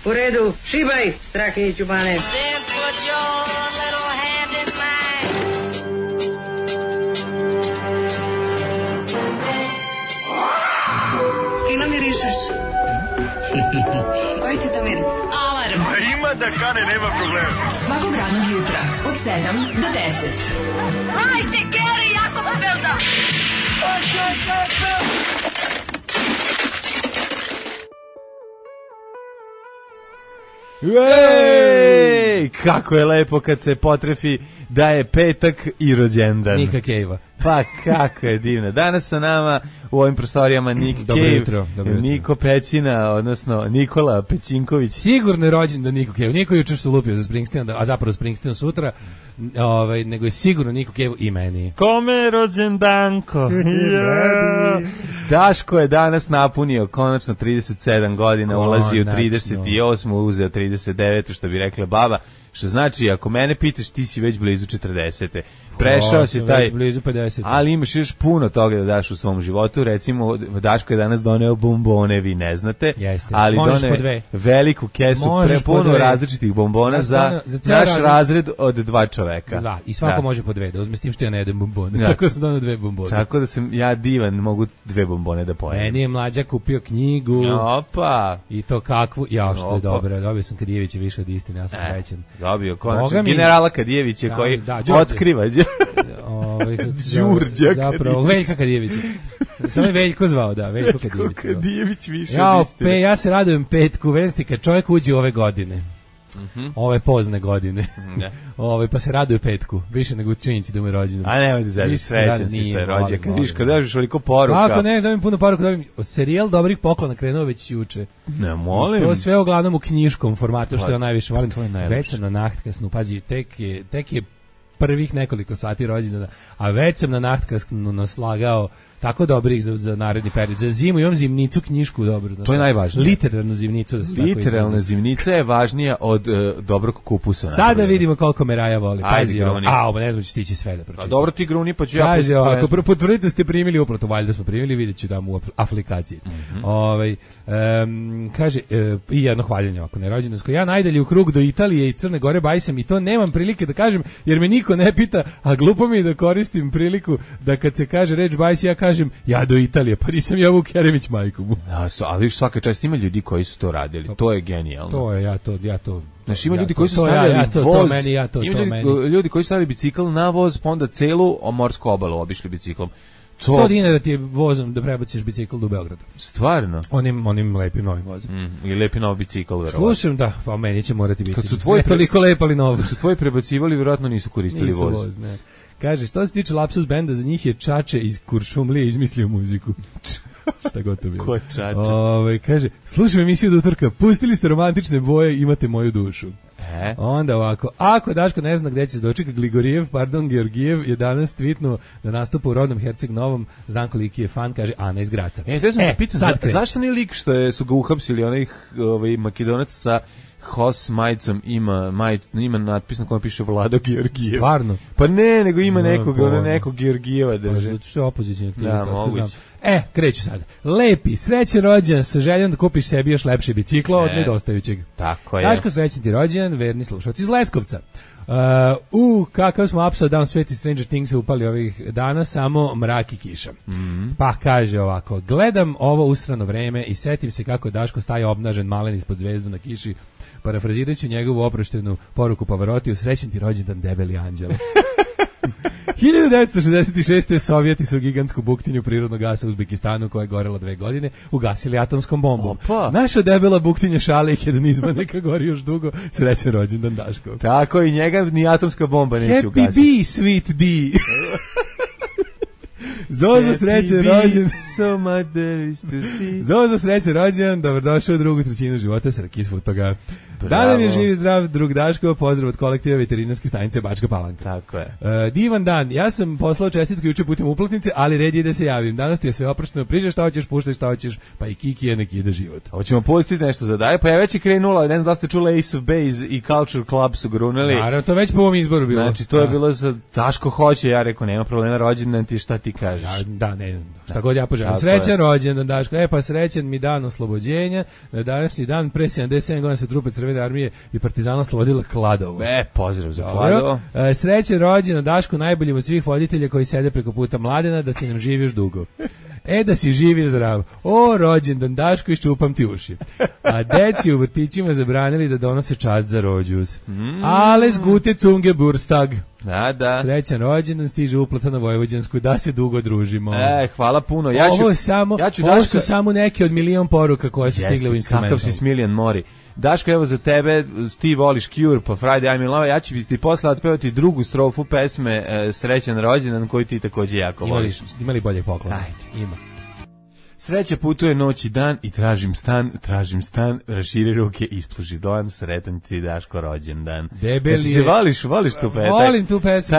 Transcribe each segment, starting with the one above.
U redu, šibaj, Strahinji Ćubane. Then put your little hand in mine. Fino mirišeš. Koji ti to miris? Alarm. Ima da kane, nema problema. Svakog radnog jutra od 7 do 10. Hajde, Geri, jako se velda. Ej, kako je lepo kad se potrefi da je petak i rođendan. Nika Kejva. Pa kako je divno. Danas sa nama u ovim prostorijama Nick Cave, Niko Pećina, odnosno Nikola Pećinković. Sigurno je rođendan Niko Cave. Niko je jučer se lupio za Springsteen, a zapravo Springsteen sutra, nego je sigurno Niko Cave i meni. Kome je rođendanko? Yeah. Daško je danas napunio konačno 37 godina, ulazi u 38, uzeo 39, što bi rekla baba. Što znači, ako mene pitaš, ti si već blizu 40. Prešao si taj, blizu 50. Ali imaš još puno toga da daš u svom životu. Recimo, Daško je danas doneo bombone, vi ne znate. Jeste. Ali doneo veliku kesu, prepuno različitih bombona za naš razred od 2 čoveka. Da, i svako može po 2, da uzme s tim što ja ne jedem bombone. Ja. Tako sam doneo 2 bombone. Tako da sam ja divan, mogu 2 bombone da pojedem. Meni je mlađa kupio knjigu. Opa! I to kakvu, što je dobro. Dobio sam Kadijevića više od istine, ja sam srećan. Dobio konačno generala Kadijevića koji otkriva Đurđak zapravo Veljka Kadijevića. Samo je Veljko zvao, da, Veljko Kadijević. Kadijević više od istine. Ja se radujem petku, vesti kad čovjek uđe ove godine. Ove pozne godine. Pa se raduje petku, više nego činjenici da mu je rođendan. A nemojte zajedno, srećan si što je rođen. Kad viš, kad dažiš veliko poruka. Kako ne, dobim puno poruka, serijal dobrih poklona krenuo već juče. Ne, molim. To sve uglavnom u knjiškom formatu, što ja najviše volim. Već sam na nachtkasnu, pazi, tek je prvih nekoliko sati rođendana, a već sam na nachtkasnu naslagao tako dobrih za naredni period. Za zimu imam zimnicu knjišku dobro. To je najvažnije. Literarnu zimnicu. Literalna zimnica je važnija od dobrog kupusa. Sada vidimo koliko me Raja voli. Pazi, ne znam, ću stići sve da pročitam. Dobro ti gruni, pa ću ja... Kaže, ako potvrdite da ste primili uplatu, valjda smo primili, vidjet ću da mu u aplikaciji. Kaže, i jedno hvaljenje ovako na rođendansko. Ja najdalje u krug do Italije i Crne Gore bajsam i to nemam prilike da kažem, jer me niko ne pita, a glupo mi je da koristim priliku da kad se kaže reč bajs, ja kažem ja do Italije, pa nisam ja Vuk Jeremić majku mu. Ali viš svaka čast ima ljudi koji su to radili, to je genijalno. To je, ja to. Znači ima ljudi koji su stavljali voz, ima ljudi koji su stavili bicikl na voz, pa onda celu morsku obalu obišli biciklom. 100 dinara ti je vozom da prebaciš bicikl do Beograda. Stvarno? Onim lepim novim vozom. I lepi novi bicikl, verovatno. Slušam, da, pa meni će morati biti. Kad su tvoji toliko lep, ali novo. Kad su tvoji prebacivali, verovatno nisu koristili voz. Ne. Kaže, što se tiče Lapsus benda, za njih je Čače iz Kuršumlije izmislio muziku. Šta god to bilo. Ko Čače? Kaže, slušam emisiju do utorka, pustili ste romantične boje, imate moju dušu. Onda ovako, ako Daško ne zna gde će se dočeka, Georgijev je danas tweetnuo da nastupa u rodnom Herceg Novom, znam koliki je fan, kaže Ana iz Graca. To sam pitan, zašto nije lik što su ga uhapsili, onaj Makedonac sa Hos majicom ima natpis na kojem piše Vlado Georgijev. Stvarno? Pa ne, nego ima nekog Georgijeva drže. Zato što je opozicijni aktivist. Da, moguće. Kreću sada. Lepi, srećan rođendan sa željom da kupiš sebi još lepše biciklo od nedostajućeg. Tako je. Daško, srećan ti rođendan, verni slušalci iz Leskovca. Kakav smo upside down sveti Stranger Things se upali ovih dana, samo mrak i kiša. Pa kaže ovako, gledam ovo usrano vreme i setim se kako Daško staje obnažen malen ispod zvezdu na kiši. Parafrazirat ću njegovu oproštenu poruku Pavarotiju, srećan ti rođendan debeli anđele. 1966. Sovjeti su gigantsku buktinju prirodnog gasa u Uzbekistanu koja je gorela 2 godine ugasili atomskom bombom. Opa. Naša debela buktinja šale i hedonizma neka gori još dugo. Srećan rođendan Daško. Tako i njega ni atomska bomba neće ugasiti. Happy B, sweet D. Zozo srećan rođendan. Zozo srećan rođendan, dobrodošao u drugu trećinu života sa Rakis toga. Da nam je živ i zdrav drug Daško, pozdrav od kolektiva veterinarske stanice Bačka Palanka. Tako je. Divan dan, ja sam poslao čestitku juče putem uplatnice, ali red je da se javim. Danas ti je sve oprošteno, priđeš šta hoćeš, puštaj šta hoćeš, pa i Kiki je neki ide život. Hoćemo pustiti nešto za daje, pa je već i krenula, ne znam da ste čuli Ace of Base i Culture Club su grunali. Naravno, to već po ovom izboru bilo. Znači, to je bilo za Daško hoće, ja rekao, nema problema, rođendan ti, šta ti kažeš. kažeš. Da, ne, šta god ja poželim. Srećan rođendan, Daško. Pa srećan mi dan oslobođenja. Na današnji dan pre 77 godina se trupe Crvene armije i partizana oslobodila Kladovo. Pozdrav za Kladovo. Srećan rođendan, Daško, najbolji od svih voditelja koji sede preko puta Mladena, da si nam živi još dugo. Da si živi i zdrav. O, rođendan, Daško, iščupam ti uši. A deci u vrtićima zabranili da donose čast za rođus. Alles gute zum Geburtstag. Da. Srećan rođendan, stiže uplata na Vojvođansku, da se dugo družimo. Hvala puno. Ovo su samo neke od milion poruka koje su stigle u instrumental. Kakav si smiljan mori. Daško, evo za tebe, ti voliš Cure pa Friday I'm in Love, ja ću ti posle otpevati drugu strofu pesme Srećan rođendan koju ti takođe jako voliš. Ima li bolje poklona? Ajde, ima. Sreća putuje noć i dan i tražim stan, raširi ruke, ispluži doan, sretan ti Daško rođendan. Debeli ti se voliš tu pesmu? Volim tu pesmu.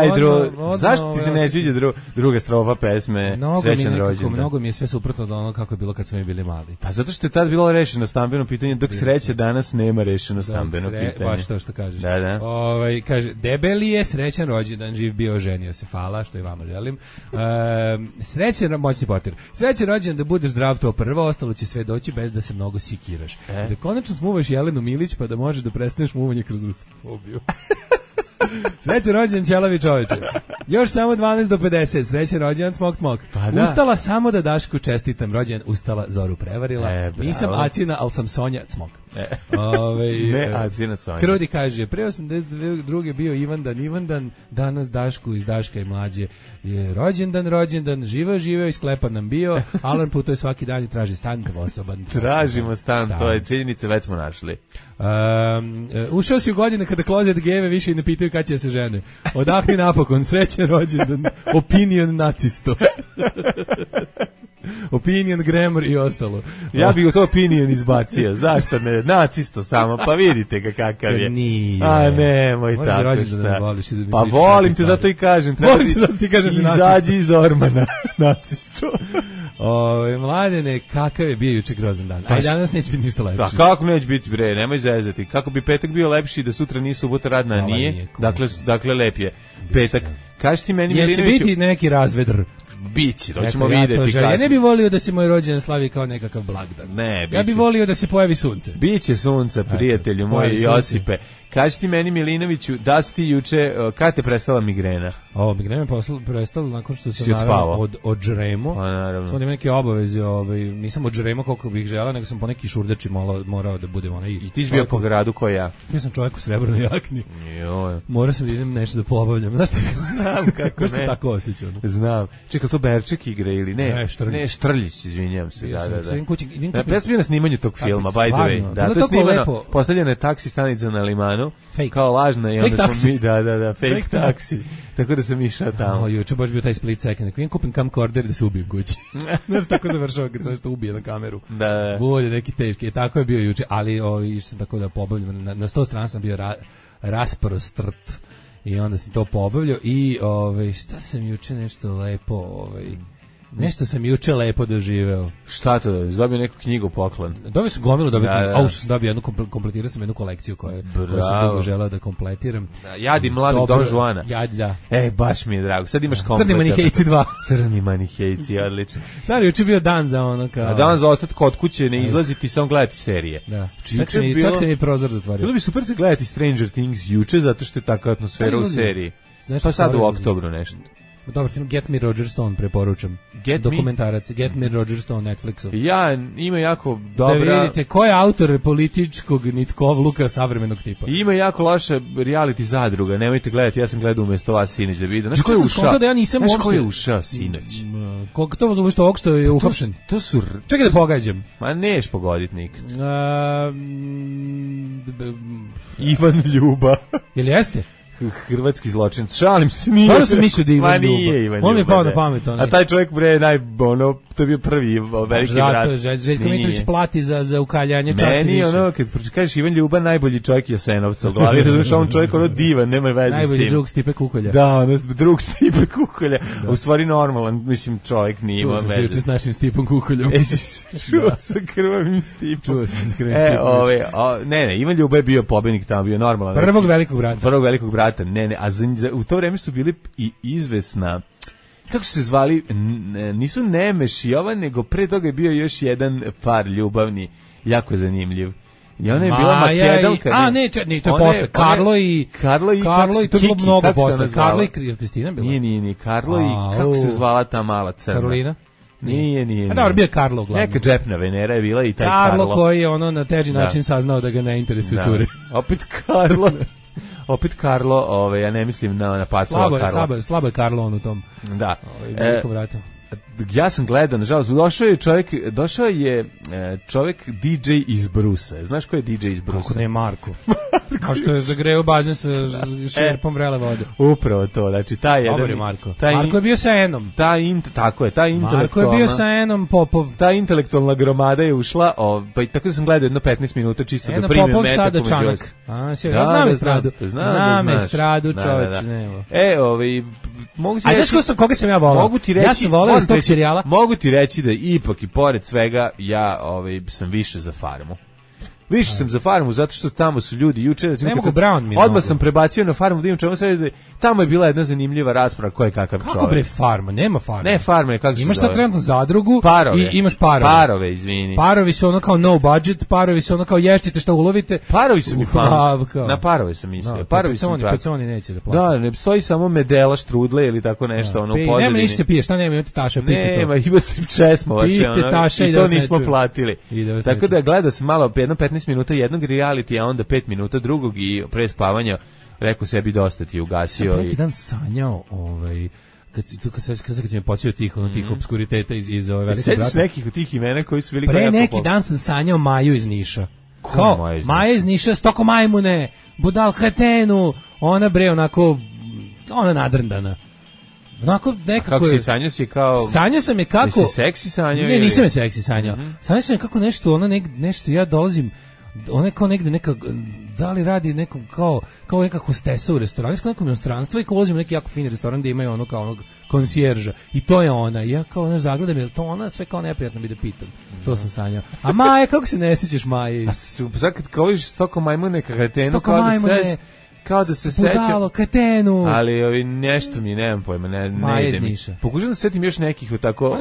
Zašto ti se ne sviđa druga strofa pesme Srećan rođendan? Mnogo mi je sve suprotno od ono kako je bilo kad smo mi bili mali. Pa zato što je tad bilo rešeno stambeno pitanje, dok sreće danas nema rešeno stambeno pitanje. Baš to što kažeš. Da. Kaže, debeli je, srećan rođendan, živ bio, ženio se, hvala, što i vama želim. Srećan, moćni portir. Srećan rođendan, da budeš zdrav, to prvo, ostalo će sve doći bez da se mnogo sikiraš. Da konačno smuvaš Jelenu Milić pa da možeš da prestaneš muvanje kroz rusofobiju. Srećan rođendan, ćelavi čoveče. Još samo 12 do 50. Srećan rođendan, smok. Pa da. Ustala samo da Dašku čestitam rođendan, ustala, Zoru prevarila. Nisam Acina, ali sam Sonja, smok. Ne Acina, Sonja. Krudi kaže, pre 82. bio Ivandan, danas Dašku iz Daška i mlađe je rođendan, živeo i sklepan nam bio, Alan putuje svaki dan i traži stan dvosoban. Tražimo stan, to je činjenica, već smo našli. Ušao si u godine kada klozet geve više i ne pitaju kad će se žene. Odahni napokon, srećan rođendan, opinion nacisto. Opinion, grammar i ostalo. Ja bih to opinion izbacio. Zašto ne? Nacisto samo, pa vidite ga kakav je. Nije. A nemoj tako šta. Pa volim te, zato i kažem. Volim te, zato ti kažem. Izađi iz Ormana, nacisto. Mladene, kakav je bio juče grozan dan. Aj danas neće biti ništa lepši. Da, kako neće biti, bre, nemoj zezati. Kako bi petak bio lepši da sutra nije subota radna, a nije. Dakle, lep je. Petak. Kaži ti meni, Milinoviću. Će biti neki razvedr. Biće, to ćemo vidjeti. Ja ne bih volio da se moj rođendan slavi kao nekakav blagdan. Ne, ja bih volio da se pojavi sunce. Biće sunca, prijatelju moj Josipe. Kaži ti meni, Milinoviću, da si ti juče, kada te prestala migrena? Migrena je prestala nakon što sam naravno odžremo. Pa naravno. Sam imam neke obaveze, nisam odžremo koliko bih želeo, nego sam po neki šurdači morao da budem onaj. I ti si bio po gradu ko ja? Ja sam čovjek u srebrnoj jakni. Joj. Morao sam da idem nešto da pobavljam. Znaš šta? Znam kako ne. Se tako osjećao. Znam. Čekaj, to Berček igra ili ne? Ne, Štrljić, izvinjavam se. Da. Ja sam bio na snimanju tog filma, by the way. Da, to je snimano, postavljena je taksi stanica na Limanu. Kao lažna i onda smo mi, da, fake taksi. Tako da sam išao tamo. Juče baš bio taj split second. Ako kupim camcorder da se ubijem kući. Znaš, tako završava kad se nešto ubije na kameru. Da. Bude neki teški. Tako je bio juče, ali išao tako da pobavljam. Na 100 strana sam bio rasprostrt. I onda sam to pobavljao. I šta sam juče nešto lepo... Nešto sam juče lepo doživeo. Šta to dobiš? Dobio neku knjigu poklon? Dobio sam gomilu, dobio kompletirao sam jednu kolekciju koju sam dugo želeo da kompletiram. Jadi mladog Don Juana. Da. Baš mi je drago. Sad imaš komplet. Crni manihejci 2. Crni manihejci, odlično. Stari, juče bio dan za ono kao... Dan za ostati kod kuće, ne izlaziti, samo gledati serije. Da. Čak se mi prozor zatvorio. Bilo bi super se gledati Stranger Things juče, zato što je takva atmosfera u seriji. Pa sad u oktobru nešto. Dobar film, Get Me Roger Stone, preporučam. Dokumentarac, Get Me Roger Stone, Netflixu. Ima jako dobra... Da vidite, ko je autor političkog nitkovluka savremenog tipa. Ima jako loša reality zadruga, nemojte gledati, ja sam gledao umjesto vas sinoć da vidim. Znaš ko je ušao? Znaš ko je ušao sinoć? Koliko to umjesto ovog što je uhapšen? To su... Čekaj da pogađam. Ma neš pogoditi nikad. Ivan Ljuba. Jel jeste? Hrvatski zločin. Šalim se, nije. Stvarno sam mislio da Ivan Ljuba. On mi je pao na pamet. A taj čovjek bre to je bio prvi veliki brat. Zato Željko Mitrović plati za ukaljanje časti više. Meni kad kažeš Ivan Ljuba, najbolji čovjek Jasenovca u glavi. Razumiješ, on čovjek divan, nema veze s tim. Najbolji drug Stipe Kukolja. Da, drug Stipe Kukolja. U stvari normalan, mislim, čovjek nije imao veze. Čuo sam se s našim Stipom Kukoljom. Čuo sa krvavim Stipom. Čuo sam se s krvavim Stipom. Ne, Ivan Ljuba je bio pobednik tamo, bio normalan. Prvog velikog brata. Ne, a u to vreme su bili i izvesna kako su se zvali, nisu Nemeš i Jovan, nego pre toga je bio još jedan par ljubavni, jako zanimljiv. I ona je bila Makedonka. Ne, to je posle. Karlo i to je bilo mnogo posle. Karlo i Kristina bila. Nije, Karlo i, kako se zvala ta mala crna? Karolina? Nije. A dobro, bio je Karlo uglavnom. Neka džepna Venera je bila i taj Karlo. Karlo koji je na teži način saznao da ga ne interesuju cure. Opet Karlo, ja ne mislim na Pacova Karlo. Slabo je Karlo on u tom. Da. Velikom vratu. Ja sam gledao, nažalost, došao je čovjek DJ iz Brusa. Znaš ko je DJ iz Brusa? Kako ne, Marko. A što je zagreo bazen sa šerpom vrele vode. Upravo to, znači taj jedan... Dobar je Marko. Marko je bio sa Enom. Tako je, taj intelektualna... Marko je bio sa Enom Popov. Ta intelektualna gromada je ušla, pa tako da sam gledao jedno 15 minuta čisto Eno da primim Popov metak. Sada Čanak. Znam estradu. Znam estradu, čovječ, nema. Mogu ti reći... koga sam ja volao? Ja sam volao iz tog serijala. Mogu ti reći da ipak i pored svega ja sam više za Farmu. Više sam za Farmu zato što tamo su ljudi juče odmah sam prebacio na Farmu da imam čemu sve. Tamo je bila jedna zanimljiva rasprava ko je kakav čovjek. Kako bre Farma? Nema Farma. Ne Farma, kako se imaš zove? sad trenutno zadrugu i imaš parove. Parove, izvini. Parovi su ono kao no budget, parovi su ono kao ještite šta ulovite. Parovi su mi na parove sam mislio. Parovi su mi peconi neće da plati. Da, ne stoji samo medela, štrudle ili tako nešto ono u pozadini. Nema ništa se pije, šta nema, imate taša, pijte to. Nema, imate česmovače, i to nismo platili. Tako da gledao sam malo, jedno 15 minuta jednog reality, a onda 5 minuta drugog i pre spavanja rekao sebi dosta ti ugasio. Sam neki dan sanjao, kad si me počeo tih obskuriteta iz ove velike brate. Sećaš nekih od tih imena koji su bili pre neki dan sam sanjao Maju iz Niša. Maja iz Niša, stoko majmune, budal kretenu, ona bre onako, ona nadrndana. Onako nekako kako si sanjao si kao... Sanjao sam je kako... Jesi seksi sanjao? Ne, nisam je seksi sanjao. Sanjao sam je kako nešto, nešto ja dolazim, ona je kao negde neka, da li radi nekom kao neka hostesa u restoranu, nekom inostranstvu i kao ulazim u neki jako fini restoran gdje imaju ono kao onog konsjerža. I to je ona. I ja kao zagledam, je li to ona? Sve kao neprijatno bi da pitam. To sam sanjao. A Maja, kako se ne sjećaš Maje? A sad kad kao vidiš stoko majmune kakretenu, kao da se sećam. Budalo, katenu. Ali nešto mi, nemam pojma, ne ide mi. Pokušam da se setim još nekih tako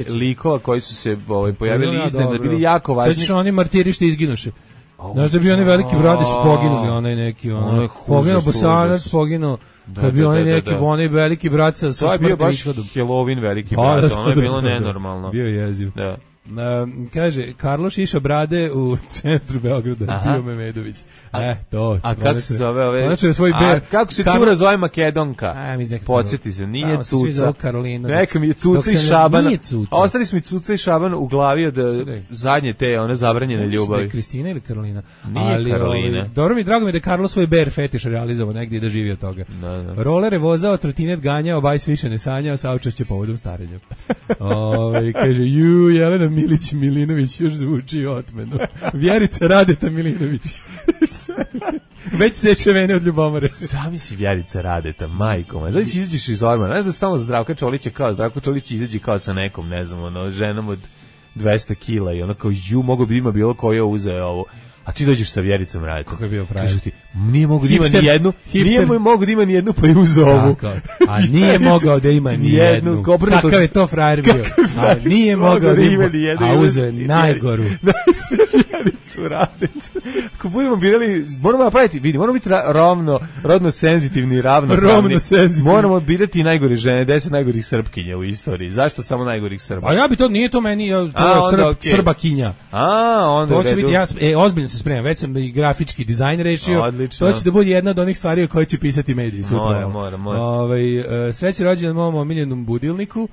likova koji su se pojavili iznenada, bili jako važni. Sećaš oni martiri što izginuše. Znaš da bi oni veliki bradi su poginuli, onaj neki, poginuo Bosanac, poginuo, da bi oni neki, onaj veliki brat sa smrtnim ishodom. To je bio baš Halloween veliki brat, ono je bilo nenormalno. Bio je jeziv. Da. Kaže, Karlo šiša brade u centru Beograda, Pio Memedović. To. A kako se zove ove? Znači svoj ber. Kako se cura zove Makedonka? Podsjeti se, nije Cuca. Neka mi je Cuca i Šaban. A ostali su mi Cuca i Šaban u glavi od zadnje te, one zabranjene ljubavi. Kristina ili Karolina? Nije Karolina. Dobro mi, drago mi da je Karlo svoj ber fetiš realizovao negdje i da živi od toga. Roller je vozao, trotinet ganjao, bajs više ne sanjao, saučešće povodom starenja. Kaže, Jelena Milić Milinović još zvuči otmeno. Vjerica Radeta Milinović. Već seče mene od ljubomore. Sami si Vjerica Radeta, majko moja. Znači si izađeš iz ormana. Znaš da stalno Zdravka Čolić je kao, Zdravko Čolić izađe kao sa nekom, ne znam, ženom od 200 kila i ono kao, mogo bi ima bilo ko je uzeo ovo. A ti dođeš sa Vjericom Radetom. Kako je bio frajer? Kažu ti, nije mogo da ima ni jednu, pa je uzeo ovu. A nije mogao da ima ni jednu. Kakav je to frajer bio? A nije mogao da ima ni jednu. A uzeo je najgoru. Vjericu Radet. Ako budemo birali, moramo napraviti, vidi, moramo biti rodno senzitivni i ravnopravni. Moramo birati najgore žene, 10 najgorih Srpkinja u istoriji. Zašto samo najgorih Srba? A ja bi to, nije to meni, to je Srbakinja. Onda to će biti, ozbiljno se spremam, već sam i grafički dizajn rešio. Odlično. To će da bude jedna od onih stvari o kojoj će pisati mediji. Mora. Sreći rođendan mom omiljenom budilniku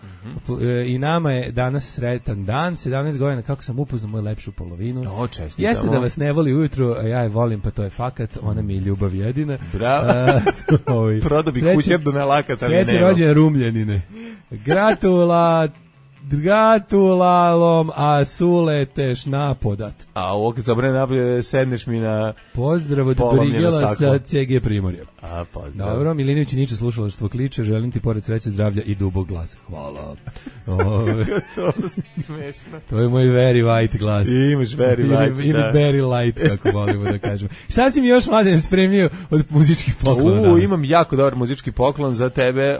i nama je danas sretan dan, 17 godina kako sam upoznao moju lepšu polovinu. Jeste da vas ne voli ujutru, a ja je volim, pa to je fakat, ona mi je ljubav jedina. Bravo. Prodao bi kućer do nelakata. Sreći rođendan Rumljanine. Gratulalom, a suleteš napodat. A ovo kad zabrane napolje, sedneš mi na Pozdrav od polomljeno Brigela staklo. sa CG Primorja. A, pozdrav. Dobro, Milinović Niče slušalaštvo kliče, želim ti pored sreće, zdravlja i dubog glasa. Hvala. To smešno. To je moj very white glas. Imaš very white, Ili da. very light, kako volimo da kažemo. Šta si mi još, Mladen, spremio od muzičkih poklona danas? Imam jako dobar muzički poklon za tebe,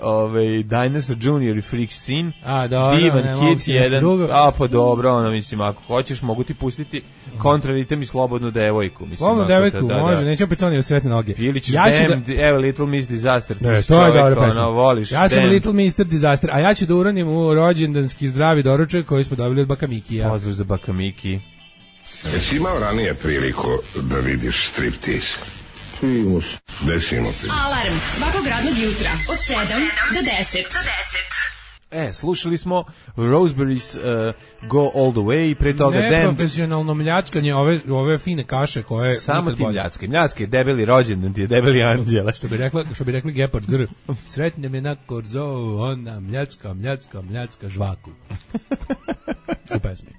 Dinosaur Junior i Freak Scene. A, dobro, divan ne mogu hit si nešto jedan. drugo. A, pa dobro, mislim, ako hoćeš, mogu ti pustiti kontraritem i slobodnu devojku. Mislim, Slobodnu ako devojku, da. može, neće opet oni u sretne noge. Ili ćeš Ja ću evo Little Miss Disaster. Ne, si to je čovek, dobra pesma. voliš Ja sam Damned. Little Mr. Disaster, a ja ću da uranim u rođendanski zdravi doručak koji smo dobili od Baka Mikija. Pozdrav za Baka Miki. Jesi imao ranije priliku da vidiš striptease? Primus. Desimo ti. Alarm svakog radnog jutra od 7 do 10. Slušali smo Roseberries Go All The Way, pre toga Damned. Neprofesionalno mljačkanje ove fine kaše koje Samo nikad ti bolje. mljacke, debeli rođendan ti je debeli anđele. Što bi rekli Gepard Gr. Sretne me na korzo, ona mljačka žvaku. U pesmi.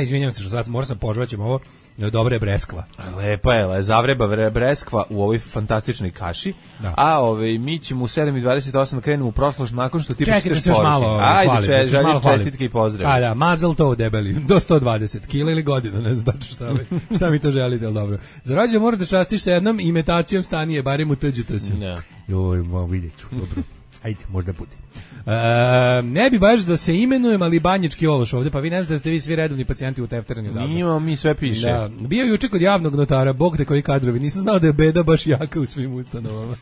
Izvinjam se što sad moram sam požvaćem ovo. Dobra je breskva. Lepa je, zavreba breskva u ovoj fantastičnoj kaši. Da. A mi ćemo u 7:28 da krenemo u prošlost nakon što ti Čekaj da se još malo hvalim. Ajde, čestitke i pozdrav. Da, mazel to debeli, do 120 kila ili godina, ne znam šta mi to želite, ali dobro. Za rođendan moraš da častiš sa jednom imitacijom Stanije, barem u tuđu se. Joj, vidjet ću, dobro. Ajde, možda bude. Ne bi baš da se imenujem, ali banjički ološ ovde, pa vi ne znate da ste vi svi redovni pacijenti u tefteranju odavno. Nijemo, mi sve piše. Da, bio juče kod javnog notara, bog te koji kadrovi, nisam znao da je beda baš jaka u svim ustanovama.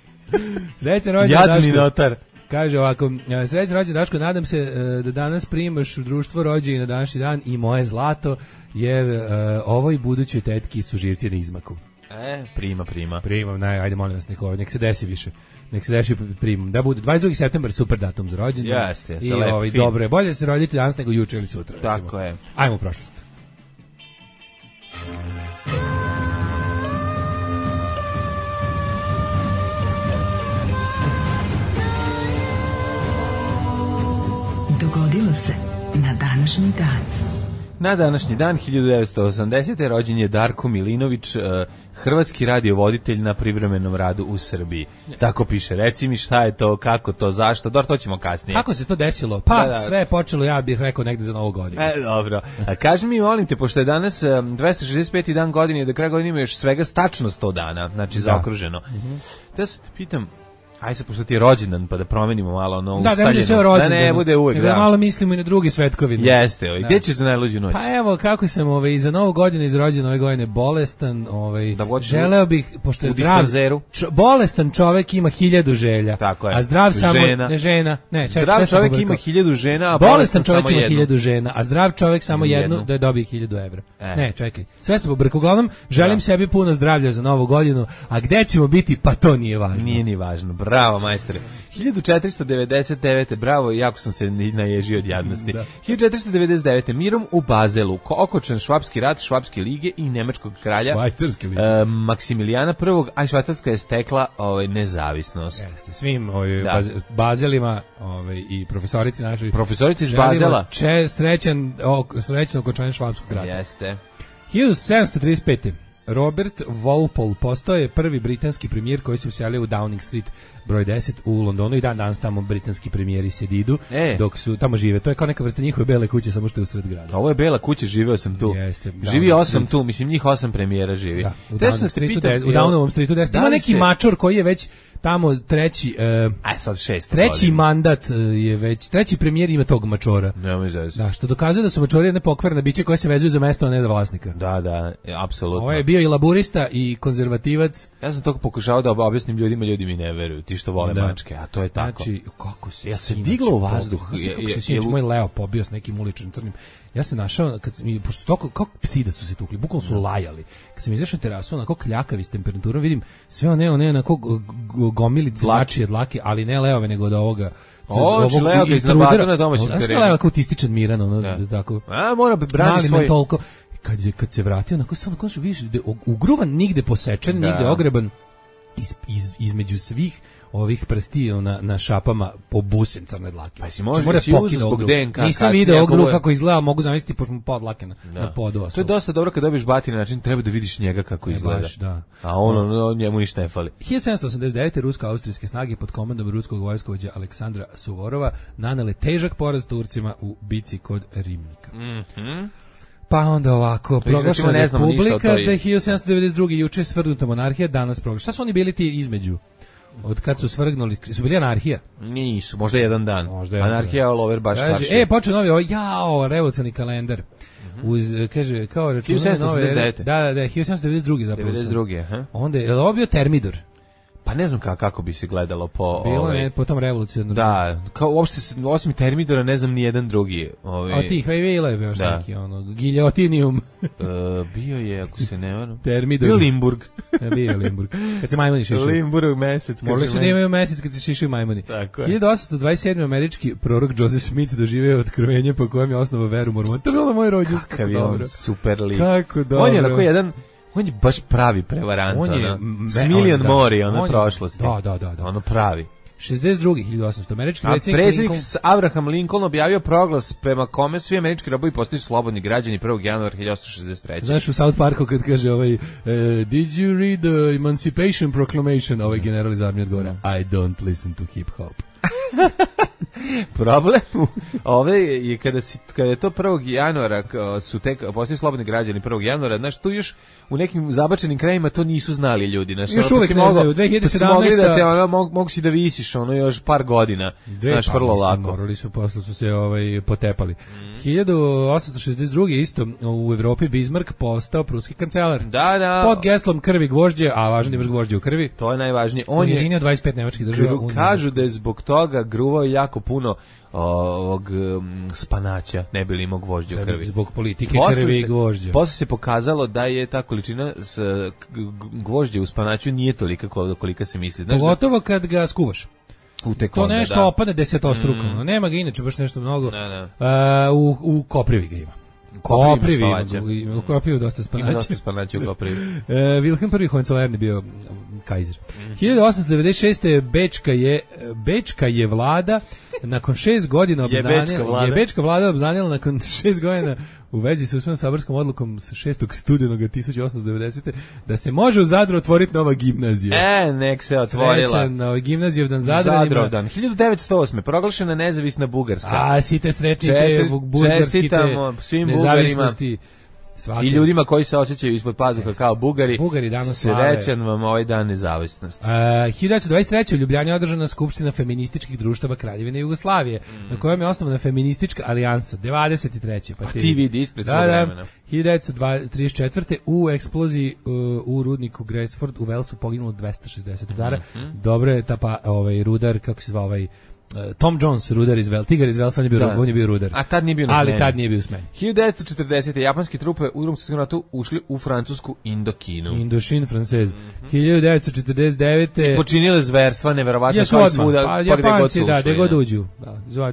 Srećan rođendan, Jadni Daško. notar. Kaže ovako, srećan rođendan, Daško, nadam se da danas primaš u društvo rođenja na današnji dan i moje zlato, jer ovoj budućoj tetki su živci na izmaku. Prima. Primam, ajde molim vas, nek se desi više. Nek se deši primam. Da bude 22. septembar, super datum za rođendan. Jeste, i lep, dobro je, bolje se roditi danas nego juče ili sutra. Tako recimo. je. Ajmo u prošlost. Dogodilo se na današnji dan. Na današnji dan, 1980. rođen je Darko Milinović, hrvatski radiovoditelj na privremenom radu u Srbiji. Tako piše. Reci mi šta je to, kako to, zašto, to ćemo kasnije. Kako se to desilo? Pa, sve je počelo, ja bih rekao, negde za Novu godinu. Dobro. Kaži mi, molim te, pošto je danas 265. dan godine, do kraja godine ima još svega tačno 100 dana, znači zaokruženo. Da se te pitam, aj se, pošto ti je rođendan, pa da promenimo malo ono ustaljeno. Da bude sve rođendan. Da ne bude uvek, da malo mislimo i na drugi svetkovine. Jeste, gdje ćeš za najluđu noć? Pa evo, kako sam i za Novu godinu izrođen ove godine bolestan, želeo bih, pošto je zdrav, bolestan čovek ima 1000 želja. Tako je. A zdrav samo, žena. Zdrav čovek ima 1000 žena, a bolestan čovek ima 1000 žena, a zdrav čovek samo jednu da dobije 1000 evra. Ne, čekaj, sve se pobrka. Uglavnom, želim sebi puno zdravlja za Novu godinu, a gde ćemo biti, pa to nije važno. Nije ni važno. Bravo, majstore. 1499. Bravo, jako sam se naježio od jadnosti. 1499. Mirom u Bazelu, okočen Švapski rat, Švapske lige i nemačkog kralja Maksimilijana I, a Švajcarska je stekla nezavisnost. Jeste, svim Bazelima i profesorici našoj. Profesorici iz Bazela. Srećan okončanje Švapskog rata. Jeste. 1735. Robert Walpole postao je prvi britanski premijer koji se uselio u Downing Street broj 10 u Londonu i danas tamo britanski premijeri sedidu dok su tamo žive. To je kao neka vrsta njihove bele kuće, samo što je u sred grada. Ovo je bela kuća, živeo sam tu. Jeste, živi 8 tu, mislim njih 8 premijera živi. Da, u Downingovom Streetu 10. Ima neki mačor koji je već tamo treći sad 6. treći mandat je već, treći premijer ima tog mačora. Da, što dokazuje da su mačori jedne pokvarne biće koje se vezuju za mesto, a ne za vlasnika. Da, apsolutno. Ovo je bio i laburista i konzervativac. Ja sam to pokušao da objasnim ljudima, ljudi mi ne veruju, ti što vole mačke, a to je tako. Znači, kako se diglo u vazduh. Kako se sinoć moj Leo pobio s nekim uličnim crnim. Ja sam našao, pošto kao psi da su se tukli, bukvalno su lajali. Kad sam izašao na terasu, onako kljakavi s temperaturom, vidim sve one onako gomilice mačije dlake, ali ne leove, nego od ovoga. Leo ga iznabadao na domaćem terenu. Znaš Leo kao autističan miran, tako. Mora brani svoj. Toliko. Kad se vratio, onako samo vidiš, ugruvan, nigde posečen, nigde ogreban. između svih ovih prstiju na šapama pobusen crne dlake. Pa si može si uzeti zbog DNK. Nisam video ovog druga kako izgleda, mogu zamisliti pošto mu podlake na podu. To je dosta dobro kad dobiješ batine, način treba da vidiš njega kako izgleda. Baš, da. A ono njemu ništa ne fali. 1789. rusko-austrijske snage pod komandom ruskog vojskovođa Aleksandra Suvorova nanele težak poraz Turcima u bici kod Rimnika. Pa onda ovako, proglašena republika, da je 1792. juče svrgnuta monarhija, danas proglašena. Šta su oni bili ti između? Od kad su svrgnuli, su bili anarhija? Nisu, možda jedan dan. Anarhija all over baš čarši. Počeo novi, revolucionarni kalendar. Kaže, kao računanje nove... 1789. Da, 1792. zapravo. 92. Onda je ovo bio Termidor. Pa ne znam kako bi se gledalo po... Bilo je po tom revolucionarnom. Da, kao uopšte, osim Termidora ne znam ni jedan drugi. A tih Vejvila je bio neki, Giljotinium. Bio je, ako se ne varam. Termidor. Bio Limburg. Bio Limburg. Kad se majmuni šišaju. Limburg mesec. Morali su da imaju mesec kad se šišaju majmuni. Tako je. 1827. američki prorok Joseph Smith doživeo otkrovenje po kojem je osnovao veru mormona. To je bilo moj rođendan. Kakav je on super lik. Kako dobro. On je onako jedan... On je baš pravi prevarant, s milion mori, prošlosti. Da. Ono pravi. 62. 1800. Američki predsjednik Abraham Lincoln objavio proglas prema kome svi američki robovi postaju slobodni građani 1. januara 1863. Znaš u South Parku kad kaže did you read the Emancipation Proclamation? Ovaj general iz armije odgovara, I don't listen to hip hop. Problem je kada je to 1. januara su tek postali slobodni građani 1. januara, znaš, tu još u nekim zabačenim krajima to nisu znali ljudi, znaš, još uvek ne znaju. 2017. Mogu si da visiš još par godina, znaš, vrlo lako. Morali su, posle su se potepali. 1862. isto u Evropi Bismarck postao pruski kancelar. Da. Pod geslom krvi gvožđe, a važno imaš gvožđe u krvi. To je najvažnije. On je 25 nemačkih država. Kažu da je zbog toga gruvao jako puno ovog spanaća, ne bi li imao gvožđe u krvi. Zbog politike krvi i gvožđa. Posle se pokazalo da je ta količina gvožđe u spanaću nije tolika kolika se misli. Pogotovo kad ga skuvaš. To nešto opane desetostruko. Nema ga inače baš nešto mnogo. U koprivi ga ima. U Koprivi dosta spanaća. Ima dosta spanaća u Koprivi. Wilhelm I Hohenzollern bio kajzer. 1896. Bečka je vlada nakon 6 godina Bečka vlada obznanila nakon 6 godina u vezi sa usvojenom saborskom odlukom sa 6. studenog 1890. da se može u Zadru otvoriti nova gimnazija. Nek se otvorila. Srećan Gimnazijevdan Zadranima. 1908. proglašena nezavisna Bugarska. A, site sretnite bugarski te nezavisnosti. I ljudima koji se osjećaju ispod pazuha kao Bugari danas slave. Srećan vam ovaj dan nezavisnosti. 1923. u Ljubljani je održana skupština feminističkih društava Kraljevine Jugoslavije, na kojom je osnovana feministička alijansa. 23. Pa ti vidi ispred svog vremena. 1934. u eksploziji u rudniku Gresford u Walesu poginulo 260 rudara. Dobro je rudar, kako se zva Tom Jones, rudar iz Velsa, tigar iz Velsa, on je bio rudar. A tad nije bio na smeni. Ali tad nije bio u smeni. 1940. japanski trupe u Drugom svjetskom ratu ušli u francusku Indokinu. Indochine francez. 1949. I počinile zverstva, neverovatno, kao svuda, pa gde god su ušli. Gde god uđu.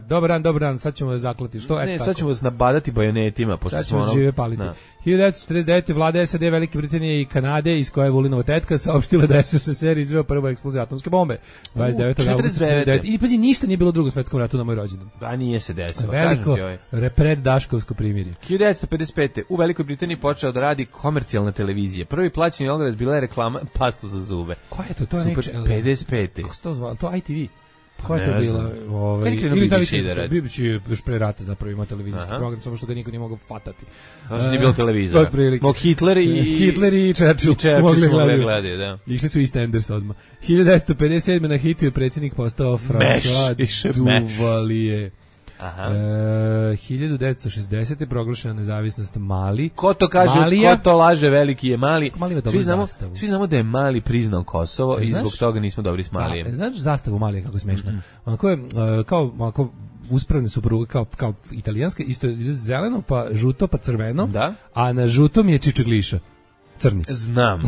Dobar dan, sad ćemo zaklati. Što? Sad ćemo vas nabadati bajonetima. Sad ćemo žive paliti. 1949. vlada SAD, Velike Britanije i Kanade, iz koje je Vulinova tetka, saopštila da je SSSR izveo prvu eksploziju atomske bombe. 29. augusta 49. I pazi, ništa nije bilo u Drugom svetskom ratu na moj rođendan. Da, nije se desilo. Veliko preddaškovsko primirje. 1955. u Velikoj Britaniji počeo da radi komercijalna televizija. Prvi plaćeni oglas bila je reklama pasta za zube. Koja je to? To je Super, 55. Kako se to zvalo? To ITV. Koja je to bila? Ili BBC još pre rata zapravo ima televizijski program, samo što ga niko nije mogao fatati. Znači nije bilo televizora. Mog Hitler i Churchill su mogli gledati, da. Išli su EastEnders odmah. 1957. na hitu je predsjednik postao François Duvalier. 1960. proglašena nezavisnost Mali. Ko to kaže, Malija, ko to laže, veliki je Mali. Svi znamo da je Mali priznao Kosovo i zbog toga nismo dobri s Malijem. Znaš zastavu Malija kako je smešna? Onako je kao uspravne su pruge kao italijanska, isto je zeleno, pa žuto, pa crveno, a na žutom je čičegliša. Crni. Znam,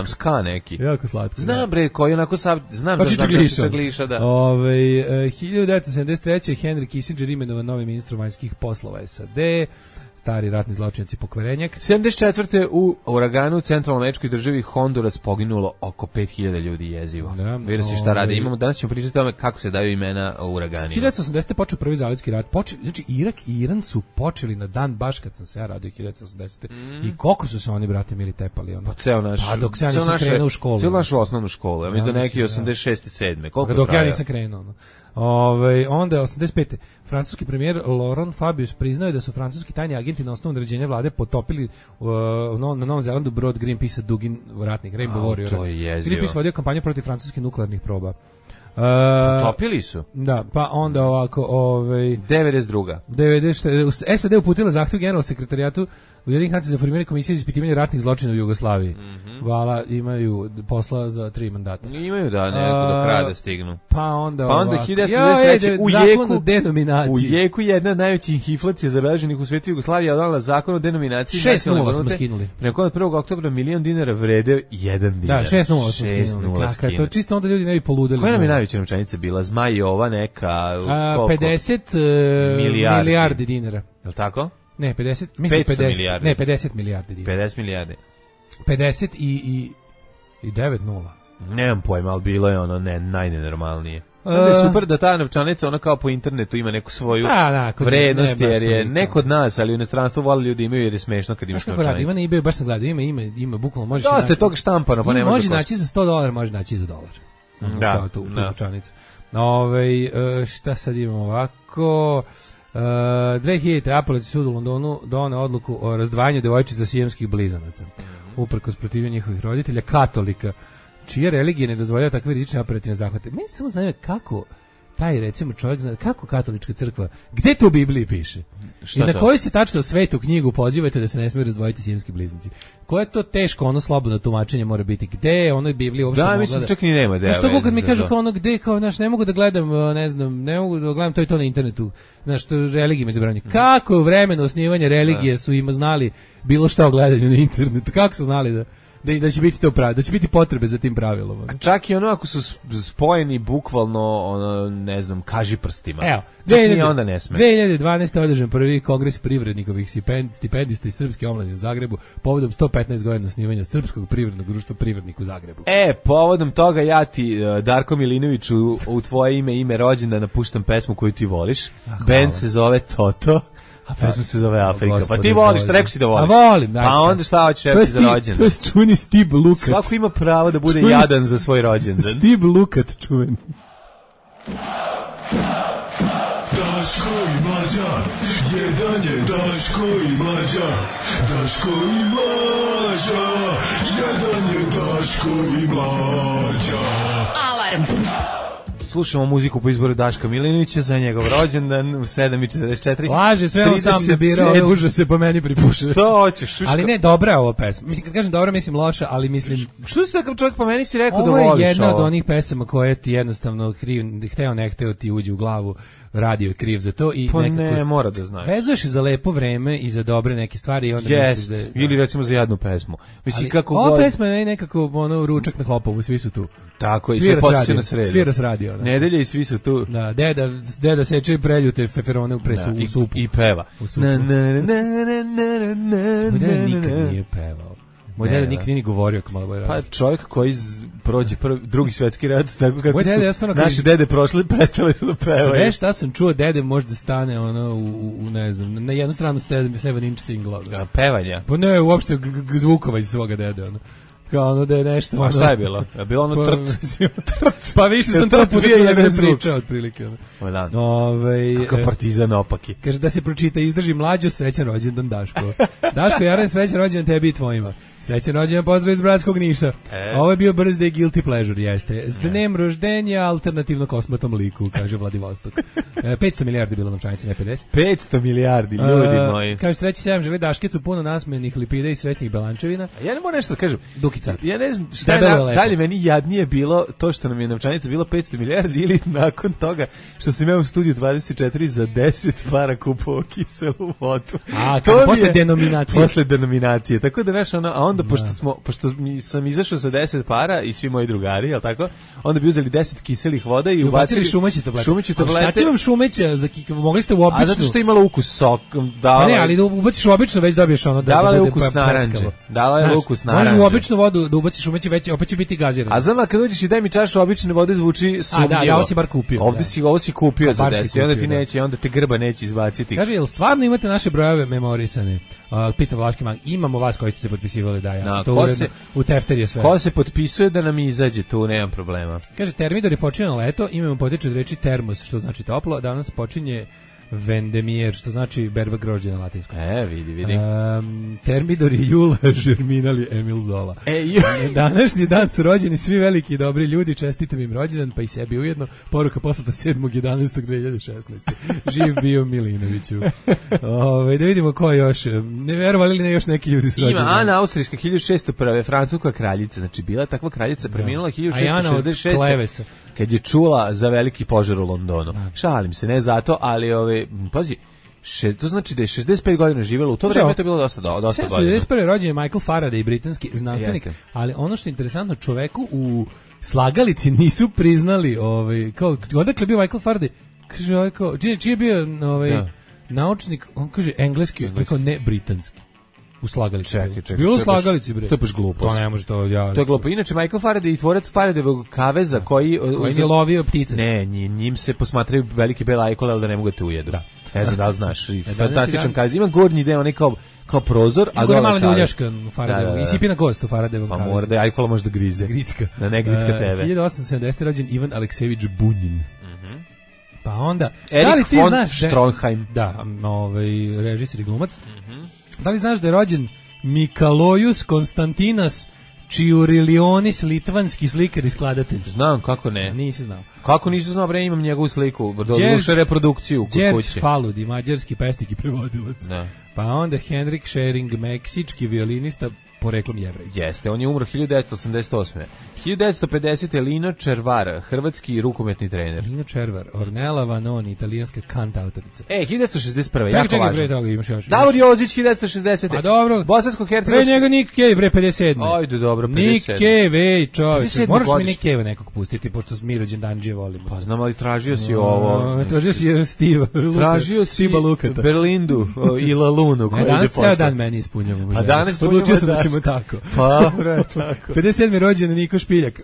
ska neki. Jako slatko. Znam bre, koji onako znam da čičegliša, da. 1973. Henry Kissinger imenovan novim ministrom vanjskih poslova SAD. stari ratni zločinac i pokvarenjak. 74. u uraganu u centralnoameričkoj državi Honduras poginulo oko 5000 ljudi jezivo. Da, Vidi se šta rade. Imamo, danas ćemo pričati o tome kako se daju imena uraganima. 1980. počeo prvi zalivski rat. Znači, Irak i Iran su počeli na dan baš kad sam se ja radio 1980. I koliko su se oni, brate, mili tepali? Ono? Pa ceo naš... Pa dok se ja nisam krenuo u školu. Ceo našu osnovnu školu. Ja mislim da neki 86. 7. Koliko dok traja? ja nisam krenuo. Ono. Onda 85. Francuski premijer Laurent Fabius priznao je da su francuski tajni agenti na osnovu naređenja vlade potopili na Novom Zelandu brod Greenpeace Dugin ratnik Rainbow Warrior. To je jezivo. Greenpeace vodio kampanju protiv francuskih nuklearnih proba. Potopili su? Da, pa onda ovako... 92. SAD uputila zahtjev generalnom sekretarijatu Ujedinjenih nacija za formiranje komisije za ispitivanje ratnih zločina u Jugoslaviji. Vala imaju posla za 3 mandata. Imaju da, neko do kraja da stignu. Pa onda 1993. U jeku jedna od najvećih inflacija zabeleženih u svetu Jugoslavije je odala zakon o denominaciji. 6-0 smo skinuli. Preko od 1. oktobra $1.000.000 vrede 1 dinar. Da, 6-0 smo skinuli. Kako to čisto onda ljudi ne bi poludeli. Koja nam je najveća novčanica bila? Zmaj je ova neka... 50 milijardi dinara. Je li tako? Ne, 50, mislim 50 milijardi. Ne, 50 milijardi dinara. 50 milijardi. 50 i 9-0. Nemam pojma, ali bilo je ono najnenormalnije. Onda je super da ta novčanica, ona kao po internetu ima neku svoju vrednost, jer je neko od nas, ali u inostranstvu vole ljudi imaju jer je smešno kad imaš novčanicu. Ima na eBayu, baš sam gledao, ima bukvalno možeš... Dosta je toga štampano, pa nema može naći za $100, može naći za $1. Da, kao tu novčanicu. Šta sad imamo ovako... 2000. Apelacijski sud u Londonu doneo odluku o razdvajanju devojčica sijemskih blizanaca. Uprkos protivljenju njihovih roditelja, katolika, čija religija ne dozvoljava takve rizične operativne zahvate. Meni se samo zanima kako taj, recimo, čovjek zna, kako katolička crkva, gde to u Bibliji piše? I na koju se tačno svetu knjigu pozivate da se ne smiju razdvojiti sijemski blizanci? Koje to teško, ono slobodno tumačenje mora biti? Gde je onoj Bibliji uopšte mogla da... Da, mislim, čak i nema da je... Što kad mi kažu kao ono, gde, kao, znaš, ne mogu da gledam, ne znam, ne mogu da gledam to i to na internetu, znaš, to religije me zabranju. Kako u vremenu osnivanja religije su ima znali bilo šta o gledanju na internetu? Kako su znali da će biti to pravi, da će biti potrebe za tim pravilom. A čak i ono ako su spojeni bukvalno, ono, ne znam, kažiprstima. Evo, onda ne sme. 2012. održan prvi kongres privrednikovih stipendista iz Srpske omladine u Zagrebu povodom 115 godina osnivanja Srpskog privrednog društva Privrednik u Zagrebu. Povodom toga ja ti, Darko Milinoviću, u tvoje ime rođendana napuštam pesmu koju ti voliš. Band se zove Toto. A pesma se zove Afrika. Pa ti voliš, rekao si da voliš. A volim, pa onda šta hoćeš reći za rođendan? To je čuveni Steve Lukat. Svako ima pravo da bude jadan za svoj rođendan. Steve Lukat čuveni. Daško i Mlađa, jedan je Daško i Mlađa, Daško i Mlađa, jedan je Daško i Mlađa. Alarm. Slušamo muziku po izboru Daška Milinovića za njegov rođendan u 7:44. Laže, sve on sam da birao, ove užase po meni pripušta. Što hoćeš? Ali ne, dobra je ova pesma. Mislim, kad kažem dobra, mislim loša, ali mislim... Što si takav čovjek po meni si rekao da voliš ovo? Ovo je jedna od onih pesama koje ti jednostavno hteo ne hteo ti uđe u glavu, radio je kriv za to i pa nekako... ne, mora da znaš. Vezuješ za lepo vreme i za dobre neke stvari i onda misliš da je... Ili recimo za jednu pesmu. Mislim, kako ova pesma je nekako ručak na Hopovu, svi su tu. Tako, i sve posjeće na sredu. Svira s radio. Nedelje i svi su tu. Da, deda seče preljute feferone u supu. I peva. Moj deda nikad nije pevao. Moj deda nikad nije ni govorio kao malo radio. Pa čovjek koji prođe drugi svjetski rat, tako kako su naši dede prošli, prestali su da pevaju. Sve šta sam čuo dede možda stane u ne znam, na jednu stranu 7 inch singla. Pevanja? Pa ne, uopšte zvukova iz svoga dede, ono. Kao ono da je nešto... A šta je bilo? Je bilo ono trt? Pa više sam to pudio da ne pričao otprilike. Kakav partizan opaki. Kaže da se pročita, izdrži Mlađo, srećan rođendan Daško. Daško Jaren, srećan rođendan tebi i tvojima. Srećan rođendan, pozdrav iz Bratskog Niša. Ovo je bio birthday guilty pleasure, jeste. S dnem roždenja alternativno kosmatom liku, kaže Vladivostok. 500 milijardi bilo novčanice, ne 50. 500 milijardi, ljudi moji. Kaže, 3.7 želi Daškicu, puno nasmenih lipida i srećnih belančevina. Ja ne moram nešto da kažem. Dukica. Ja ne znam šta je dalje meni jadnije bilo to što nam je novčanica bilo 500 milijardi ili nakon toga što sam imao u studiju 24 za 10 para kupovao kiselu vodu. A, posle denominacije. Posle denominacije. Tako da, znaš, a onda pošto sam izašao sa 10 para i svi moji drugari, jel tako? Onda bi uzeli 10 kiselih voda i ubacili šumeće tablete. Šumeće tablete. Šta će vam šumeća za mogli ste u običnu? A zato što je imalo ukus sok. Ne, ali da ubaciš u običnu već dobiješ ono da bude ukus naranče. Davala je ukus naranče. Možeš u običnu vodu da ubaciš šumeće, već opet će biti gazirano. A znam kad dođeš i daj mi čašu obične vode zvuči sumnjivo. Da, ovo si bar kupio. Ovo si kupio za 10. Onda ti neće, onda te grba neće izbaciti. Kaže, jel stvarno imate naše brojeve memorisane? Pita Vlaški mag, imamo vas koji ste se potpisivali, da, ja sam to uredno u tefterije sve. Ko se potpisuje da nam izađe, tu nemam problema. Kaže, Termidor je počinje leto, imamo potiče od reči termos, što znači toplo, danas počinje Vendemier, što znači berba grožđe na latinskom. Vidi. Termidor je jula, Žerminal je Emil Zola. Današnji dan su rođeni svi veliki i dobri ljudi, čestitam im rođendan, pa i sebi ujedno. Poruka poslata 7.11.2016. Živ bio Milinoviću. Da vidimo ko još. Ne verovali li ne još neki ljudi su rođeni. Ima Ana Austrijska 1601. Francuska kraljica, znači bila takva kraljica, preminula 1666. Kad je čula za veliki požar u Londonu. Šalim se, ne zato, ali pazi, to znači da je 65 godina živjela, u to vreme to je bilo dosta godina. 1991. rođen je Michael Faraday, britanski znanstvenik, ali ono što je interesantno, čoveku u slagalici nisu priznali, kao, odakle bio Michael Faraday, kaže, čiji je bio naučnik, on kaže engleski, rekao ne britanski. U slagalici. Čekaj. Bilo u slagalici, bre. To je baš glupo. To ne može to. To je glupo. Inače, Michael Faraday i tvorac Faradayevog kaveza koji je lovio ptice. Ne, njim se posmatraju velike bele ajkole, ali da ne mogu te ujedu. Da. Ne znam da li znaš. Fantastičan kavez. Ima gornji deo, onaj kao prozor, a gore mala ljuljaška u Faradayevog. I sipina kost u Faradayevog kavezu. Pa mora da je ajkola može da grize. Gricka. Da ne gricka tebe. 1870. rođen Ivan Aleksejević Bunjin. Pa onda... Erik von Stroheim. Da, režisir i glumac. Da li znaš da je rođen Mikalojus Konstantinas Čiurilionis, litvanski slikar i skladatelj? Znam, kako ne. Nisi znao. Kako nisi znao, bre, imam njegovu sliku, doduše reprodukciju kod kuće. Đerđ Faludi, mađarski pesnik i prevodilac. Da. Pa onda Henrik Schering, meksički violinista, poreklom Jevrej. Jeste, on je umro 1988. 1950. Lino Červar, hrvatski rukometni trener. Lino Červar, Ornella Vanoni, italijanska kantautorica. 1961. Jako čekaj, važno. Pre toga imaš još. Davor Jozić, 1960. Pa dobro. Bosansko-hercegovački. Pre njega Nick Cave, bre, 57. Ajde, dobro, 57. Nick Cave, čovječe. Moraš mi Nick Cave nekog pustiti, pošto mi rođendanđije volimo. Pa znam, ali tražio si ovo. Tražio si Steve. Tražio si Berlindu i Lalunu. Danas ceo dan meni ispunjamo. A danas odlučio sam da ćemo tako. Pa, tako. 57. rođen Niko Špiljak,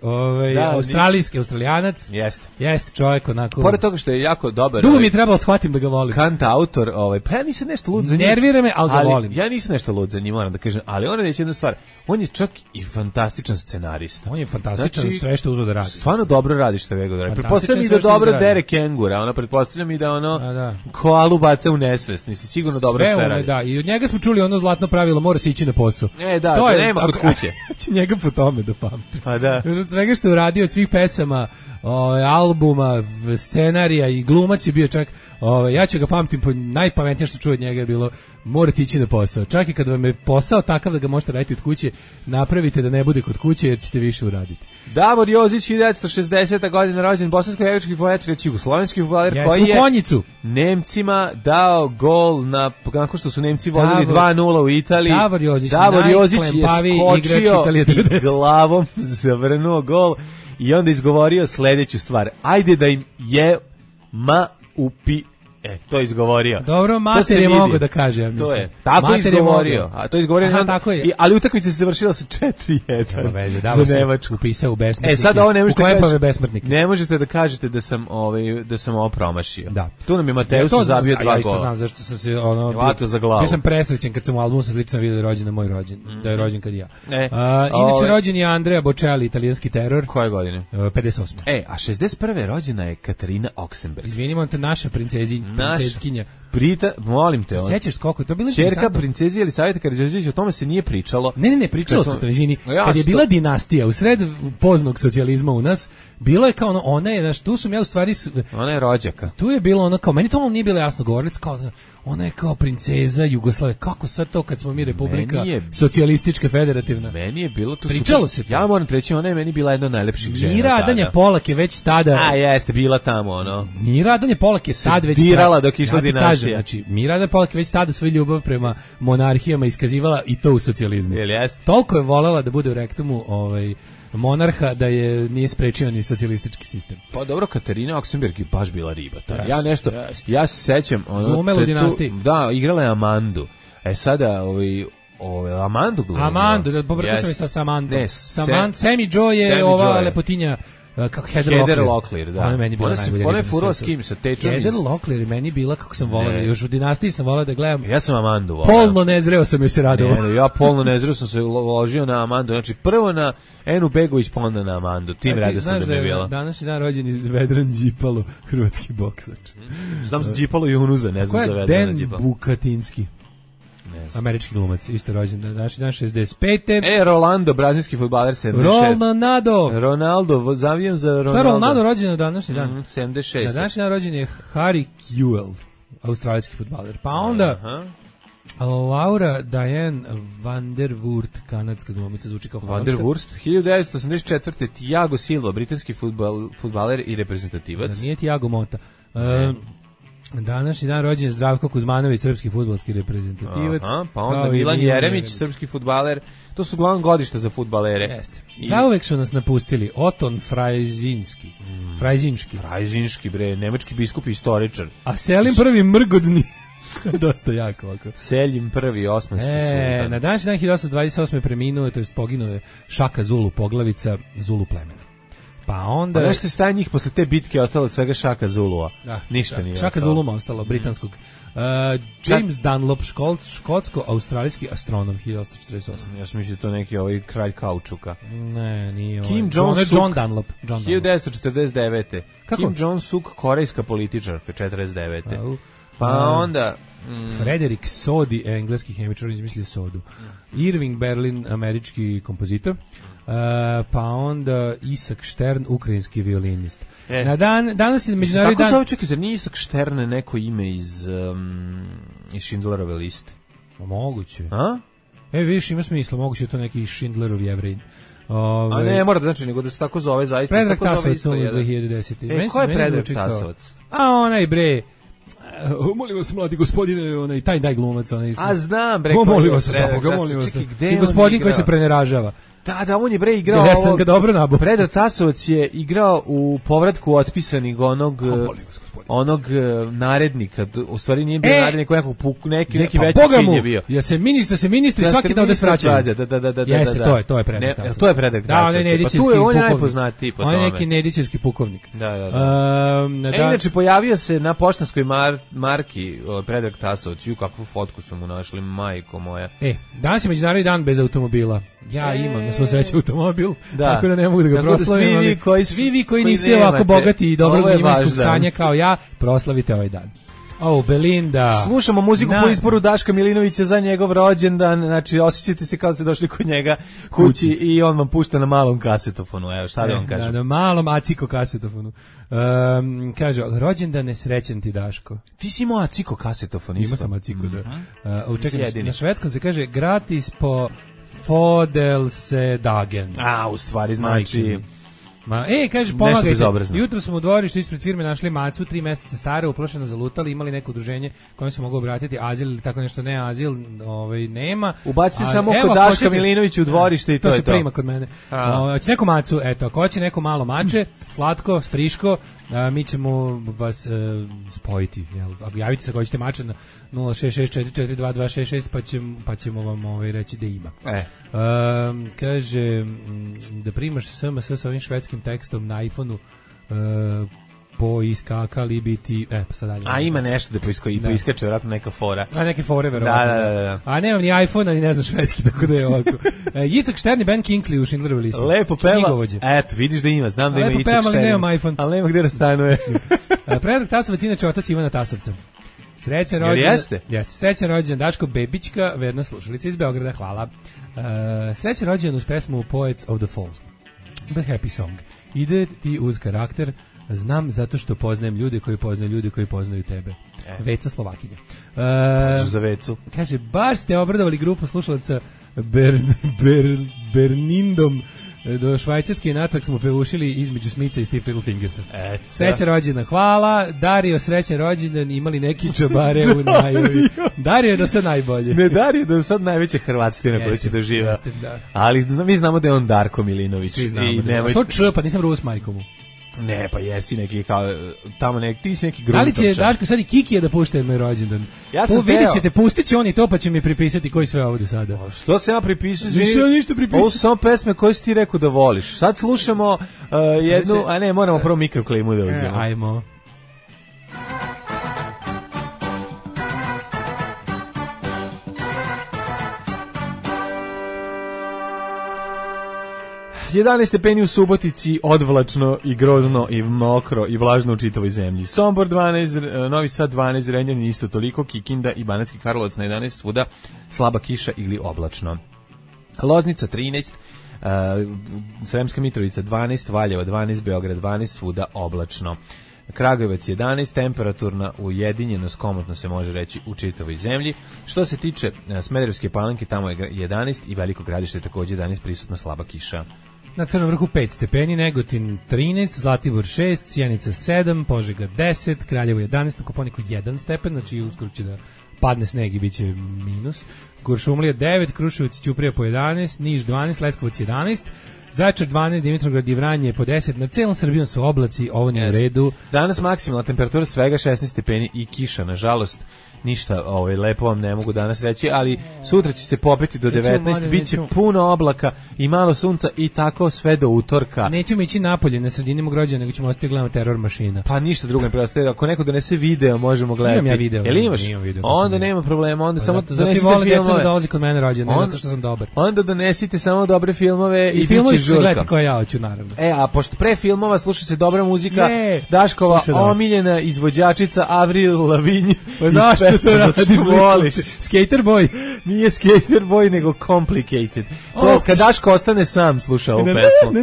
Australijanac. Jeste čovjek onako. Pored toga što je jako dobar. Dugo mi je trebalo shvatim da ga volim. Kantautor, pa ja nisam nešto lud za njim. Nervira me, ali ga volim. Ja nisam nešto lud za njim, moram da kažem, ali on je reći jednu stvar. On je čak i fantastičan scenarista. On je fantastičan, sve što uzeo da radi. Stvarno dobro radi što je da radi. Pretpostavljam i da dobro dere kengura, pretpostavljam i da koalu baca u nesvest. Nisi sigurno dobro sve radi. Da, i od njega smo čuli ono zlatno pravilo, mora se ići na posao. To nema kod kuće. Ću njega po tome da pamtim. Pa da. Od svega što je uradio, od svih pesama, albuma, scenarija i glumac je bio čak, ja ću ga pamtim, najpametnije što čuo od njega je bilo, morate ići na posao. Čak i kad vam je posao takav da ga možete raditi od kuće, napravite da ne bude kod kuće jer ćete više uraditi. Davor Jozić, 1960. godina rođen, bosansko-hercegovački fudbaler, reći jugoslovenski fudbaler, koji je Nemcima dao gol nakon što su Nemci vodili 2:0 u Italiji. Davor Jozić je skočio i glavom zavrnuo gol i onda izgovorio sljedeću stvar. Ajde da im je upi. To je izgovorio. Dobro, mater je mogo da kaže, ja mislim. To je. Tako je izgovorio. A to je izgovorio. Aha, tako je. Ali utakmica se završila sa 4:1 za Nemačku. Upisao u besmrtnike. Sad ovo ne možete besmrtnike. Ne možete da kažete da sam ovo promašio. Da. Tu nam je Mateus zabio 2 gola. Ja isto znam zašto sam se za glavu. Bio sam presrećen kad sam u albumu sa slično video rođendan moj rođen. Da je rođen kad ja. Inače rođen je Andrea Bocelli, italijanski teror. Koje godine? 58. A 61. rođena je Katarina Oksenberg. Izvinimo te, naša princezkinja. Molim te. Sećaš koliko to bilo? Ćerka princezi Elisaveta Karađorđević, o tome se nije pričalo. Ne, pričalo se to, izvini. Kad je bila dinastija u sred poznog socijalizma u nas, bilo je kao ona je, tu sam ja u stvari... Ona je rođaka. Tu je bilo kao, meni to nije bilo jasno govorili, kao ona je kao princeza Jugoslavije. Kako sad to kad smo mi republika socijalistička federativna? Meni je bilo to. Pričalo se to. Ja moram reći, ona je meni bila jedna od najlepših žena. Mira Adanje Polak je već tada. Jeste, bila tamo, Mira Adanje Polak je sad već dirala dok išla dinastija. kažem, znači, Miranda Polak već tada svoju ljubav prema monarhijama iskazivala i to u socijalizmu. Toliko je volela da bude u rektumu monarha da je nije sprečio ni socijalistički sistem. Pa dobro, Katarina Oksenberg je baš bila riba. Ja se sećam... Glumela u Dinastiji. Da, igrala je Amandu. Sada, Amandu glumila. Amandu, pobrkao sam je sa Samandom. Sammy Joe je ova lepotinja kako Heather Locklear, da. Ona meni bila najbolja. Ona je furala s kim, sa tečom Heather Locklear meni bila kako sam volao, još u Dinastiji sam volao da gledam. Ja sam Amandu volao. Polno nezreo sam joj se radovao. Ja polno nezreo sam se ložio na Amandu, znači prvo na Enu Begović, pa onda na Amandu. Tim redosledom da mi je bila. Današnji dan rođen iz Vedran Đipalo, hrvatski boksač. Znam za Đipalo i Unuza, ne znam za Vedrana Đipalo. Dan Bukatinski. Američki glumac, isto rođen današnji dan 65. Rolando, brazilski fudbaler 76. Ronaldo, zavijem za Ronaldo. Šta Ronaldo rođen na današnji dan? 76. Na današnji dan rođen je Harry Kewell, australijski fudbaler. Pa onda Laura Diane van der Woert, kanadska glumica, zvuči kao holandska. Van der Woert, 1984. Thiago Silva, britanski fudbaler i reprezentativac. Da nije Thiago Mota. Današnji dan rođen je Zdravko Kuzmanović, srpski fudbalski reprezentativac. Pa onda Milan Jeremić, srpski fudbaler. To su glavno godišta za fudbalere. Jeste. Zauvek su nas napustili Oton Frajzinski. Frajzinski, bre, nemački biskup i istoričar. A Selim prvi Mrgodni. Dosta jako ovako. Selim prvi, osmanski sultan. Na današnji dan 1828. preminuo, to jest poginuo je Šaka Zulu, poglavica Zulu plemena. Pa onda... Pa nešto je staje njih posle te bitke ostalo od svega Šaka Zulua. Ništa nije Šaka Zuluma ostalo, britanskog. James Dunlop, škotsko-australijski astronom, 1848. Ja sam mislio da to neki kralj kaučuka. Ne, nije Kim Jong-suk, John Dunlop. 1949. Kako? Kim Jong-suk, korejska političarka, 49. Pa onda... Frederick Soddy, engleski hemičar, izmislio sodu. Irving Berlin, američki kompozitor. Pa onda Isak Štern, ukrajinski violinist. Danas je međunarodni dan... Tako se ovo čekaj, zar nije Isak Štern neko ime iz Schindlerove liste? Moguće. Vidiš, ima smisla, moguće je to neki Schindlerov Jevrin. A ne, mora da znači, nego da se tako zove zaista. Predrag Tasovac, 2010. Ko je Predrag Tasovac? A onaj bre... molim vas, mladi gospodine, taj glumac. A znam, bre. Molim vas, i gospodin koji se preneražava. Da, on je bre igrao ovo. Ga dobro nabu. Predrag Tasovac je igrao u povratku otpisanih onog narednika. U stvari nije bio narednik, neki veći čin je bio. Ja se ministri svaki dan da se vraćaju. Da. Jeste, to je Predrag Tasovac. To je Predrag Tasovac. Da, on je najpoznatiji po tome. On je neki Nedićevski pukovnik. Da. Inače, pojavio se na poštanskoj marki Predrag Tasovac. Kakvu fotku su mu našli, majko moja. Danas je međunarodni dan bez automobila. Ja imam na svu sreću automobil, tako da ne mogu da ga proslavim. Svi vi koji niste ovako bogati i dobrog imovinskog stanja kao ja, proslavite ovaj dan. Belinda. Slušamo muziku po izboru Daška Milinovića za njegov rođendan, znači osjećate se kao da ste došli kod njega kući i on vam pušta na malom kasetofonu, evo šta da vam kažem. Na malom aciko kasetofonu. Kaže, rođendan nesrećen ti Daško. Ti si imao aciko kasetofon isto? Imao sam aciko, da. Čekaj, na švedskom se kaže gratis po Fodelsdagen. U stvari znači... kaže, pomagajte. Jutro smo u dvorištu ispred firme našli macu, 3 meseca stare, uplošeno zalutali, imali neko udruženje kojem se mogu obratiti, azil ili tako nešto, ne azil, nema. Ubacite samo kod Daška Milinovića u dvorište i to je to. To se prima kod mene. Hoće neku macu, ako hoće neko malo mače, slatko, friško, mi ćemo vas spojiti. Javite se ako hoćete mače na 066442266 pa ćemo vam reći da ima. Kaže da primaš SMS sa ovim švedskim tekstom na iPhone-u poiskakali biti... pa sad dalje. Ima nešto da poiskače, vjerojatno neka fora. Neke fore, vjerojatno. Da. A nemam ni iPhone, ni ne znam švedski, tako da je ovako. Jicak Štern i Ben Kingsley u Schindlerovoj listi. Lepo peva. Eto, vidiš da ima, znam da ima Jicak Štern. Lepo peva, ali nemam iPhone. Ali nema gde da stanuje. Predrag Tasovac, inače otac Ivana Tasovca. Srećan rođendan. Jeste, srećan rođendan Daško Bebićka, verna slušalica iz Beograda, hvala. Srećan rođendan uz pesmu Poets of the Falls. The Happy Song. Ide ti uz karakter, znam zato što poznajem ljude koji poznaju ljude koji poznaju tebe. Veca Slovakinja. Za Vecu. Kaže, baš ste obradovali grupu slušalaca Bernindom Do Švajcarske natrag smo pevušili između Smica i Steve Little Fingersa. Srećan rođendan, hvala. Dario, srećan rođendan, imali neki čabare u najavi. Dario je do sad najbolje. Ne, Dario je do sad najveća hrvatstina koju će doživa. Ali mi znamo da je on Darko Milinović. Svi znamo da je. Što č, pa nisam Rus majkomu. Ne, pa jesi neki kao tamo ti si neki gruntovčan. Da li će Daško sad i Kikija da pušta moj rođendan? Ja sam vidjet ćete, pustit će on i to, pa će mi pripisati koji sve ovdje sada. Što se ja pripisao? Nisam ništa pripisao. Ovo su samo pesme koje si ti rekao da voliš. Sad slušamo jednu, a ne, moramo prvo mikroklimu da uđemo. Ajmo. ...11 stepeni u Subotici, odvlačno i grozno i mokro i vlažno u čitavoj zemlji. Sombor 12, Novi Sad 12, Renjanin isto toliko, Kikinda i Banatski Karlovac na 11, svuda slaba kiša ili oblačno. Loznica 13, Sremska Mitrovica 12, Valjevo 12, Beograd 12, svuda oblačno. Kragujevac 11, temperaturna ujedinjenost, komotno se može reći, u čitavoj zemlji. Što se tiče Smederevske Palanke, tamo je 11 i Veliko Gradište također 11, prisutna slaba kiša. Na Crnom Vrhu 5 stepeni, Negotin 13, Zlatibor 6, Sjenica 7, Požega 10, Kraljevo 11, na Koponiku 1 stepen, znači uskoro će da padne sneg i bit će minus. Kuršumlija 9, Kruševac, Ćuprija po 11, Niš 12, Leskovac 11, Zaječar 12, Dimitrovgrad i Vranje po 10, na celom Srbijom su oblaci, ovo nije u redu. Danas maksimalna temperatura svega 16 stepeni i kiša, nažalost. Ništa lepo vam ne mogu danas reći, ali sutra će se popeti do 19, bit će puno oblaka i malo sunca i tako sve do utorka. Nećemo ići napolje na sredini mog rođena, nego ćemo ostati gledamo Teror mašina. Pa ništa drugo ne preostaje, ako neko donese video možemo gledati. Imam ja video. Jel imaš? Video, onda nema problema, onda samo donesite filmove. Dolazi kod mene rođena, zato što sam dobar. Onda donesite samo dobre filmove i filmovi bit će žurka. Gledati koje ja hoću, naravno. A pošto pre filmova sluša se dobra muzika, Daškova omiljena izvođačica Avril Lavigne. Pa zašto to radiš? Voliš. Skater Boy. Nije Skater Boy, nego Complicated. To kad Daško ostane sam sluša ovu pesmu.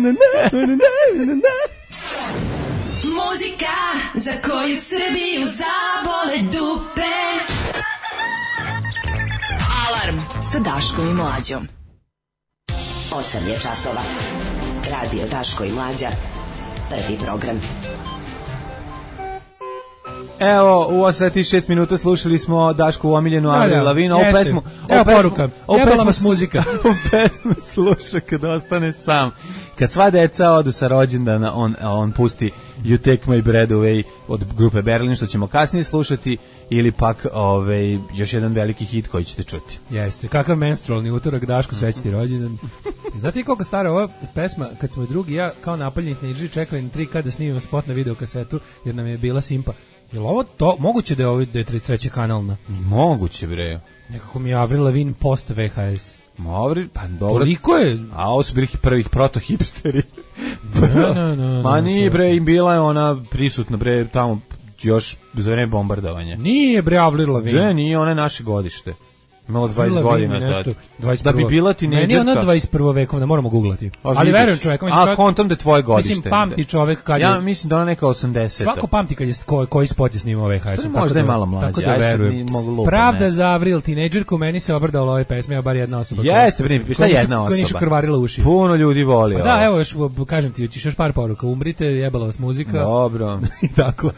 Muzika za koju Srbiju zabole dupe. Alarm sa Daškom i Mlađom. 8 je časova. Radio Daško i Mlađa. Prvi program. Evo, u 86 minuta slušali smo Daškovu omiljenu Avril Lavigne. Ovu pesmu... Evo poruka. Jebala vas muzika. Ovu pesmu sluša kad ostane sam. Kad sva deca odu sa rođendana, on pusti You Take My Breath Away od grupe Berlin, što ćemo kasnije slušati, ili pak još jedan veliki hit koji ćete čuti. Jeste, kakav menstrualni utorak, Daško, srećiti rođendan. Znate koliko stara ova pesma, kad smo drugi ja kao napaljeni teenidžeri čekali na 3K da snimimo spot na videokasetu, jer nam je bila simpa. Je li ovo to, moguće da je ovo da je 33. kanalna? Moguće, bre. Nekako mi je Avril Lavigne post VHS. Pa dobro. Koliko je? A ovo su bili prvih proto-hipsteri. Ma nije, bre, im bila je ona prisutna, bre, tamo još za vreme bombardovanja. Nije, bre, Avril Lavigne. Ne, nije, ona je naše godište. Imala 20 godina tad. Da bi bila tinejdžerka. Meni je ona 21. vekovna, moramo googlati. Ali verujem čovjek. Kontam da je tvoje godište. Mislim, pamti čovjek kad je... Ja mislim da ona neka 80. Svako pamti kad je koji spot je snimao VHS. Možda je malo mlađe. Tako da verujem. Pravda za Avril, tinejdžerku, meni se obrdala ove pesme, ja bar jedna osoba. Jeste, šta jedna osoba? Koja nišu krvarila uši. Puno ljudi voli ovo. Da, evo, kažem ti, ćeš još par poruka. Umrite, jebala vas muzika. Dobro. Tako.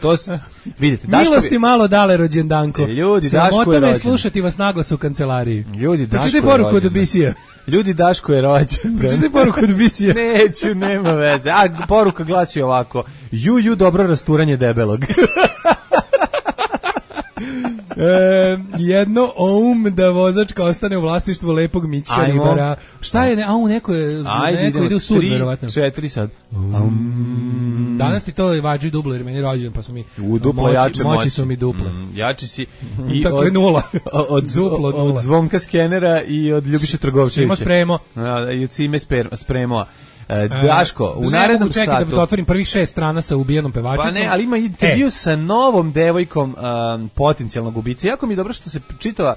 Vidite, milosti malo dale rođendanko. Ljudi, Daško je rođen. Slušati vas naglas u kancelariji. Ljudi, Daško je rođen. Poruku od Bisija. Ljudi, Daško je rođen. Pročitaj poruku od Bisija. Neću, nema veze. Poruka glasi ovako. Ju, dobro rasturanje debelog. Jedno da vozačka ostane u vlasništvu lepog Mićka Ribara. Šta je, neko ide u sud, verovatno. 4 sad. Danas ti to vađi duplo, jer meni je rođen, pa su mi moći su mi duple. Jači si. Tako je nula. Od Zvonka Skenera i od Ljubiše Trgovčevića. Simo spremo. I od Cime spremo. Daško, u narednom satu... Čekaj da otvorim prvih 6 strana sa ubijenom pevačicom. Pa ne, ali ima intervju sa novom devojkom potencijalnog ubica. Jako mi je dobro što se čitava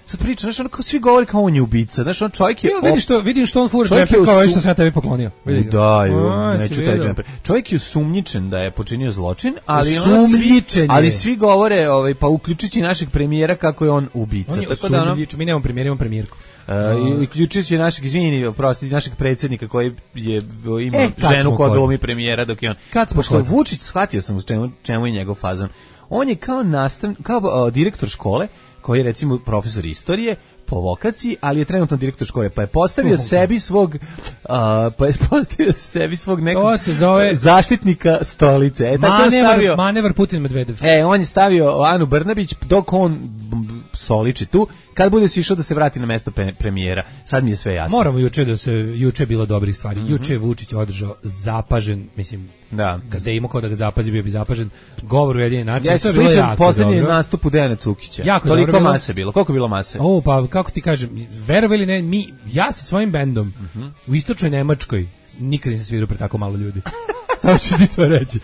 sad priča, znaš, ono kao svi govori kao on je ubica, znaš, on čovjek je... Vidim što on fura džemper kao što sam ja tebi poklonio. Neću taj džemper. Čovjek je osumnjičen da je počinio zločin, ali svi govore, pa uključujući našeg premijera kako je on ubica. On je osumnjičen, mi nemamo premijer, imamo premijerku. uključujući našeg, našeg predsjednika koji ima ženu koja glumi premijera dok je on. Pošto je Vučić, shvatio sam čemu je njegov fazon. On je kao direktor škole, koji je recimo profesor istorije po vokaciji, ali je trenutno direktor škole, pa je postavio sebi svog nekog zaštitnika stolice. Manevar Putin Medvedev. On je stavio Anu Brnabić dok on stoliči tu, kad bude se išao da se vrati na mesto premijera. Sad mi je sve jasno. Moramo juče je bilo dobrih stvari. Juče je Vučić održao zapažen, mislim, kada je imao ko da ga zapazi, bio bi zapažen govor Ujedinjenih nacija. To je bilo jako poslednji nastup u Dejana Cukića. Jako toliko dobro mase bilo. Koliko je bilo mase? Pa kako ti kažem, verovali ili ne, ja sa svojim bendom u istočnoj Nemačkoj nikad nisam svirao pre tako malo ljudi. Samo ću ti to reći.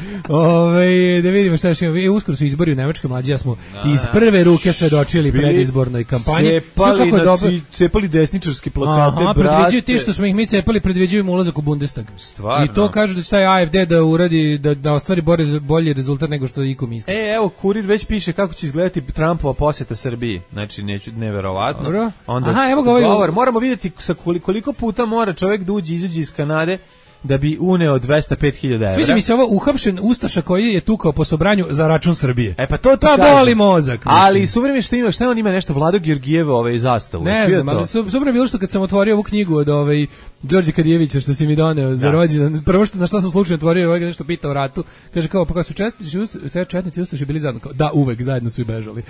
Da vidimo šta još imamo. Uskoro su izbori u Nemačkoj, mlađi, ja smo iz prve ruke svedočili predizbornoj kampanji. Cepali desničarski plakate, brate. Predviđaju ti što smo ih mi cepali, predviđaju im ulazak u Bundestag. Stvarno. I to kažu da će taj AFD da uradi, da ostvari bolji rezultat nego što iko misli. Evo, Kurir već piše kako će izgledati Trumpova posjeta Srbiji. Znači, neverovatno. Dobro. Onda, evo ga ovaj... Moramo vidjeti koliko puta mora čovjek da izađe iz Kanade da bi uneo 205.000 evra. Sviđa mi se ovo uhapšen ustaša koji je tukao po sobranju za račun Srbije. Pa to ti kažem. Boli mozak. Mislim. Ali suvremeno što ima, šta on ima nešto Vlado Georgijeva zastavu. Ne znam, ali suvremeno bilo što kad sam otvorio ovu knjigu od Đorđe Kadijevića što si mi doneo za rođendan. Prvo na šta sam slučajno otvorio, ovaj ga nešto pitao o ratu. Kaže kao, pa kad su četnici ustaši bili zajedno, kao, da, uvek zajedno su i bežali.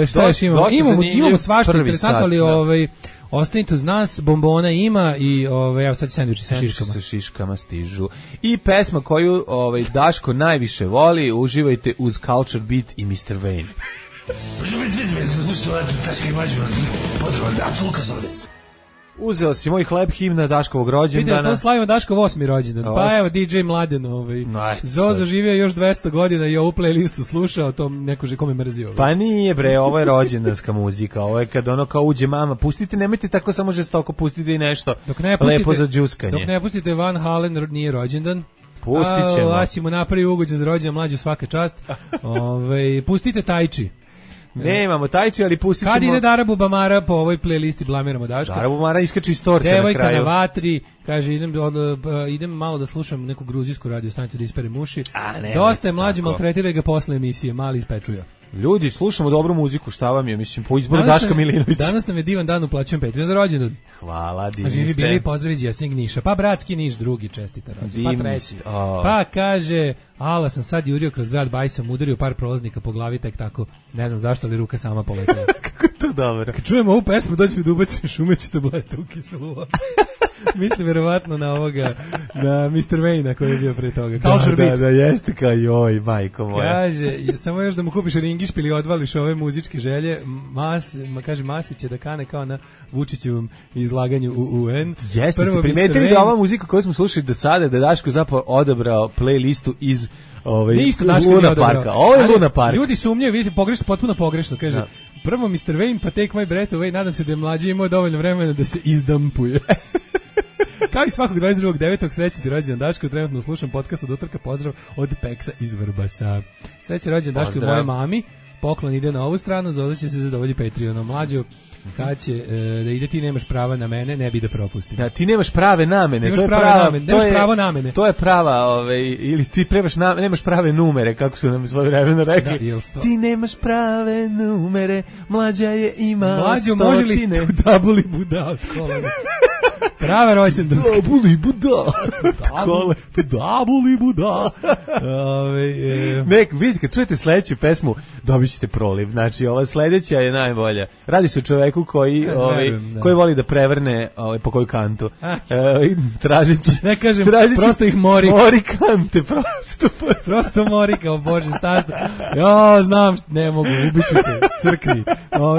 Šta još imamo? Imamo svašta interesantno, ali ostanite uz nas, bombona ima i evo sad sendviči sa šiškama. Sa šiškama stižu. I pesma koju Daško najviše voli, uživajte uz Culture Beat i Mr. Wayne. Uzeo si moj hleb, himna Daškovog rođendana. Vidite, to slavimo Daškov 8. rođendan. Pa evo DJ Mladen, Zozo živio još 200 godina i ovu playlistu slušao, to neko kome mrzio. Pa nije bre, ovo je rođendanska muzika, ovo je kad kao uđe mama, pustite, nemojte tako samo žestoko, pustite i nešto lepo za džuskanje. Dok ne pustite Van Halen nije rođendan. Pustit ćemo. Lasimo napravi ugođen za rođendan, mlađu svaka čast. Pustite Tajči. Nemamo Tajči, ali pustit ćemo... Kad ide Darabu Bamara po ovoj playlisti blamiramo Daška. Darabu Bamara iskače iz torte na kraju. Devojka na vatri, kaže idem malo da slušam neku gruzijsku radio stanicu da isperem uši. Dosta je mlađi, maltretiraj ga posle emisije, mali ispečuja. Ljudi, slušamo dobru muziku, šta vam je, mislim, po izboru Daška Milinovića. Danas nam je divan dan, uplaćujem Patreon za rođendan. Hvala, divni ste. Živi bili, pozdrav iz Jesnjeg Niša. Pa bratski Niš, drugi čestita rođendan. Pa treći. Pa kaže, ala sam sad jurio kroz grad Bajsam, udario par prolaznika po glavi, tek tako, ne znam zašto, ali ruka sama poletila. Kako je to dobro. Kad čujemo ovu pesmu, dođe mi da ubacim šumeću tablete u kiselu. Mislim verovatno na Mr. Wayne koji je bio pre toga. Da, jeste kao joj, majko moja. Kaže, samo još da mu kupiš ringišp ili odvališ ove muzičke želje, kaže Masić će da kane kao na Vučićevom izlaganju u UN. Jeste, ste primetili da ova muzika koju smo slušali do sada, da Daško zapravo odabrao playlistu iz Luna Parka. Ovo je Luna Park. Ljudi sumnjaju, vidite, potpuno pogrešno, kaže. Prvo Mr. Wayne, pa Take My Breath Away, nadam se da je mlađi imao dovoljno vremena da se izdampuje. Kao i svakog 22.9. srećni rođendan Daško, trenutno slušam podcast od utorka, pozdrav od Peksa iz Vrbasa. Srećni rođendan Daško i moje mami, poklon ide na ovu stranu, Zozo će se zadovolji Patreonom. Mlađo, kad će da ide ti nemaš prava na mene, ne bi da propustim. Da, ti nemaš prave namene, nemaš pravo na mene. To je prava, ili ti nemaš prave numere, kako su nam svoje vremena rekli. Da, ti nemaš prave numere, mlađa je ima Mlađo, stotine. može li tu dabuli buda od kolena? Prava rođendanska. Dabuli buda. Dabuli buda. Vidite, kad čujete sledeću pesmu, dobit ćete proliv. Znači, ova sledeća je najbolja. Radi se o čoveku koji voli da prevrne po koju kantu. Tražeći. Ne kažem, prosto ih mori. Mori kante, prosto. Prosto mori, kao Bože, šta. Znam, ne mogu, ubiću te, crkni.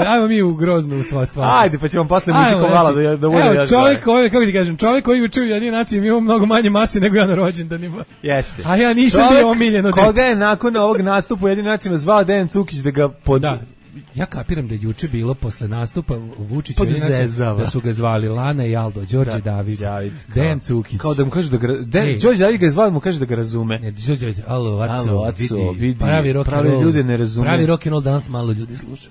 Ajmo mi u Groznu sva stvar. Ajde, pa ćemo posle muziku malo da bude još čovjek koji, kako ti kažem, čovjek koji uči u Ujedinjenim nacijama ima mnogo manje mase nego ja na rođendanima. Jeste. A ja nisam bio omiljeno dete. Koga je nakon ovog nastupa u Ujedinjenim nacijama zvao Dejan Cukić da ga Ja kapiram da je juče bilo posle nastupa Vučića da su ga zvali Lana i Aldo, Đorđe David, Dejan Cukić. Kao da mu kažu Đorđe David ga je zvao, mu kaže da ga razume. Ne, Đorđe, alo, vidi, pravi ljude ne razume. Pravi rock and roll danas malo ljudi sluša.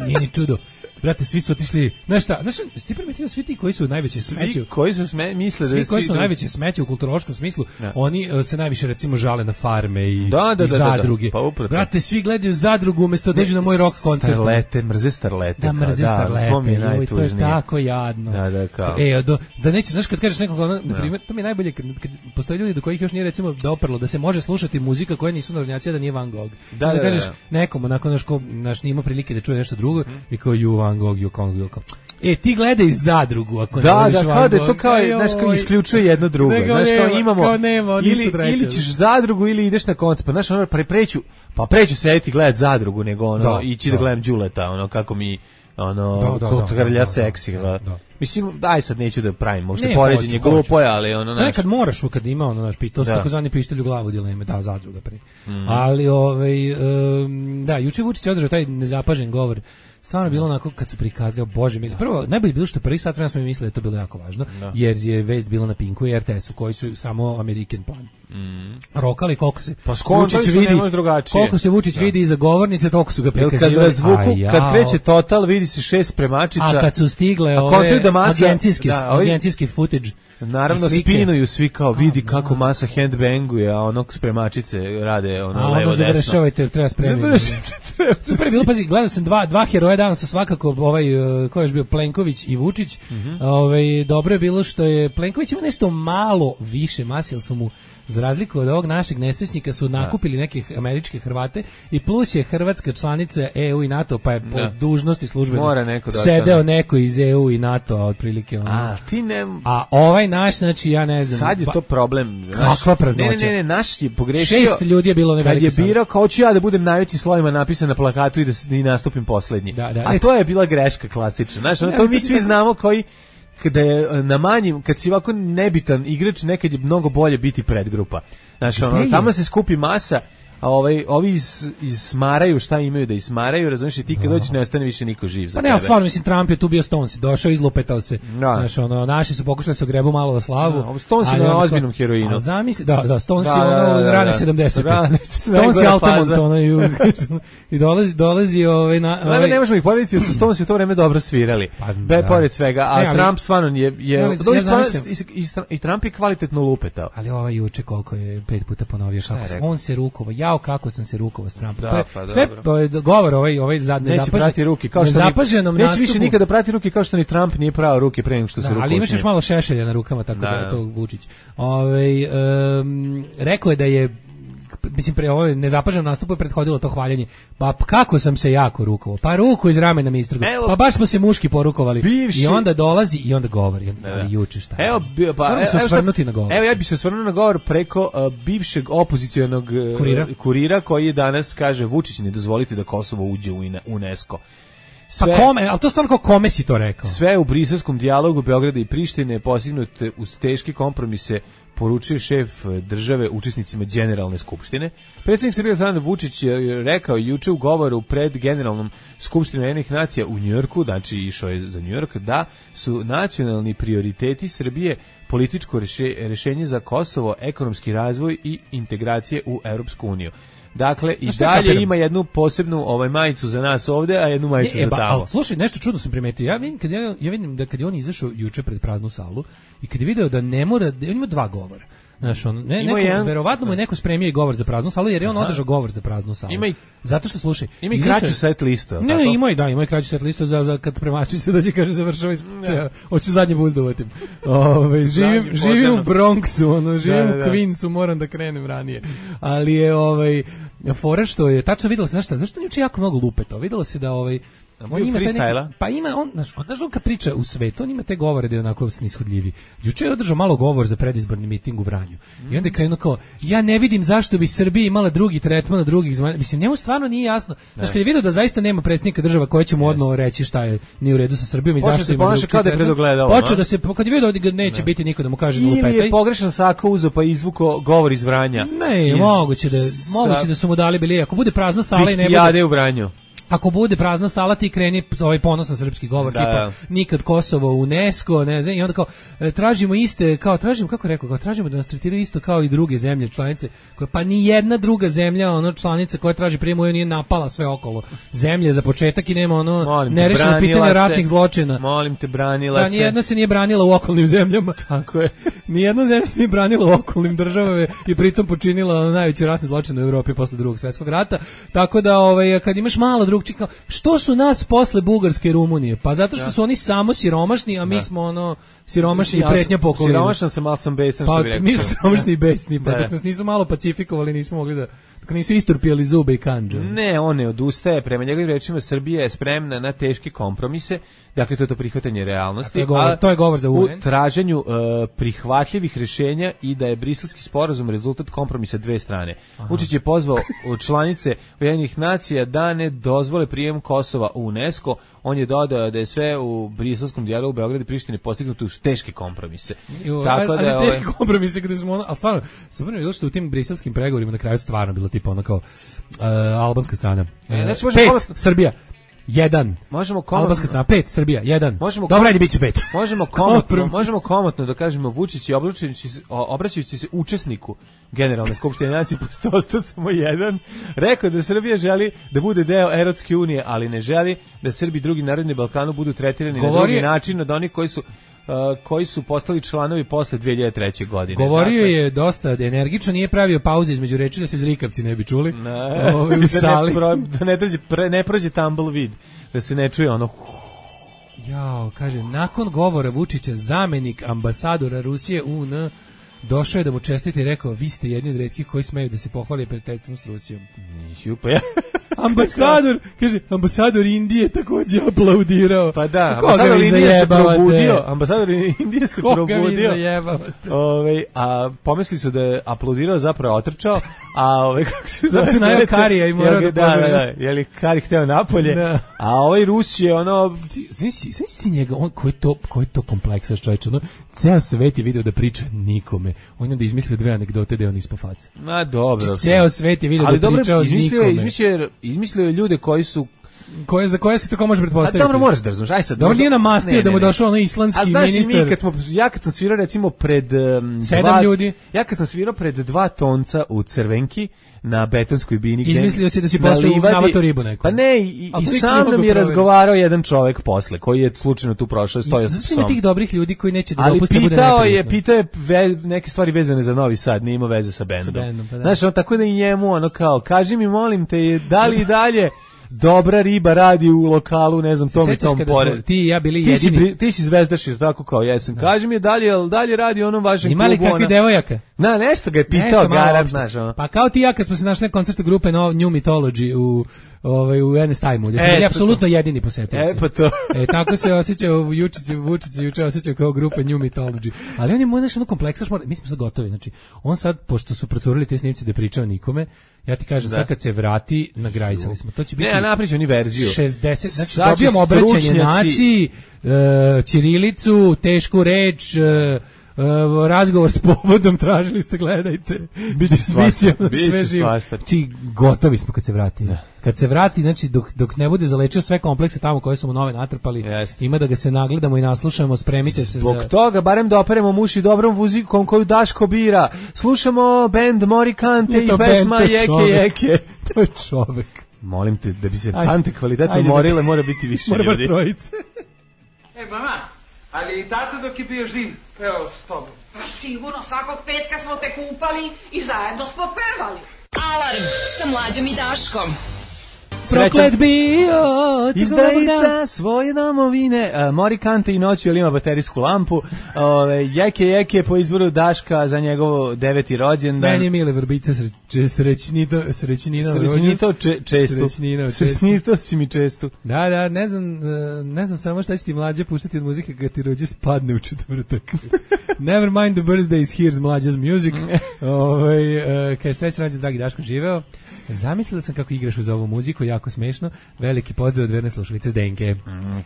Nije ni čudo. Brate, svi su otišli, znaš šta, ti primetio svi ti koji su najveće smeće, koji su misle da svi koji su najveće smeće u kulturološkom smislu, oni se najviše recimo žale na farme i zadruge. Pa brate, svi gledaju zadrugu umesto da dođu na moj rock koncert. Mrze starlete. Da, mrze starlete. To je tako jadno. Kao. Da nećeš, znaš, kad kažeš nekoga, na primjer, to mi je najbolje kad postoje ljudi do kojih još nije recimo doprlo da se može slušati muzika koja nisu narodnjaci, da nije Van Gogh. Da kažeš nekom, onako naš nima prilike da čuje nešto drugo i kao Van Gogh, ti gledaj zadrugu ako ne voliš Van Gogh. Kao da je to kao isključuje jedno drugo. Znaš, kao imamo, ili ćeš zadrugu ili ideš na koncert. Pa znaš, preću sedeti gledati zadrugu nego ići da gledam Đuleta, kako mi kod grlja seksi. Mislim, daj sad neću da pravim uopšte poređenje glupo je, ali kad moraš, kad ima to su takozvani pištolj u glavu dileme, zadruga pri. Ali juče Vučić održao taj nezapažen govor. Stvarno bilo onako kad su prikazali, bože mili. Prvo, najbolje bilo što prvih sat vremena smo mi mislili da je to bilo jako važno, jer je vest bila na Pinku i RTS-u, koji su samo American plan. Rokali koliko se Vučić vidi iza govornice, toliko su ga prikazivali. Kad kreće Total, vidi se 6 spremačica. A kad su stigle ove agencijski footage, naravno spinuju svi kao vidi kako masa handbanguje, a onog spremačice rade levo desno. Završavajte, treba spremiti. Super bilo, pazi, gledao sam dva heroja danas su svakako ko je još bio Plenković i Vučić. Dobro je bilo što je Plenković ima nešto malo više masi, jer su mu za razliku od ovog našeg nesrećnika su nakupili nekih američke Hrvate i plus je Hrvatska članica EU i NATO, pa je po dužnosti službeno sedeo neko iz EU i NATO, otprilike a ovaj naš, znači ja ne znam. Sad je to problem. Kakva praznoća. Ne, naš je pogrešio. 6 ljudi je bilo kad je birao, kao ću ja da budem najvećim slovima napisan na plakatu i da nastupim poslednji. A to je bila greška klasična. Znaš, to mi svi znamo koji kada je na manjim, kad si ovako nebitan igrač, nekad je mnogo bolje biti predgrupa. Znači, tamo se skupi masa, a ovi ismaraju šta imaju da ismaraju, razumiješ, i ti kad dođeš ne ostane više niko živ za tebe. Pa ne, stvarno, mislim, Trump je tu bio Stones, došao, izlupetao se. Znači, naši su pokušali da se ogrebu malo o slavu. Stones je na ozbiljnom heroinu. Zamisli, Stones je rane 70. Stones je Altamont, i dolazi ne možemo ih porediti, jer su Stones u to vreme dobro svirali. Pored svega, a Trump stvarno je i Trump je kvalitetno lupetao. Ali juče koliko je 5 puta ponovio, on se rukovao, kako sam se rukovao s Trumpom. Sve govor ovaj zadnji neće prati ruke, kao što neće više nikada prati ruke kao što ni Trump nije prao ruke pre nego što se rukovao. Ali imaš još malo šešelja na rukama, tako da je to Vučić. Rekao je da je, mislim, pre ovo nezapaženo nastupu je prethodilo to hvaljenje. Pa kako sam se jako rukovao. Pa ruku iz ramena mi istrgo. Pa baš smo se muški porukovali. I onda dolazi i onda govori. Ali juče šta? Evo ja bih se osvrnuo na govor preko bivšeg opozicionog kurira koji danas kaže Vučić ne dozvolite da Kosovo uđe u UNESCO. Pa kome, ali to stvarno kao kome si to rekao? Sve u briselskom dijalogu Beograda i Prištine postignute uz teške kompromise, poručio šef države učesnicima Generalne skupštine. Predsjednik Srbije Aleksandar Vučić je rekao juče u govoru pred Generalnom skupštinom Ujedinjenih nacija u Njujorku, znači išao je za Njujork, da su nacionalni prioriteti Srbije političko rješenje za Kosovo, ekonomski razvoj i integracije u Europsku uniju. Dakle, i dalje ima jednu posebnu majicu za nas ovde, a jednu majicu za tamo. Ali slušaj, nešto čudno sam primetio. Ja vidim da kad je on izašao juče pred praznu salu i kad je video da ne mora, on ima 2 govora. Znaš, verovatno mu je neko spremio i govor za praznu salu, jer je on održao govor za praznu salu. Zato što, slušaj, ima i kraću set listu. Ne, ima i kraću set listu za kad premači se dođe, kaže završava, hoću zadnje buzdovatim. Živim u Bronxu, živim u Queensu, moram da krenem ranije. Ali je fora što je, tačno videlo se, zašto juče jako mnogo lupeta, videlo se da on ima pa ima on kad priča u svetu, on ima te govore da je onako snishodljivi. Juče je održao malo govor za predizborni miting u Vranju. I onda je krenuo kao, ja ne vidim zašto bi Srbija imala drugi tretman od drugih zemalja. Mislim, njemu stvarno nije jasno. Znači, kad je vidio da zaista nema predsjednika država koji će mu odmah reći šta je nije u redu sa Srbijom i zašto ima drugi tretman. Počeo da se, kad je vidio da neće biti niko da mu kaže da lupetaj. Ili je pogrešan sako uzeo pa izvuko govor iz Vranja. Ne, moguće da su mu dali bili, ako bude prazna sala i ne bude. Jade u Vranju. ako bude prazna sala ti kreni ovaj ponosan srpski govor tipa nikad Kosovo u UNESCO, ne znam, i onda kao tražimo iste, kao tražimo, kako rekao, kao tražimo da nas tretiraju isto kao i druge zemlje članice, koja pa ni jedna druga zemlja članica koja traži prijem EU nije napala sve okolo zemlje za početak i nema nerešeno pitanje ratnih zločina. Molim te, branila se. Da, nijedna se nije branila u okolnim zemljama. Tako je. Nijedna zemlja se nije branila u okolnim državama i pritom počinila najveći ratni zločin u Evropi posle Drugog svjetskog rata. Tako da kad imaš malo drugčije, kao što su nas posle Bugarske i Rumunije? Pa zato što su oni samo siromašni, a mi smo siromašni i pretnja po okolini. Siromašan sam, ali sam besan, što bi rekao. Pa mi smo siromašni i besni, pa dok nas nisu malo pacifikovali, nismo mogli da nisu isturpijali zube i kandže. Ne, on ne odustaje. Prema njegovim rečima, Srbija je spremna na teške kompromise. Dakle, to je to prihvatanje realnosti. To je govor za UN. U traženju prihvatljivih rješenja i da je briselski sporazum rezultat kompromisa dve strane. Vučić je pozvao članice Ujedinjenih nacija da ne dozvole prijem Kosova u UNESCO. On je dodao da je sve u briselskom dijalogu Beograda i Prištine postignuto uz teške kompromise. Tako da teške kompromise kada smo ali stvarno, super je bilo što u tim briselskim pregovorima na kraju stvarno bilo tipa ono kao albanska strana. Znači, 5 Srbija 1. Možemo albanska strana 5, Srbija 1. Dobro, ajde biće 5. Možemo komotno da kažemo Vučić je obraćajući se učesniku Generalne skupštine nacije, ostao samo jedan, rekao da Srbija želi da bude deo Evropske unije, ali ne želi da Srbi i drugi narodi na Balkanu budu tretirani na drugi način od onih koji su postali članovi posle 2003. godine. Govorio je dosta energično, nije pravio pauze između reči da se zrikavci ne bi čuli. U sali. Da ne prođe tumbleweed, da se ne čuje ono. Jao, kaže, nakon govora Vučića zamenik ambasadora Rusije UN došao je da mu čestite i rekao, vi ste jedni od retkih koji smeju da se pohvali prijateljstvom s Rusijom. Ambasador Indije takođe aplaudirao. Pa da, ambasador Indije se probudio. Ambasador Indije se probudio. A pomislili su da je aplaudirao, zapravo otrčao, kako se zove? Zato najao Karija i morao da pogleda. Je li Kari hteo napolje? Da. A Rus je Znaš ti njega, koji je to kompleksaš čovječ, ceo svet je video da priča nikome. On je da izmislio dve anegdote da je on ispao faca. Ma dobro. Ceo svet je video da priča nikome. Izmislio je ljude koji su za koje se to kao može pretpostaviti. Dobro, moraš da razumeš. Aj sad. Dobro, nije namastio da mu došao ono islandski ministar. Ja kad sam svirao recimo pred 7 ljudi. Ja kad sam svirao pred 2 tonca u Crvenki na betonskoj bini. Izmislio si da si posle navato ribu neku. Pa ne, i sam nam je razgovarao jedan čovjek posle, koji je slučajno tu prošao, stojao sa psom. Ima tih dobrih ljudi koji neće da dopuste bude neprijatno. Pitao je neke stvari vezane za Novi Sad, nije imao veze sa bendom. Znaš, tako da i njemu ono kao, kaži mi molim te, da li i dalje dobra riba radi u lokalu, ne znam, tom i tom pored. Ti i ja bili jedini. Ti si zvezdašir, tako kao jesam. Kaži mi dalje radi onom vašem klubu. Ima li kakvi devojaka? Nešto ga je pitao, garant, znaš ono. Pa kao ti ja kad smo se našli na koncertu grupe New Mythology u NS Time-u, gdje smo bili apsolutno jedini posetilaci. Pa to. Tako se osjećao Vučić juče osjećao kao grupa New Mythology. Ali on je možeš ono kompleksaš, mi smo sad gotovi. Znači, on sad, pošto su procurili te snimci da pričao nikome, ja ti kažem, sad kad se vrati, nagrajsali smo. To će biti... Ne, napričao ni verziju. 60, znači dobijamo obraćanje naciji, ćirilicu, tešku reč, razgovor s povodom, tražili ste, gledajte. Biće svašta. Znači, gotovi smo kad se vrati. Kad se vrati, znači, dok ne bude zalečio sve komplekse tamo koje su mu nove natrpali, ima da ga se nagledamo i naslušamo, spremite se zbog toga, barem da operemo muši dobrom muzikom koju Daško bira. Slušamo band Mori Kante i pesma Jeke. To je čovek. Molim te, da bi se kante kvalitetno morile, mora biti više ljudi. Mora trojice. Mama, ali i tata dok je bio živ, pevao s tobom. Pa sigurno, svakog petka smo te kupali i zajedno smo pevali. Alarm sa Mlađom i Daškom. Proklet bio izdajica svoje domovine. Mori Kante i noću, ali ima baterijsku lampu. Jeke po izboru Daška za njegov 9. rođendan. Meni je Mile Vrbica srećnito si mi čestu. Da, ne znam samo šta će ti Mlađe puštati od muzike kad ti rođe spadne u četvrtak. Never mind the birthdays, here's Mlađa's music. Kaže, srećan rođendan, dragi Daško, živeo. Zamislila sam kako igraš uz ovu muziku, jako smešno. Veliki pozdrav od verne slušalice Zdenke.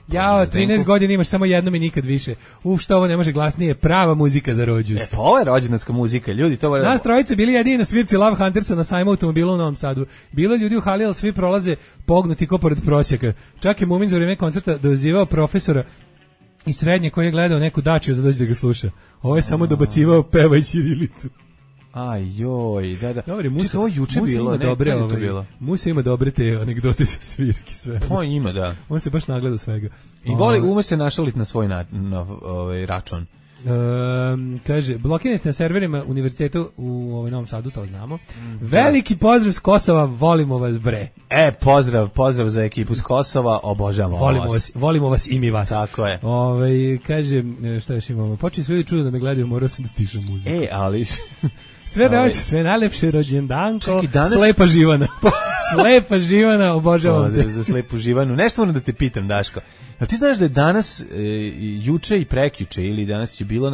Jao, 13 godina imaš samo jednom i nikad više. Što ovo ne može glasnije, prava muzika za rođus. Pa ovo je rođendanska muzika, ljudi. Nas trojice bili jedini na svirci Love Huntersa na sajmu automobila u Novom Sadu. Bilo ljudi u hali, ali svi prolaze pognuti ko pored prosjeka. Čak je Mumin za vrijeme koncerta dozivao profesora iz srednje koji je gledao neku dačiju da dođe da ga sluša. Ovo je samo dobacivao pevaj ćirilicu. Aj joj, da. Dobre, ovo juče bilo, bilo. Musa ima dobre te anegdote sa svirki, sve. Pa ima, da. On se baš nagleda svega. I ume se našaliti na svoj račun. Kaže, blokirani ste na serverima univerzitetu u Novom Sadu, to znamo. Veliki pozdrav s Kosova, volimo vas, bre. Pozdrav za ekipu s Kosova, obožavamo vas. Volimo vas i mi vas. Tako je. Kaže, šta još imamo? Počeli su ljudi čudo da me gledaju, morao sam da stišam muziku. Ali... Sve najlepše rođendanko, Slepa Živana. Slepa Živana, obožavam te. Za Slepu Živanu. Nešto moram da te pitam, Daško. Ali ti znaš da je danas, juče i prekjuče, ili danas je bilo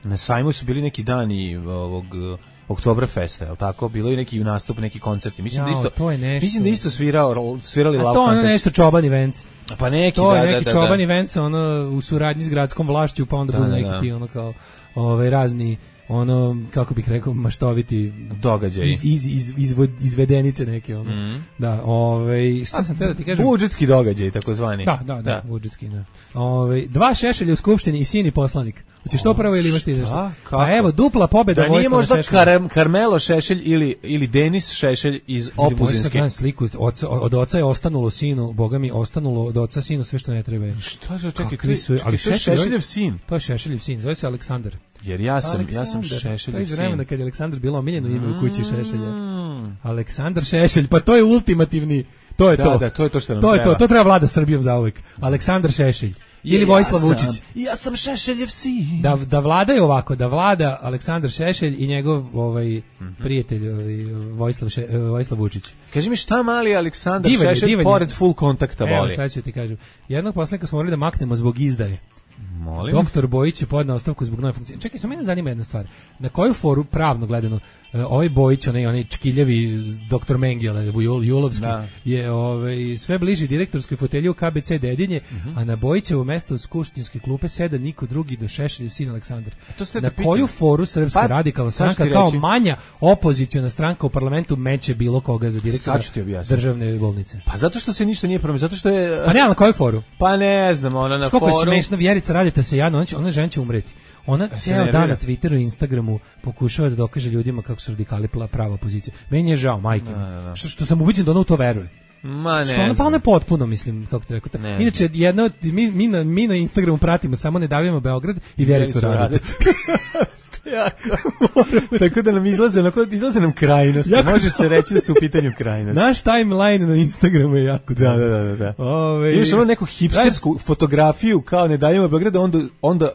na sajmu su bili neki dani ovog Oktoberfesta, je li tako? Bilo je neki nastup, neki koncerti. Mislim da isto svirali Love Hunters. A to je nešto Čoban Events. Pa neki, to je neki Čoban Events, u suradnji s gradskom vlašću, pa onda budu neki ti kao razni kako bih rekao, maštoviti događaj, izvedenice neke, da, šta sam te da ti kažem? Budžetski događaj, takozvani. Da, budžetski, da. 2 Šešelja u skupštini i sin i poslanik. Hoćeš to prvo ili imaš ti nešto? A evo, dupla pobjeda Vojislava Šešelja. Da nije možda Karmelo Šešelj ili Denis Šešelj iz Opuzinske. Ili sliku, od oca je ostanulo sinu, Boga mi, ostanulo od oca sinu sve što ne treba. Šta je, čekaj, to je Šešeljev sin. To je Šešeljev sin, zove se Aleksandar. Jer ja sam Šešeljev sin. To je iz vremena kad je Aleksandar bilo omiljeno ime u kući Šešelja. Aleksandar Šešelj, pa to je ultimativni, to je to. Da, to je to što nam treba. To treba vlada Srbijom zauvek. Aleksandar Šešelj. Ili Vojislav Vučić. Ja sam Šešeljev sin. Da vlada je ovako, da vlada Aleksandar Šešelj i njegov prijatelj Vojislav Vučić. Kaži mi šta mali Aleksandar Šešelj pored full kontakta voli. Evo, sad ću ti kažem. Jednog poslanika smo morali da maknemo zbog izdaje. Molim. Doktor Bojić je podneo ostavku zbog nove funkcije. Čekaj, samo mene zanima jedna stvar. Na koju foru, pravno gledano, ovaj Bojić, onaj čkiljavi doktor Mengele, Julovski, je sve bliži direktorskoj fotelji u KBC Dedinje, a na Bojićevo mesto u skupštinske klupe seda niko drugi do Šešeljev sin Aleksandar. Na koju foru Srpska radikalna stranka kao manja opoziciona stranka u parlamentu meće bilo koga za direktora državne bolnice? Pa zato što se ništa nije promenilo, zato što je... Pa ne, na koju foru? Pa ne znam, ona na foru... Koliko je smešna, Vjerica Radeta se jadno, ona žena će umreti. Ona cijel dan na Twitteru i Instagramu pokušava da dokaže ljudima kako su radikali prava opozicija. Meni je žao, majke. Što sam ubeđen da ona u to veruje. Ma ne. Pa ona je potpuno, mislim, kako te rekao. Inače, mi na Instagramu pratimo samo Ne davimo Beograd i Vjericu Radetu. Tako da nam izlaze nam krajnosti. Može se reći da su u pitanju krajnosti. Naš timeline na Instagramu je jako dobro. Da. Imaš ono neku hipstersku fotografiju kao Ne davimo Beograd, onda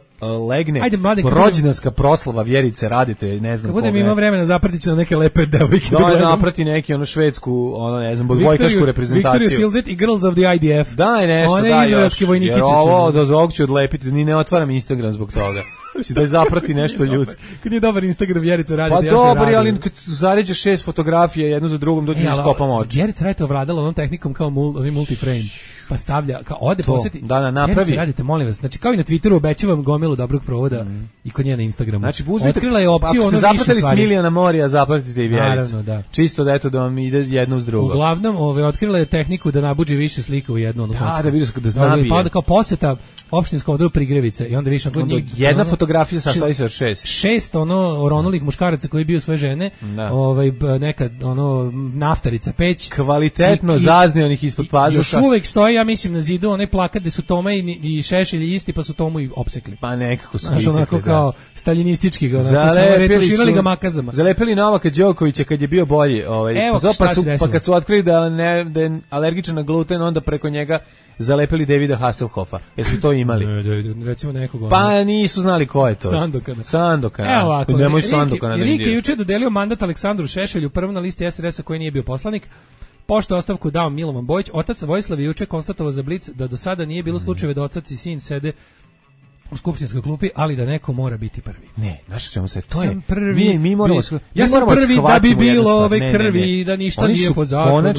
legne rođendanska proslava Vjerice Radete, ne znam koga. Kad budem imao vremena zapratit ću na neke lepe devojke. Da, naprati neki švedsku, ne znam, odbojkašku reprezentaciju. Victoria Silzet i Girls of the IDF. Daj nešto, one izraelske vojnikice. Jer ovo do ovog ću odlepiti, ni ne otvaram Instagram zbog toga. Da je zaprati nešto ljudski. Kad je dobar Instagram Vjerica Radete, pa dobar, ali kad zaređeš 6 fotografija jednu za drugom, dođe da skopam oči. Vjerica Radete ovladala onom tehnikom kao multiframe. Pa stavlja, kao ode posjeti. Da, napravi. Radite, molim vas. Znači, kao i na Twitteru obećavam gomilu dobrog provoda i kod nje na Instagramu. Znači, otkrila je opciju ono više stvari. Ako ste zapratili Smilijana Morija, zapratite i Vjericu. Naravno, da. Čisto da eto da vam ide jedno uz drugo. Uglavnom, otkrila je tehniku da nabuđi više slika u jednu. Da vidiš da nabije. Pa onda kao posjeta opštinskom odboru Prigrevice i onda više jedna fotografija sastoji se od 6 oronulih muškaraca koji bio svoje žene, neka naftarica peć, kvalitetno zaznionih ispod pazuha. Još uvek stoji, ja mislim, na zidu onaj plakat gde su Toma i Šešelj isti, pa su Tomu i opsekli. Pa nekako su isekli, onako kao staljinistički ga, retuširali ga makazama. Zalepili Novaka Đokovića kad je bio bolji, pa kad su otkrili da je alergičan na gluten, onda preko njega zalepili Davida Hasselhoffa. Jesu to imali? Ne, recimo nekog. Pa nisu znali ko je to. Sandokana. Evo ovako. Nemoj Sandokana da Rik je juče dodelio mandat Aleksandru Šešelju, prvo na listi SDS-a koji nije bio poslanik. Pošto ostavku dao Milovan Bojić, otac Vojislav je juče konstatovao za Blic da do sada nije bilo slučajeva da otac i sin sede u skupštinskoj klupi, ali da neko mora biti prvi. Ne, znaš čemu se, to sam je prvi, mi moramo, ja sam prvi da bi bilo ove krvi, da ništa oni nije su pod zakonom.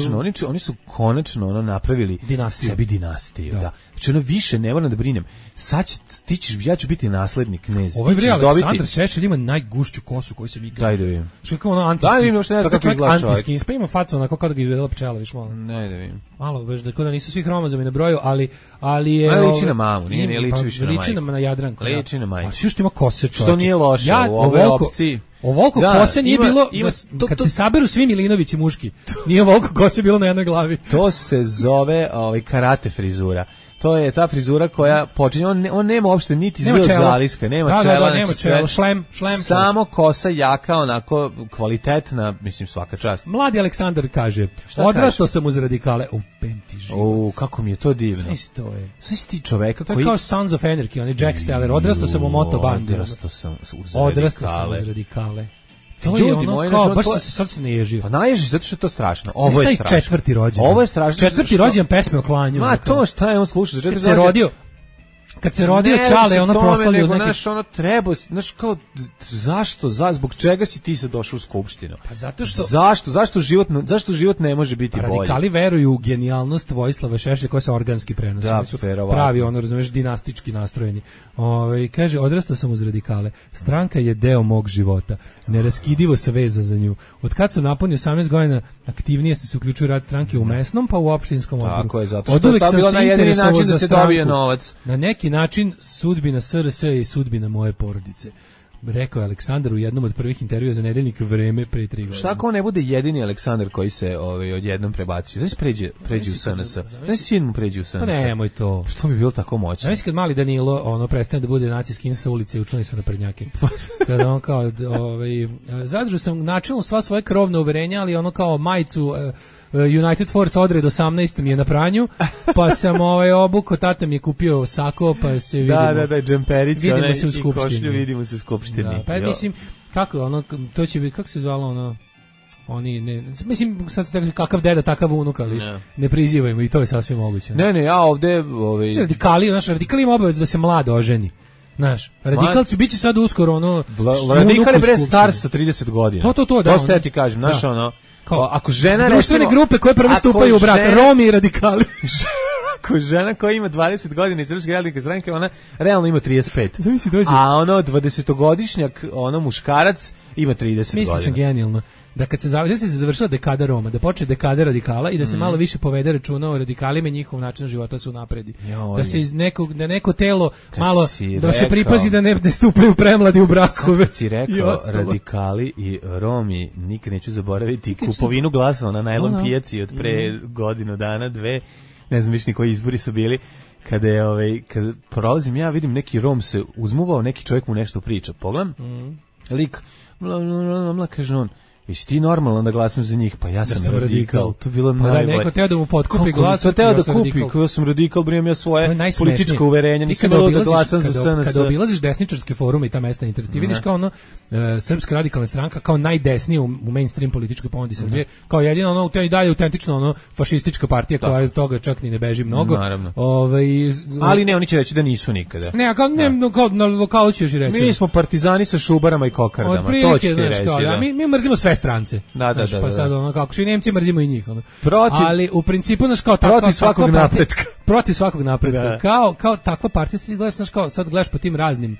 Oni su konačno ono napravili sebi dinastiju, da. Znači ono više ne moram da brinem. Sad ja ću biti naslednik knez. Ovo je Aleksandar Šešelj ima najgušću kosu koju sam ikad. Daj da vidim. Što kao ono antiski. Daj vidim, što ne znam kako izgleda čovjek. Pa ima facu onako kao da ga izvedela pčela, viš malo. Daj da vidim. Malo, baš da nisu svi hromozomi na broju, ali je... liči na mamu, nije liči više na majku. Liči na Jadranku. Liči na majku. A što ima kose čovječe. Što nije loše u ove opciji. Ovoliko kose nije bilo, kad se saberu svi Milinovići muški, nije ovoliko kose bilo na jednoj glavi. To se zove karate frizura. To je ta frizura koja počinje, on nema uopšte niti z od zaliska, nema čela, nema čela, šlem. Samo kosa jaka, onako kvalitetna, mislim svaka čast. Mladi Aleksandar kaže, odrastao sam uz radikale, pemti život. Kako mi je to divno. Sve isto je. Sve si ti čoveka koji... To je kao Sons of Anarchy, on je Jack Steller, odrastao sam u motobandu. Odrastao sam uz radikale. To je ono kao, baš se sad se naježio. Pa naježi zato što je to strašno. Ovo je strašno. Četvrti rođendan. Ovo je strašno. Četvrti rođendan pesme o klanju. Ma to šta je on sluša? Kad se rodio Čale, ono proslavio neki... Znaš, ono treba, znaš kao, zašto, zbog čega si ti sad došao u skupštinu? Pa zato što... Zašto život ne može biti bolji? Radikali veruju u genijalnost Vojislava Šešelja koja se organski prenosi. Da, pravi, ono, razumeš, dinastički nastrojeni. Kaže, odrastao sam uz radikale. Stranka je deo mog života. Neraskidivo se veza za nju. Od kad sam napunio 18 godina, aktivnije se uključuju rad stranke u mesnom, pa u opštinskom odboru. Tako je, zato što je to bilo na jedini način da se dobije novac. Na neki način sudbina SRS i sudbina moje porodice. Rekao je Aleksandar u jednom od prvih intervjua za Nedeljnik Vreme pre 3 godine. Šta ako on ne bude jedini Aleksandar koji se odjednom prebaci? Znači pređe u SNS. Znači sin mu pređe u SNS. Pa nemoj to. To bi bilo tako moćno. Znači kad mali Danilo prestane da bude nacijski sa ulice i učlani su na prednjake. Kada on kao zadržao sam načelno sva svoje krovna uverenja, ali ono kao majicu United Force odred 18 mi je na pranju, pa sam obuko, tata mi je kupio sako, pa se vidimo. Da, džemperić, vidimo se u skupštini. I košlju vidimo se u skupštini. Da, pa mislim, kako to će biti, kako se zvalo mislim, sad se tako kakav deda, takav unuk, ali ne prizivajmo i to je sasvim moguće. Ne, ja ovde... Radikali ima obavezu da se mlado oženi. Znaš, radikalci biće sad uskoro radikal je bre star sa 30 godina. To, da. To ste ti kažem, znaš ako žena društvene grupe koje prvo stupaju u brak, Romi i radikali. Ako žena koja ima 20 godina iz Srpske radikalne stranke, ona realno ima 35. A 20-godišnjak, muškarac ima 30 godina. Mislim sam genijalno. Da kad se završila dekada Roma, da počne dekada radikala i da se malo više povede računa o radikalima i njihov način života su napredi. Da se iz neko telo malo, da se pripazi da ne stupaju premladi u brakove. Sad si rekao radikali i Romi, nikad neću zaboraviti kupovinu glasa na najlon pijaci od pre godinu dana, 2, ne znam više ni koji izbori su bili, kada prolazim ja vidim neki Rom se uzmuvao, neki čovjek mu nešto priča, pogledam, lik, kaže on, jesi ti normalno da glasam za njih? Pa ja sam radikal. To je bilo najbolje. Da, neko teo da mu potkupi glas. To teo da kupi, ja sam radikal, brijem ja svoje političko uverenje, nisam bilo da glasam za SNS. Kada obilaziš desničarske forume i ta mesta internet, ti vidiš kao Srpska radikalna stranka, kao najdesnija u mainstream političkoj ponudi Srbije, kao jedina i dalje autentično fašistička partija koja od toga čak ni ne beži mnogo. Naravno. Ali ne, oni će reći da nisu nikada. Ne, kao na lokalu će još reći. Mi smo partizani sa šubarama i kokardama, to će ti reći. Mi mrzimo sve strance. Da. Pa sad kako svi Nemci mrzimo i njih. Ali u principu kao protiv svakog napretka. Protiv svakog napretka. Kao takva partija se gledaš kao sad gledaš po tim raznim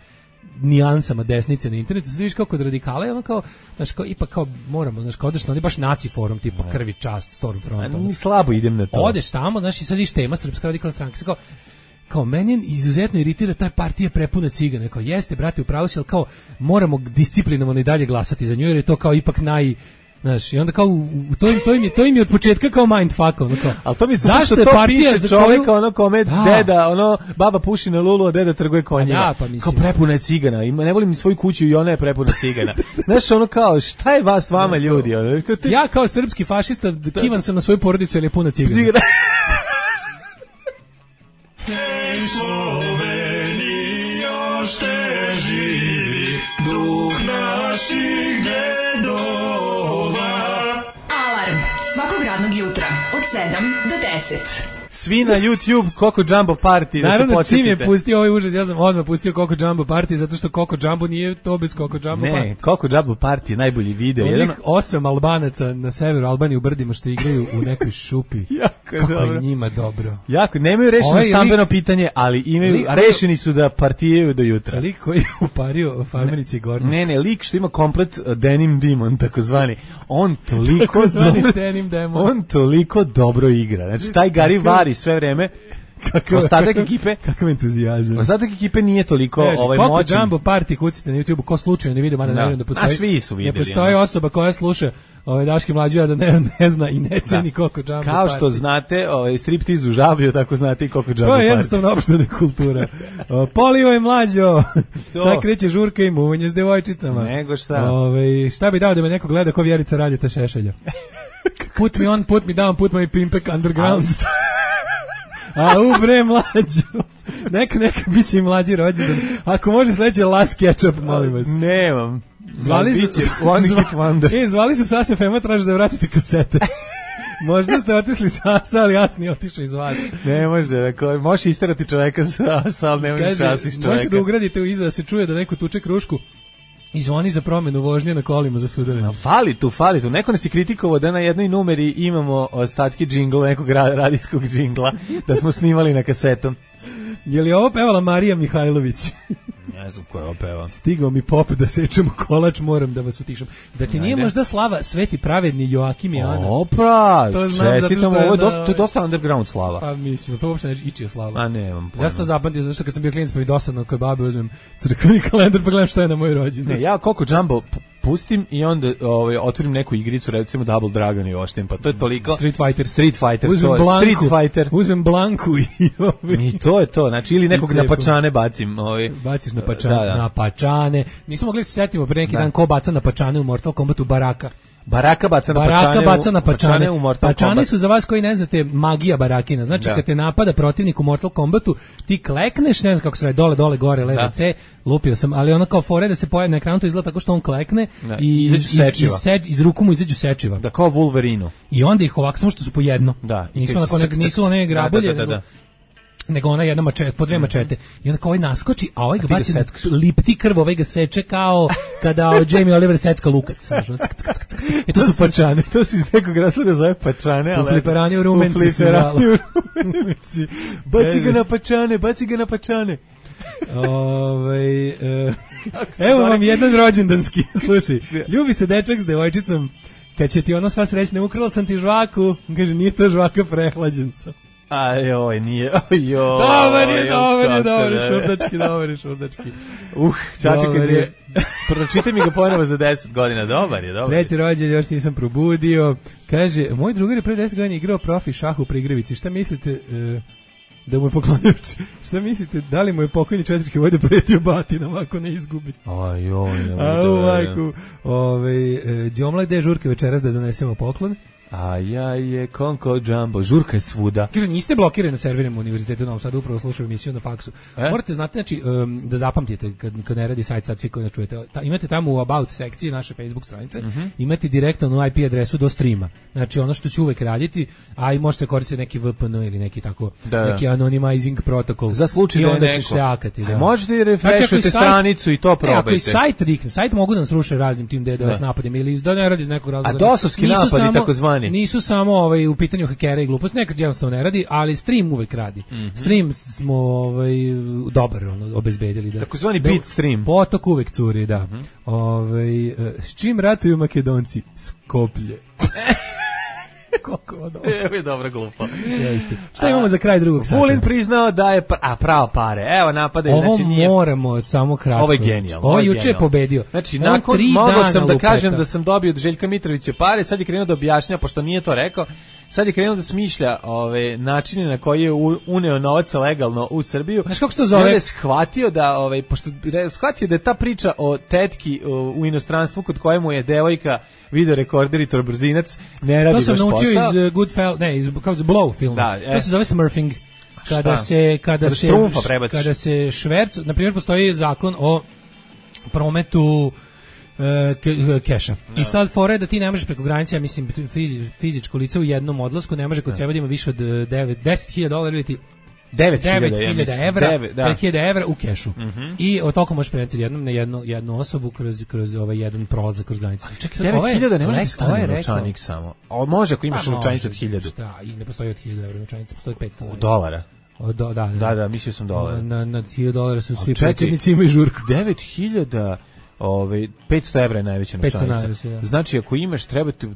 nijansama desnice na internetu, sad vidiš kao kod radikala je kao ipak kao moramo, kao odeš na oni baš naci forum tipa Krvi čast, Stormfront. Ni slabo idem na to. Odeš tamo, i sad vidiš tema Srpska radikalna stranka, kao meni izuzetno iritira ta partija prepuna cigana, kao jeste brate upravo si, ali kao moramo disciplinovano i dalje glasati za nju jer je to kao ipak znaš, i onda kao to im je od početka kao mindfuck, kao. Ali to mi zašto to piše čovjek kome deda, baba puši na lulu, a deda trguje konjima. Kao prepuna je cigana, ne volim ni svoju kuću i ona je prepuna cigana. Znaš, kao šta je vas vama ljudi? Ja kao srpski fašista kivan sam na svoju porodicu jer je puna cigana. Slovenija šte živi duh naših dedova. Alarm svakog radnog jutra od 7 do 10. Svi na YouTube Coco Jumbo Party, da se naravno, podsjetite. čim je pustio ovaj užas, ja sam odmah pustio Coco Jumbo Party, zato što Coco Jumbo nije to bez Coco Jumbo Party. Ne, Coco Jumbo Party je najbolji video. Onih 8 Albanaca na severu Albanije u brdima što igraju u nekoj šupi. Kako je njima dobro. Jako, nemaju rešeno stambeno pitanje, ali imaju, rešeni su da partijaju do jutra. Lik koji je upario farmerici Gornje. Ne, lik što ima komplet denim demon, takozvani. On toliko on toliko dobro igra. Znači, taj Gary Vari sve vreme, ostatak ekipe, kakav entuzijazam. Ostatak ekipe nije toliko moćan. Coco Jumbo Party, kucite na YouTube, ko slučajno ne vidi, mada ne da postoji. A svi su videli. Ne postoji osoba koja sluša Daške mlađe, da ne zna i ne ceni Coco Jumbo Party. Kao što znate, striptiz u Žablju, tako znate i Coco Jumbo Party. To je jednostavno opštena kultura. Polivaj mlađo. Sad kreće žurka i muvanje s devojčicama. Nego šta? Šta bi dao da me neko gleda ko Vjerica Radeta Šešelja? Put me on, put me down, put my pimpek underground. A bre mlađo. Neka biće i mlađi rođendan. Ako može sledeće Last Ketchup, molim vas. Nemam. Zvali su Sasja Fema, traže da vratite kasete. Možda ste otišli Sasa, ali jasni otišao iz vas. Ne može, možeš isterati čoveka Sasa, ali ne možeš Sasiš čoveka. Možete da ugradite u iza da se čuje da neko tuče krušku i zvoni za promenu vožnje na kolima za sudaranje. Fali tu. Neko nas je kritikovao da na jednoj numeri imamo ostatke džingla, nekog radijskog džingla, da smo snimali na kasetom. Je li ovo pevala Marija Mihajlović? Ne znam ko je ovo peva. Stigao mi pop da sečemo kolač, moram da vas utišam. Da ti nije možda slava Sveti pravedni Joakim i Ana? Opa, čestitam, ovo je dosta underground slava. Pa mislim, to uopšte neće ići slava. A nemam pojma. Ja sam to zapamtio, zato što kad sam bio klinac pa mi dosadno kod babe uzmem crkveni kalendar pa gledam šta je na moj rođendan. Ne, ja Coco Jumbo pustim i onda otvorim neku igricu, recimo Double Dragon i oštim, pa to je toliko... Street Fighter. Uzmem Blanku i to je to, znači ili nekog na pačane bacim. Baciš na pačane, na pačane. Nismo mogli se setimo pre neki dan ko baca na pačane u Mortal Kombatu Baraka. Baraka baca na pačane u Mortal Kombat. Pačane su za vas koji ne znate magija barakina. Znači kad te napada protivnik u Mortal Kombatu, ti klekneš, ne znam kako se radi, dole, gore, levo, C, lupio sam, ali ono kao fore da se pojavi na ekranu, to izgleda tako što on klekne i iz ruku mu izađu sečiva. Da, kao Wolverine. I onda ih ovako, samo što su po jedno. Da. Nisu one grabolje, nego ona jedna mačeta, po dve mačete. I onda kao ovaj naskoči, a ovaj ga baci, lipti krv, ovaj ga seče kao kada Jamie Oliver secka lukac. I to su pačane. To se iz nekog razloga zove pačane. U fliperani u Rumenci. Baci ga na pačane. Evo vam jedan rođendanski, slušaj. Ljubi se dečak s devojčicom, kad će ti ona sva srećna, ukrala sam ti žvaku, kaže nije to žvaka, prehlađen sam. Ajoj, nije, dobar je šurdački. Čačekaj, pročitaj mi ga ponovo za 10 godina, dobar je. Treći rođendan, još nisam probudio. Kaže, moj drugar je pre 10 godina igrao profi šah u Prigrevici, šta mislite... da mu je poklonio, šta mislite, da li mu je pokojni četnički vojda pretio batinama ako ne izgubi? Đomla ide žurke večeras da donesemo poklon. A ja je Coco Jumbo, žurka je svuda. Kaže, niste blokirani na serverima Univerzitetu u Novom Sadu, upravo slušaju emisiju na faksu. Morate znati, znači, da zapamtite kad ne radi sajt, sad svi koji ne čujete. Imate tamo u About sekciji naše Facebook stranice, imate direktno IP adresu do streama. Znači, ono što će uvek raditi, a i možete koristiti neki VPN ili neki tako, neki anonymizing protokol. Za slučaj da je neko. Će se akati, da. Možete i refreshujete stranicu i to probajte. Ako i sajt mogu da nas ruše raznim tim DDoS napadima ili da ne radi iz nekog razloga. A dosovski napadi takozvani. Nisu samo u pitanju hakera i glupost, nekad jednostavno ne radi, ali stream uvek radi. Stream smo dobar obezbedili. Takozvani bit stream. Potok uvek curi, da. S čim ratuju Makedonci? Skoplje. Koliko ovo dobro. Evo je dobra glupa. Šta imamo za kraj drugog sata? Vulin priznao da je pravo pare. Evo napadaju. Ovo moramo samo kratko. Ovo je genijalno. Ovo juče je pobedio. Znači, mogao sam da kažem da sam dobio od Željka Mitrovića pare, sad je krenuo da objašnja, pošto nije to rekao, sad je krenuo da smišlja načine na koji je uneo novac legalno u Srbiju. Znaš kako se to zove? I je shvatio da, shvatio da je ta priča o tetki u inostranstvu kod kojemu je devojka video rekorder i torbrzinac, ne radi baš posao. To sam naučio iz Goodfellas, kao iz Blow filma. To se zove smurfing. Kada se šverc, na primjer postoji zakon o prometu keša. I sad fora je da ti ne možeš preko granice, ja mislim fizičko lice u jednom odlasku ne može kod sebe da ima više od $10.000 ili ti 9.000 evra, 9.000 evra u kešu. I od toliko možeš preneti jednom na jednu osobu kroz ovaj jedan prolazak kroz granicu. Čekaj, 9.000 ne može da stane novčanik samo. A može ako imaš novčanicu od 1.000. Šta, i ne postoji od 1.000 evra novčanica, postoji 500 dolara. Da, mislio sam dolara. Na $1.000 su svi predsjednici imaju žurku. 9.000 500 evra je najveća novčanica. Znači ako imaš treba da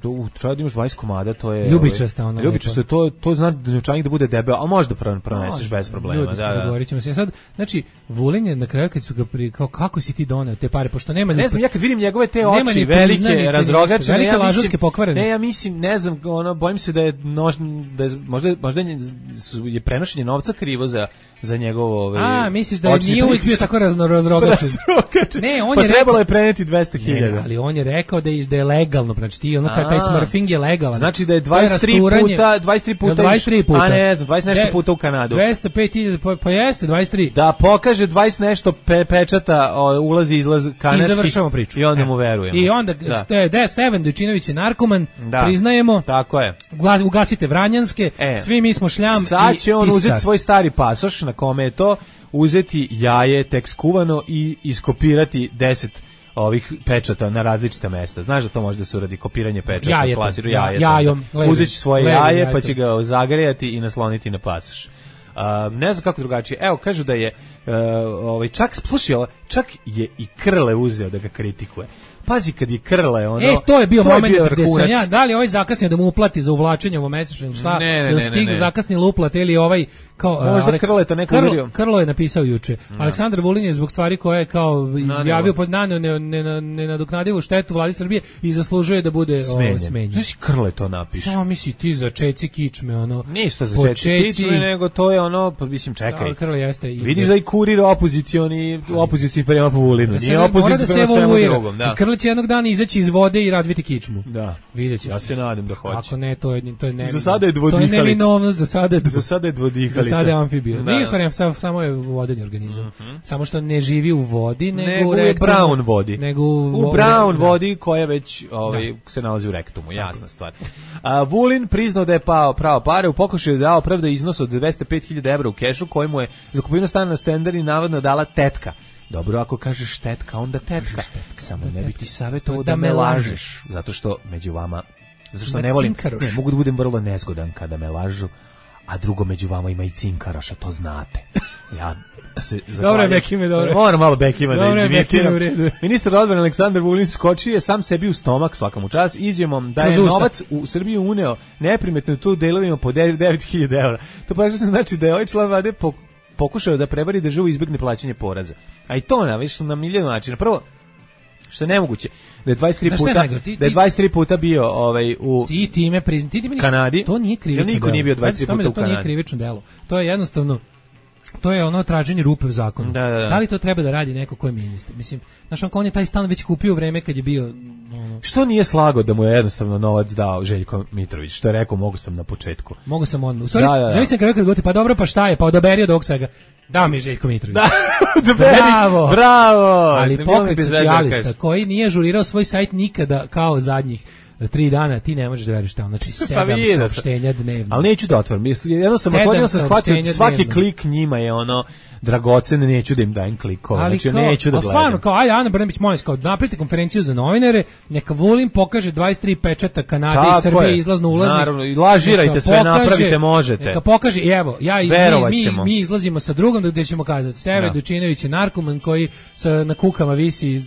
imaš 20 komada, to je ljubičasta ona. Ljubičasta to znači da novčanik da bude debel, a može da proneseš bez problema. Govorit ćemo se sad. Znači Vulin je na kraju kad su ga kao kako si ti doneo te pare, pošto nema. Ne znam, ja kad vidim njegove te oči velike, razrogačene, velike lažovske pokvarene. Ne, ja mislim, ne znam, bojim se da je možda je prenošenje novca krivo za njegovo misliš da nije uvijek bio tako razrogačen? Ne, on je trebalo je preneti 200.000. Ali on je rekao da je legalno, znači ti taj smurfing je legalan. Znači da je 23 puta, a ne znam, 20 nešto puta u Kanadu. 205.000, pa jeste 23. Da pokaže 20 nešto pečata ulazi izlaz kanadski. I završamo priču. I onda mu verujemo. I onda Stevan Dojčinović je narkoman, priznajemo. Tako je. Ugasite Vranjanske, svi mi smo šljam. Sad će on uzeti svoj stari pasoš na kome je to, uzeti jaje tek skuvano i iskopirati 10 ovih pečata na različita mesta. Znaš da to može da se uradi kopiranje pečata, klasiru jajom. Uzeći svoje jaje pa će ga zagrejati i nasloniti na pasoš. Ne znam kako drugačije. Evo, kažu da je čak je i Krle uzeo da ga kritikuje. Pazi kad je Krle, to je bio moment gde sam ja, da li ovaj zakasnio da mu uplati za uvlačenje ovo mesečno, šta, da stigne zakasnili uplat ili ovaj, kao, možda Krleta neko uverio. Krlo je napisao juče. Aleksandar Vulin je zbog stvari koje je kao izjavio nenadoknadivu štetu vladi Srbije i zaslužuje da bude smenjen. Znaš, Krle to napiše. Samo misli ti za čeci kičme, Ništa za čeci kičme, nego to je mislim, čekaj. Krle jeste. Vidiš da i kurir opozicioni prema po Vulinu. Nije opozicija prema svemu drugom, da. Će jednog dana izaći iz vode i razviti kičmu. Da. Videćeš. Ja se nadam da hoće. Ako ne, to je za sada je dvodihalica. To je neminovnost, za sada je dvodihalica. Za sada je amfibija. Nije stvarno, samo je vodeni organizam. Samo što ne živi u vodi, nego u brown vodi. U brown vodi koja već se nalazi u rektumu, jasna stvar. Vulin priznao da je pravo pare, u pokušaju dao pravda iznos od 205.000 evra u kešu koji mu je za kupovinu stana na Stenderi navodno dala tetka. Dobro, ako kažeš tetka, onda tetka. Samo ne bih ti savjetovao da me lažeš. Zato što među vama, zato što ne volim, mogu da budem vrlo nezgodan kada me lažu, a drugo među vama ima i cinkaroša, to znate. Ja se dobro, Bekime, dobro. Moram malo Bekima da izimitiram. Ministar odbrane Aleksandar Vulin skočio je sam sebi u stomak svakom čas izjavom da je novac u Srbiju uneo neprimetno tu delovima po 9.000 evra. To praktično znači da je ovaj član vlade pokušao da prevari državu i izbjegne plaćanje poreza. A i to na milion načina. Prvo, što je nemoguće, da je 23 puta bio u Kanadi. To nije krivično delo. Niko nije bio 23 puta u Kanadi. To nije krivično delo. To je jednostavno, to je traženje rupe u zakonu. Da li to treba da radi neko ko je ministar? Mislim, znaš, on je taj stan već kupio u vreme kad je bio... Što nije slago da mu je jednostavno novac dao Željko Mitrović? Što je rekao, mogu sam na početku. Mogu sam on. U stvari, zavisam kad goti, pa dobro, pa šta je? Pa odaberi od ovog svega. Dao mi Željko Mitrović. Bravo! Ali pokret socijalista koji nije ažurirao svoj sajt nikada kao zadnjih 3 dana, ti ne možeš da veriš tamo. Znači 7 saopštenja dnevno. Ali neću da otvorim. Jedno sam shvatio, svaki klik njima je dragocen, neću da im dajem klikova. Znači neću da gledam. Stvarno, kao ajde Ana Brnabić, molim vas, napravite konferenciju za novinare, neka Vulin pokaže 23 pečata Kanade i Srbije izlazno ulaznik. Naravno, i lažirajte sve, napravite, možete. Neka pokaže, evo, mi izlazimo sa drugom gde ćemo kazati, Stevan Dojčinović je narkoman koji na kukama visi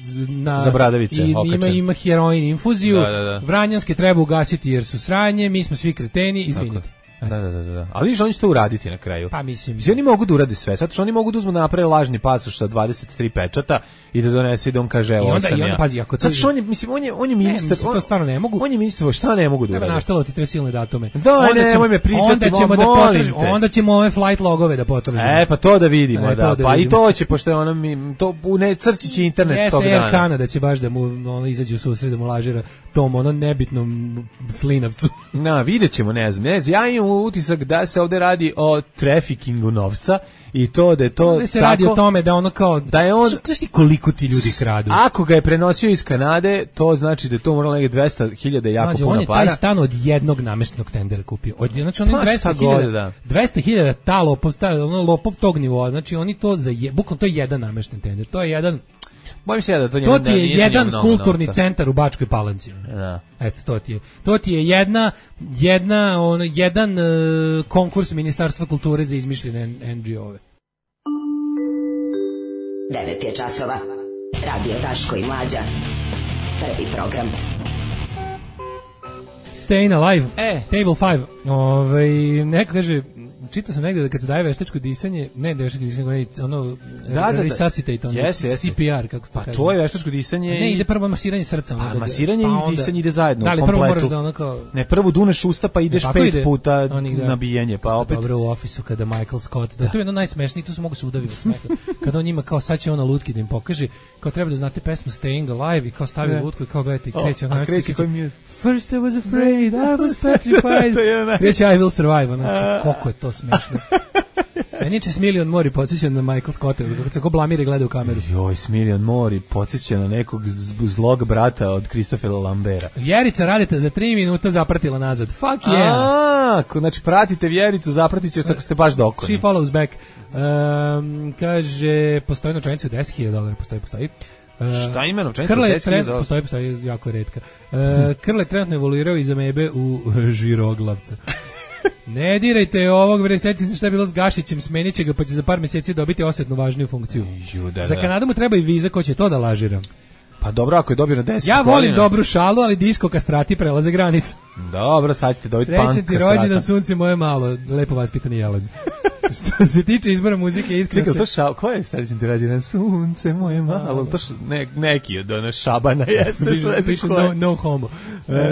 za bradavice, i ima heroin infuziju. Vranjanske treba ugasiti jer su sranje, mi smo svi kreteni, izvinite. Da. Ali viš, oni će to uraditi na kraju. Pa mislim. Oni mogu da urade sve. Sad što oni mogu da uzmu naprave lažni pasoš sa 23 pečata i da donese i da on kaže evo sam ja. Pazi, ako sad što on je ministar. To stvarno ne mogu. On je ministar, šta ne mogu da urade? Naštalo ti te silne datume. Nemoj me pričati, onda ćemo ove flight logove da potražimo. Pa to da vidimo, da. Pa i to će, pošto je to crći će internet tog dana. Jeste, Air Canada će baš da mu izađe u susret, da mu lažira tom nebitnom slinavcu. Vidjet ćemo, ne znam. Ja imam imam utisak da se ovde radi o trafikingu novca i to da je to ovde se radi o tome da ono kao da je on znaš ti koliko ti ljudi kradu. Ako ga je prenosio iz Kanade, to znači da je to moralo negdje 200.000 jako puno para. On je taj stan od jednog nameštenog tendera kupio. Znači on je 200.000 ta lopov tog nivoa. Znači oni to bukvalno to je jedan namešten tender. To je jedan bojim se da to ti je jedan kulturni centar u Bačkoj Palanci. Da. Eto, to ti je jedan konkurs Ministarstva kulture za izmišljene NGO-ove. 9 je časova. Radio Daško i Mlađa. Prvi program. Staying Alive, Table 5. Neko kaže, čitao sam negde da kad se daje veštačko disanje, ne veštačko disanje, ono resuscitate, ono CPR, kako se to kaže. Pa to je veštačko disanje. Ne, ide prvo masiranje srca. A masiranje i disanje ide zajedno, da, ali kompletu. prvo moraš da ono kao... Ne, prvo duneš usta pa ideš 5 puta nabijanje, pa opet... Dobro u ofisu kada Michael Scott, da je to jedno najsmešnije, tu se mogu se udaviti od smeha. Kada on njima kao sad će ona lutki da im pokaže, kao treba da znate pesmu Staying Alive i kao stavi lutku i kao gledajte i kreće. First I was afraid, I was petrified. Kreće I will survive, znači koliko je to smešno. Meni će Smiljan Mori podsjeća na Michael Scotta, kako se ko blamire gleda u kameru. Joj, Smiljan Mori podsjeća na nekog zlog brata od Christophera Lambera. Vjerica Radeta za 3 minuta zapratila nazad. Fuck yeah! Znači pratite Vjericu, zapratit će ako ste baš dokoni. She follows back. Kaže, postoji novčanica od $10.000, postoji. Šta ima novčanica od $10.000? Postoji, jako retka. Krle trenutno evoluirao iz amebe u žiroglavca. Ne dirajte ovog, bre, setite se šta je bilo s Gašićem, smenit će ga pa će za par mjeseci dobiti osjetnu važniju funkciju. Za Kanadu mu treba i viza, ko će to da lažira. Pa dobro, ako je dobio na 10 godina. Ja volim dobru šalu, ali disko kastrati prelaze granicu. Dobro, sad ćete dobiti punk kastrata. Srećen ti rođendan, sunce moje malo, lepo vaspitani jelen. Što se tiče izbora muzike, iskreno se... Čekaj, to šal, ko je srećen ti rođendan, sunce moje malo? To neki od one Šabana jeste. Piše no homo.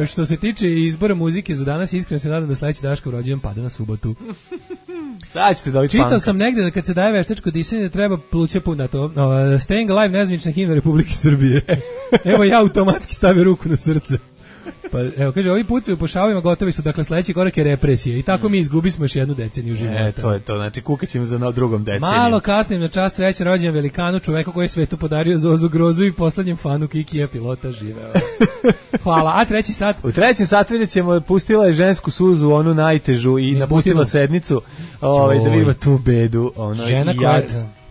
Što se tiče izbora muzike za danas, iskreno se nadam da sledeći Daškov rođendan pada na subotu. Sad ćete dobiti Čitao sam negde da kad se daje veštačko disanje treba pluće pun na to. Staying Alive, nezvanična himna Republike Srbije. Evo ja automatski stavio ruku na srce. Pa evo kaže, ovi pucaju po šavima gotovi su, dakle sledeći korak je represija i tako mi izgubismo još jednu deceniju života. To je to, znači kukaćemo za drugom deceniju. Malo kasnim na čast srećan rođendan velikanu, čoveku koji je svetu podario Zozu Grozu i poslednjem fanu Kikija pilota živeo. Hvala, a treći sat? U trećem satu vidjet ćemo, pustila je žensku suzu, onu najtežu i napustila sednicu, da vidimo tu bedu.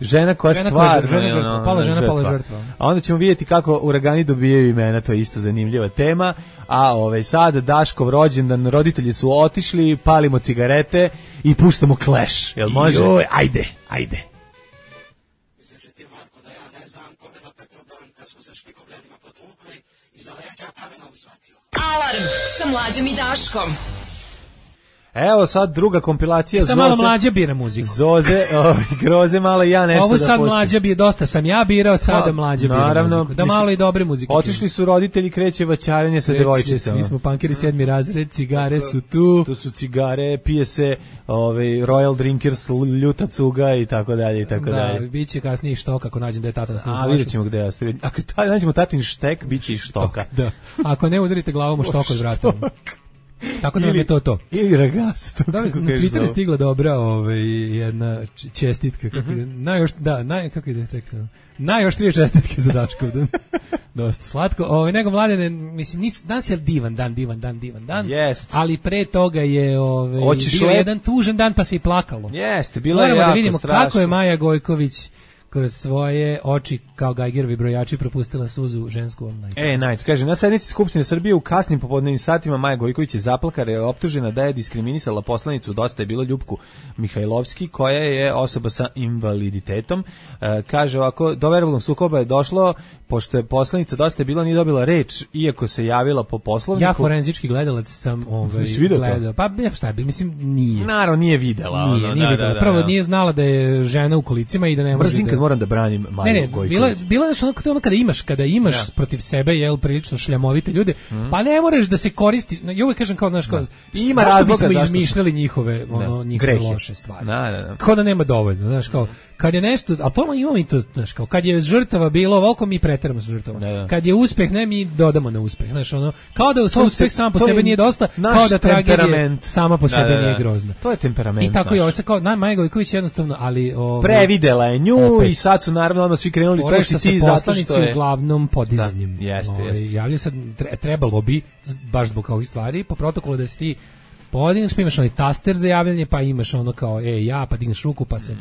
Žena koja stvarno pala žrtva. A onda ćemo vidjeti kako uragani dobijaju imena, to je isto zanimljiva tema. A sad Daškov rođendan, roditelji su otišli, palimo cigarete i puštamo Clash. Jel može? Joj, ajde. Alarm sa Mlađom i Daškom. Evo sad druga kompilacija Zoze. Sad malo Mlađa bira muziku. Zoze, Groze malo i ja nešto ovo da sad pustim. Mlađa bira, dosta sam ja birao, sada Mlađa bira muziku. Da malo i dobre muzike. Otišli su roditelji, kreće vaćarenje sa devojčicama. Svi smo punkeri 7. razred, cigare su tu. Tu su cigare, pije se Royal Drinkers, ljuta cuga i tako dalje i tako dalje. Da, bit će kasnije i štoka ako nađem da je tata na snimku. A vidjet ćemo gde je. Ako nađemo tatin štek, bit će i štoka. Da. Ako ne udarite glavom u štok od vrata. Tako da vam je to. Ili ragasto. Da, na Twitter je stigla dobra jedna čestitka. Najoštrije čestitke za Daškov. Dosta slatko. Nego mladene, mislim, danas je divan dan. Jest. Ali pre toga je bio jedan tužan dan pa se i plakalo. Jeste, bilo je jako strašno. Moramo da vidimo strašno. Kako je Maja Gojković kroz svoje oči kao Geigerovi brojači propustila suzu žensku online. Kaže, na sednici Skupštine Srbije u kasnim popodnevnim satima Maja Gojković je zaplakala, je optužena da je diskriminisala poslanicu Dosta je bilo Ljupku Mihajlovski, koja je osoba sa invaliditetom. Kaže ovako, do verbalnog sukoba je došlo pošto je poslanica Dosta je bilo nije dobila reč, iako se javila po Poslovniku. Ja forenzički gledalac sam gledao. Pa šta bi, mislim, nije. Naravno, nije videla. Nije videla. Prvo nije znala da je žena u kolicima i da ne može kad moram da branim Maju Gojković. Bilo je ono kada imaš protiv sebe prilično šljamovite ljude, pa ne moraš da se koristiš. Ja uvijek kažem kao ima razloga bismo izmišljali njihove loše stvari. Kao da nema dovoljno, znaš, kao kad je nešto, al to imamo i to, znaš, kao kad je žrtava bilo ovoliko mi preteramo sa žrtvama. Kad je uspeh, ne, mi dodamo na uspeh, znaš, ono, kao da uspeh sam po sebi nije dosta, kao da tragedija sama po sebi nije grozna. To je temperament. I tako je ovo kao Maja Gojković jednostavno, ali previdela je nju i sad su naravno svi krenuli to što ti zato što je uglavnom podizanjem. Jeste. Javlja sad trebalo bi baš zbog ovih stvari po protokolu da se ti podigneš, pa imaš onaj taster za javljanje, pa imaš ono kao pa digneš ruku, pa se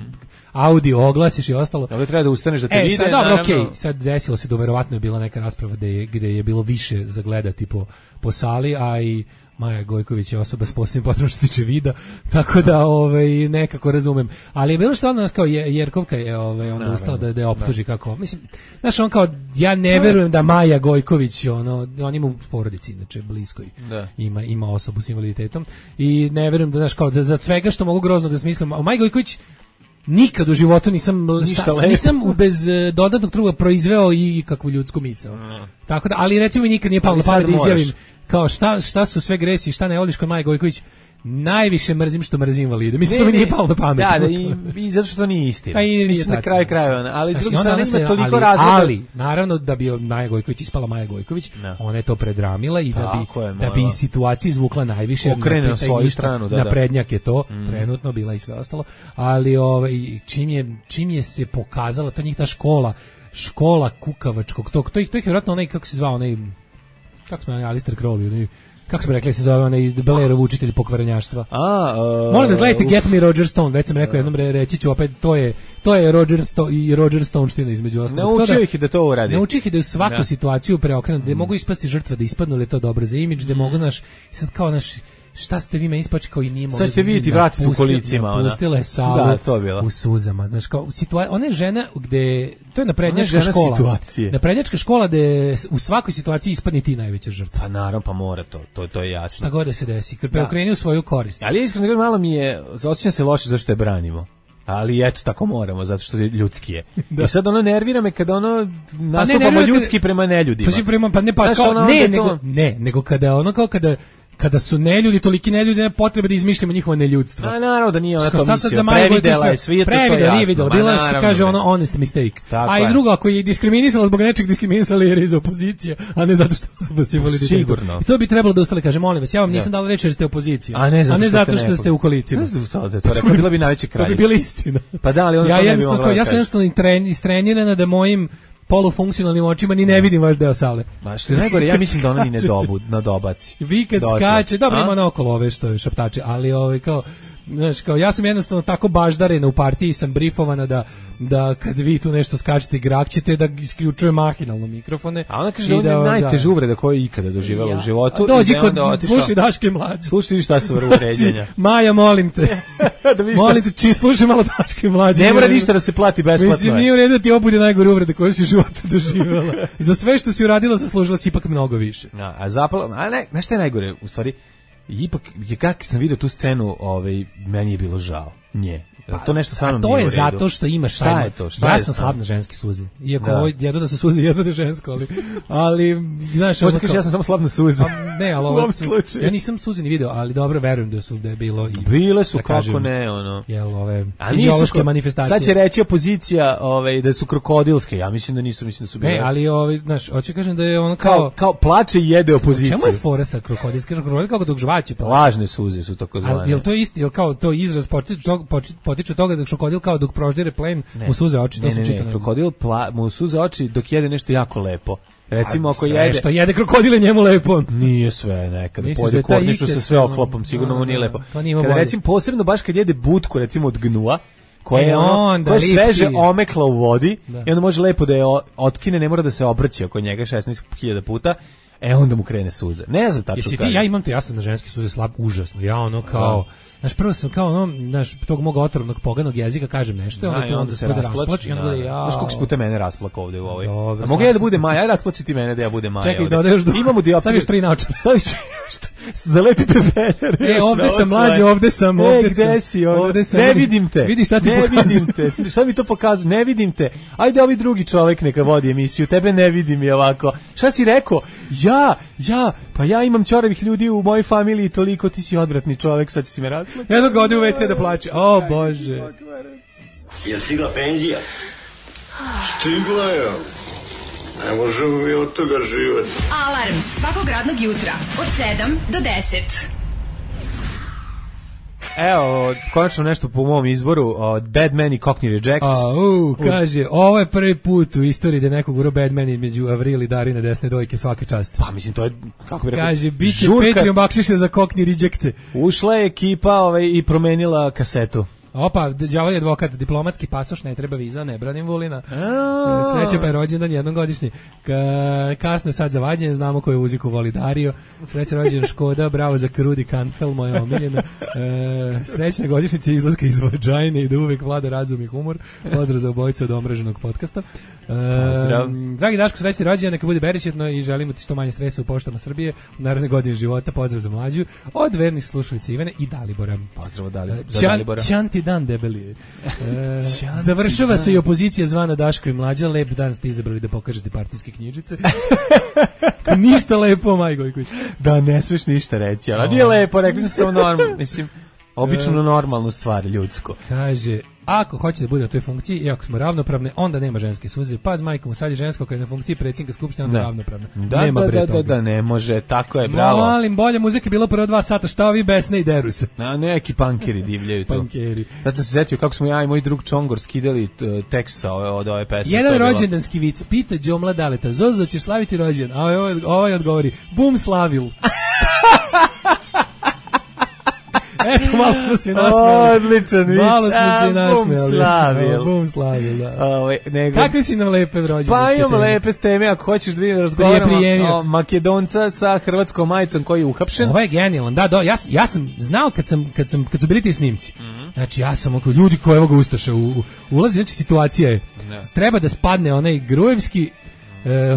audio oglasiš i ostalo. Ovdje treba da ustaneš da te vide. Sad, dobro, okej, sad desilo se da verovatno je bila neka rasprava gde je bilo više za gledati po sali, a i Maja Gojković je osoba s posebnim potrebom što se tiče vida, tako da nekako razumem. Ali je bilo što ona kao Jerkovka je onda ustala da je optuži kako. Mislim, znaš, on kao ja ne verujem da Maja Gojković on ima u porodici inače bliskoj. Ima osobu s invaliditetom i ne verujem da znaš kao da svega što mogu grozno da smislim. A Maja Gojković nikad u životu nisam bez dodatnog truda proizveo i kakvu ljudsku misao. Tako da, ali recimo mi nikad nije palo na pamet da izjavim kao šta su sve gresi, šta ne voliš kod Maje Gojković. Najviše mrzim što mrzim invalide. Mislim, to mi nije palo na pamet. Da, i zato što to nije istina. Mislim, na kraju krajeva. Ali s druge strane ima toliko razloga. Ali, naravno, da bi Maja Gojković ispala Maja Gojković, ona je to predramila i da bi situaciju izvukla najviše. Okrene na svoju stranu. Na prednjak je to, trenutno bila i sve ostalo. Ali čim je se pokazala, to njih ta škola kukavačkog, to ih vjerojatno onaj, kako se zvao, kako smo Alistair Crowley, kako smo rekli se zove onaj Blairov učitelj pokvarenjaštva. Molim da gledajte Get Me Roger Stone, već sam rekao jednom, reći ću opet, to je Roger Stoneština između ostalog. Naučio ih da to uradi. Naučio ih da u svaku situaciju preokrenu, da mogu ispasti žrtva, da ispadnu, ali je to dobro za imidž, da mogu sad kao šta ste vi me ispači kao i nije mogli. Sad ste vidjeti vrati su u kolicima. Pustila je salu u suzama. Znaš, kao, ona je žena gde, to je naprednjačka škola. Situacije. Naprednjačka škola gde u svakoj situaciji ispadni ti najveća žrtva. Pa naravno, pa mora to je jasno. Šta god da se desi, kad preokreni u svoju korist. Ali iskreno malo mi je, osjećam se loše zašto je branimo. Ali eto, tako moramo, zato što je ljudski je. I sad ono nervira me kada nastupamo ljudski prema neljudima. Nego kada su neljudi, toliki neljudi, nema potrebe da izmišljamo njihovo neljudstvo. A naravno da nije ona to mislio, previdela je svijetu, to je jasno. Nije videla, bila je što kaže ono honest mistake. A i drugo, ako je diskriminisala zbog nečeg, diskriminisala jer je iz opozicije, a ne zato što su s invaliditetom. Sigurno. I to bi trebalo da ustale, kaže, molim vas, ja vam nisam dala reći jer ste opozicija, a ne zato što ste u kolicima. Ne znam da to rekao, bila bi najveća kraljica. To bi bila istina. Pa da, ali ona to ne bi mogla. Ja sam jednostavno istrenirana da mojim polufunkcionalnim očima ni ne vidim vaš deo sale. Ma što je najgore, ja mislim da ona ni ne nadobaci. Vi kad skače, dobro ima naokolo ove što je šaptače, ali kao, znaš, kao ja sam jednostavno tako baždarena u partiji, sam brifovana da kad vi tu nešto skačete i grakćete da isključuje mahinalno mikrofone. A ona kaže da je najteža uvreda koju je ikada doživjela u životu. Dođi slušaj Daške mlađe. Slušaj šta su uvređenja. Maja, molim te. Molim te, slušaj malo Daške mlađe. Ne mora ništa da se plati besplatno. Mislim, nije u redu da ti obude najgore uvrede koje si u životu doživjela. Za sve što si uradila zaslužila si ipak mnogo više. Znaš šta je najgore, u stvari, ipak, kako sam vidio tu scenu, meni je bilo žao. Nje. To nešto sa mnom nije u redu. To je zato što imaš šta je to? Ja sam slab na ženske suze. Iako ovo jedno da se suze, jedno da je žensko, ali znaš, možda kažeš ja sam samo slab na suze. Ne, ali ovo ja nisam suze ni video, ali dobro verujem da je bilo i bile su kako ne, ono. Jel ove fiziološke manifestacije. Sad će reći opozicija, da su krokodilske. Ja mislim da nisu, mislim da su bile. Ne, ali znaš, hoće kažem da je ono kao plače i jede opoziciju. Čemu je fora sa krokodilske? Krokodil kako dok žvaće. Lažne suze su tako zvane. Jel to isti, jel kao to izraz potiče od toga da krokodil kao dok proždire plen mu suze oči, to se čita. Ne, krokodil mu suze oči dok jede nešto jako lepo. Recimo ako jede što jede krokodile njemu lepo. Nije sve nekada pojede kornišu sa sve oklopom, sigurno mu nije lepo. Kada recimo posebno baš kad jede butku recimo od gnua, koja je sveže omekla u vodi i onda može lepo da je otkine, ne mora da se obrći oko njega 16.000 puta. Onda mu krene suze. Ne znam tačno kako. Ja sam na ženske suze slab užasno. Ja ono kao znaš, prvo sam kao tog mog otrovnog poganog jezika kažem nešto, onda se rasplači, onda znaš koliko si puta mene rasplakao ovde u ovoj. A mogu ja da bude Maja, aj rasplači ti mene da ja budem Maja. Čekaj, dodaš imamo dioptriju. Staviš 3 naočara. Zalepi pepeljar. Ovde sam mlađi, ovde sam. Gde si? Ovde sam. Ne vidim te. Vidi šta ti pokazujem. Ne vidim te. Šta mi to pokazuje? Ne vidim te. Ajde, ovi drugi čovek neka vodi emisiju. Tebe ne vidim i ovako. Šta si rekao? Pa ja imam ćoravih ljudi u mojoj familiji toliko, ti si odvratni čovek, sad će si me razgledati. Jednog ga ode u WC da plače. O, Bože. Jel stigla penzija? Stigla je. Ne možemo mi od toga živati. Alarm svakog radnog jutra od 7 do 10. Evo, konačno nešto po mom izboru, Bad Man i Cockney Rejects. Kaže, ovo je prvi put u istoriji da nekog uro Bad Man između Avril i Darine desne dojke, svaka čast. Pa mislim, to je, kako bi rekao, kaže, bit će Patreon bakšiše za Cockney Rejects. Ušla je ekipa i promenila kasetu. Opa, đavo je advokat, diplomatski pasoš, ne treba viza, ne branim Vulina. Sreća pa je rođendan jednom godišnji. Kasno je sad za vađenje, znamo koju muziku voli Dario. Sreća rođendan Škoda, bravo za Krudi Kanfel, moja omiljena. Srećna godišnjica izlaska iz Vagina i da uvek vlada razum i humor. Pozdrav za obojicu od omraženog podcasta. Dragi Daško, srećni rođendan, neka bude beričetno i želimo ti što manje stresa u poštama Srbije u naredne godine života. Pozdrav za mlađu od vernih slušalica Ivane i Dalibora. Pozdrav za Dalibora. Ćanti dan debeli. Završava se i opozicija zvana Daško i mlađa. Lep dan ste izabrali da pokažete partijske knjižice. Ništa lepo, Maj Gojković. Da, ne smeš ništa reći, ali nije lepo, rekli su samo normalno, mislim, obično normalnu stvar, ljudsko. Kaže, ako hoće da bude na toj funkciji i ako smo ravnopravne, onda nema ženske suze. Paz majkom, sad je žensko kad je na funkciji predsjednika skupštine, onda je ravnopravna. Da, ne može, tako je, bravo. Molim, bolje muzike bilo prvo 2 sata, šta ovi besne i deru se. Neki pankeri divljaju to. Pankeri. Sad sam se setio kako smo ja i moj drug Čongor skidali tekst od ove pesme. Jedan rođendanski vic, pita Đomla Daleta, Zozo, ćeš slaviti rođendan? A ovaj odgovori, bum slavil. Eto, malo smo se nasmijali. Odličan vic. Malo smo se nasmijali. Bum slavil, da. Kakve si nam lepe rođendanske teme? Pa imam lepe teme, ako hoćeš da razgovaramo o Makedonca sa hrvatskom majicom koji je uhapšen. Ovo je genijalan, da, ja sam znao kad su bili ti snimci. Znači, ja sam oko ljudi koji evo ga ustaše ulazi, znači situacija je, treba da spadne onaj Grujevski,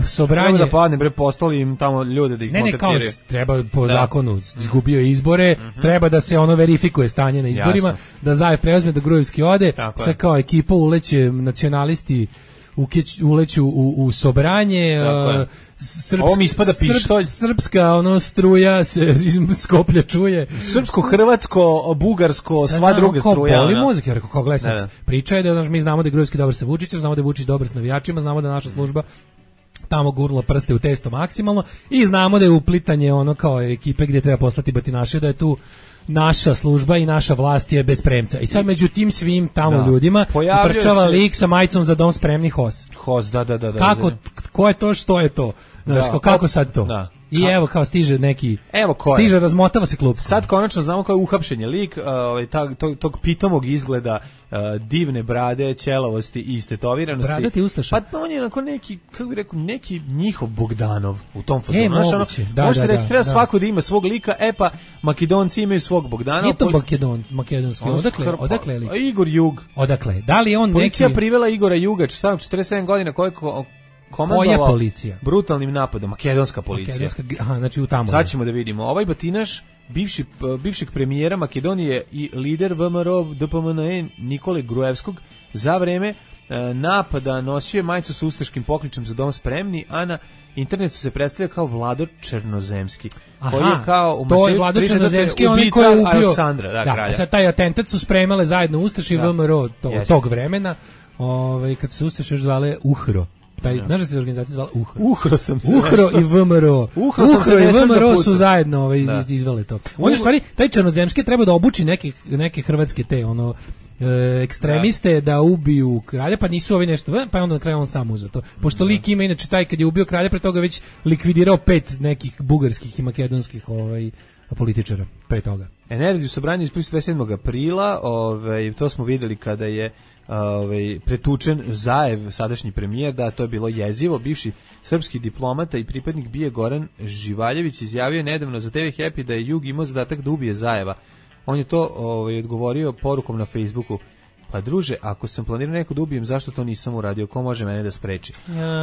sobranje. Treba da padne, postali im tamo ljude da ih kontaktiraju. Ne, kao treba po zakonu, izgubio izbore, treba da se ono verifikuje stanje na izborima, da Zajev preuzme, da Grujevski ode, sa kao ekipa uleće nacionalisti, uleću u sobranje, srpska struja se iz Skoplja čuje. Srpsko, hrvatsko, bugarsko, sva druga struja. Boli muzika, rekao, kao gledaj, priča je da mi znamo da je Grujevski dobar sa Vučićem, znamo da je Vučić dobar s navijačima, znamo da naša služba tamo gurnula prste u testo maksimalno i znamo da je uplitanje ono kao ekipe gdje treba poslati batinaše, da je tu naša služba i naša vlast je bez premca. I sad među tim svim tamo ljudima trčava lik sa majicom za dom spremni HOS. Da. Kako, ko je to, što je to? Znaš, kako sad to? Da. I evo kao stiže neki, stiže, razmotava se klub. Sad konačno znamo kao je uhapšen je lik tog pitomog izgleda, divne brade, ćelavosti i istetoviranosti. Bradati ustaša. Pa on je onako neki, kako bi rekao, neki njihov Bogdanov u tom fazonu. Moguće. Možete reći, treba svako da ima svog lika, pa Makedonci imaju svog Bogdanova. Nije to makedonski, odakle je lik? Igor Jug. Odakle? Da li on Policija privela Igora Juga, 47 godina, koja policija? Brutalnim napadom, makedonska policija. Znači u tamo. Sad ćemo da vidimo. Ovaj batinaš, bivšeg premijera Makedonije i lider VMRO DPMNE Nikole Grujevskog, za vreme napada nosio je majicu s ustaškim pokličem za dom spremni, a na internetu se predstavlja kao Vlado Černozemski. Koji je kao to je Vlado Černozemski, onaj koji je ubio Aleksandra, kralja. Sad taj atentat su spremale zajedno ustaši i VMRO tog vremena, kad se ustaše zvale UHRO. Znaš da se organizacija zvala UHRO? UHRO i VMRO. UHRO i VMRO su zajedno izvele to. On je stvari, taj Černozemski treba da obuči neke hrvatske te ekstremiste da ubiju kralja, pa nisu ovi nešto, pa je onda na kraju on sam uzeo to. Pošto lik ima, inače taj kad je ubio kralja, pre toga već likvidirao 5 nekih bugarskih i makedonskih političara pre toga. Energiju sobranja iz 27. aprila, to smo videli kada je pretučen Zajev, sadašnji premijer, da to je bilo jezivo. Bivši srpski diplomata i pripadnik BIA Goran Živaljević izjavio nedavno za TV Happy da je Jug imao zadatak da ubije Zajeva. On je to odgovorio porukom na Facebooku. Pa druže, ako sam planirao neko da ubijem, zašto to nisam uradio? Ko može mene da spreči?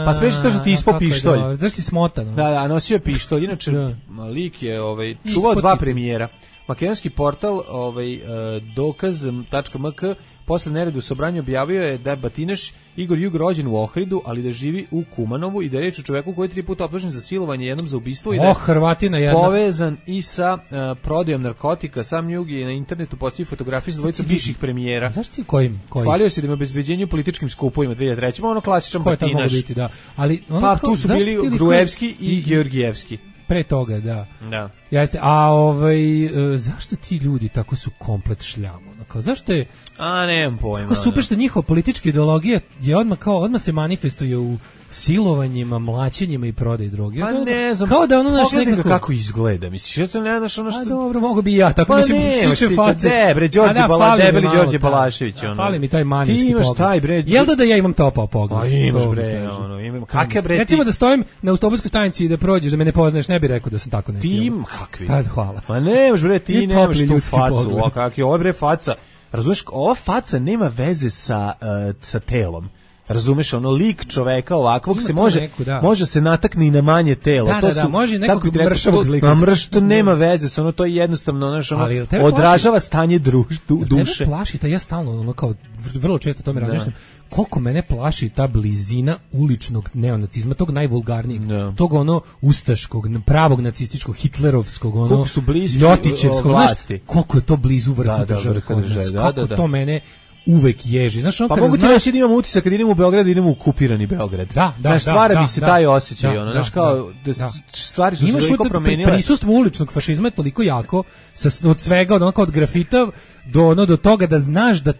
Pa spreči to što ti ispao pištolj. Znaš si smotan. Da, nosio je pištolj. Inače, lik je čuvao 2 premijera. Makedonski portal dokaz.mk posle nereda u Sobranju objavio je da je batinaš Igor Jug rođen u Ohridu, ali da živi u Kumanovu i da je reč o čoveku koji je 3 puta optužen za silovanje, jednom za ubistvo i da je Hrvatina jedna. Povezan i sa prodajom narkotika. Sam Jug je na internetu postavio fotografije sa dvojica bivših premijera. Znaš ti kojim? Hvalio se da ima obezbeđenju političkim skupovima 2003. Ono klasičan batinaš. Biti, da. Ali pa tu su bili Gruevski i Georgijevski. Pre toga, da. Jeste. A zašto ti ljudi tako su komplet šljamo? Kao, zašto je... nemam pojma. Kako super što njihova politička ideologija je odmah se manifestuje u silovanjima, mlaćenjima i prodaji droge. Pa ne znam. Kao da ono naš nekako... kako izgleda. Misliš, ja ne znaš ono što... dobro, mogu bi i ja. Tako mislim, sliče face. Debeli Đorđe Balašević. Fali mi taj manijski pogled. Ti imaš taj, bre... Jel da ja imam topao pogled? A imaš, bre, kakve, bre, ti... Recimo da stojim na autobuskoj stanici i da prođeš, da me ne poznaš, ne bi rekao da sam tako neki. Ti im, kakvi? Hvala. Pa nemaš, bre, ti nemaš tu facu. O, kak je, ovo, bre, faca. Razumeš, ova faca nema veze sa telom. Razumeš, ono lik čoveka ovakvog se može se natakne i na manje telo. Da, može nekog mršavog zlika. To nema veze, ono to je jednostavno odražava stanje duše. Tebe plaši, ja stalno kao vrlo često tome razmišljam. Koliko mene plaši ta blizina uličnog neonacizma, tog najvulgarnijeg, tog ustaškog, pravog nacističkog, hitlerovskog, ljotićevskog vlasti. Koliko je to blizu vrhu države kod nas, kako to mene uvek ježi. Znaš, pa mogu ti reći da imam utisak kad idem u Beograd, idem u okupirani Beograd. Da, stvara mi se taj osjećaj, znaš, kao stvari su se toliko promenile. Prisustvo uličnog fašizma je toliko jako, od svega, od grafita do toga da znaš da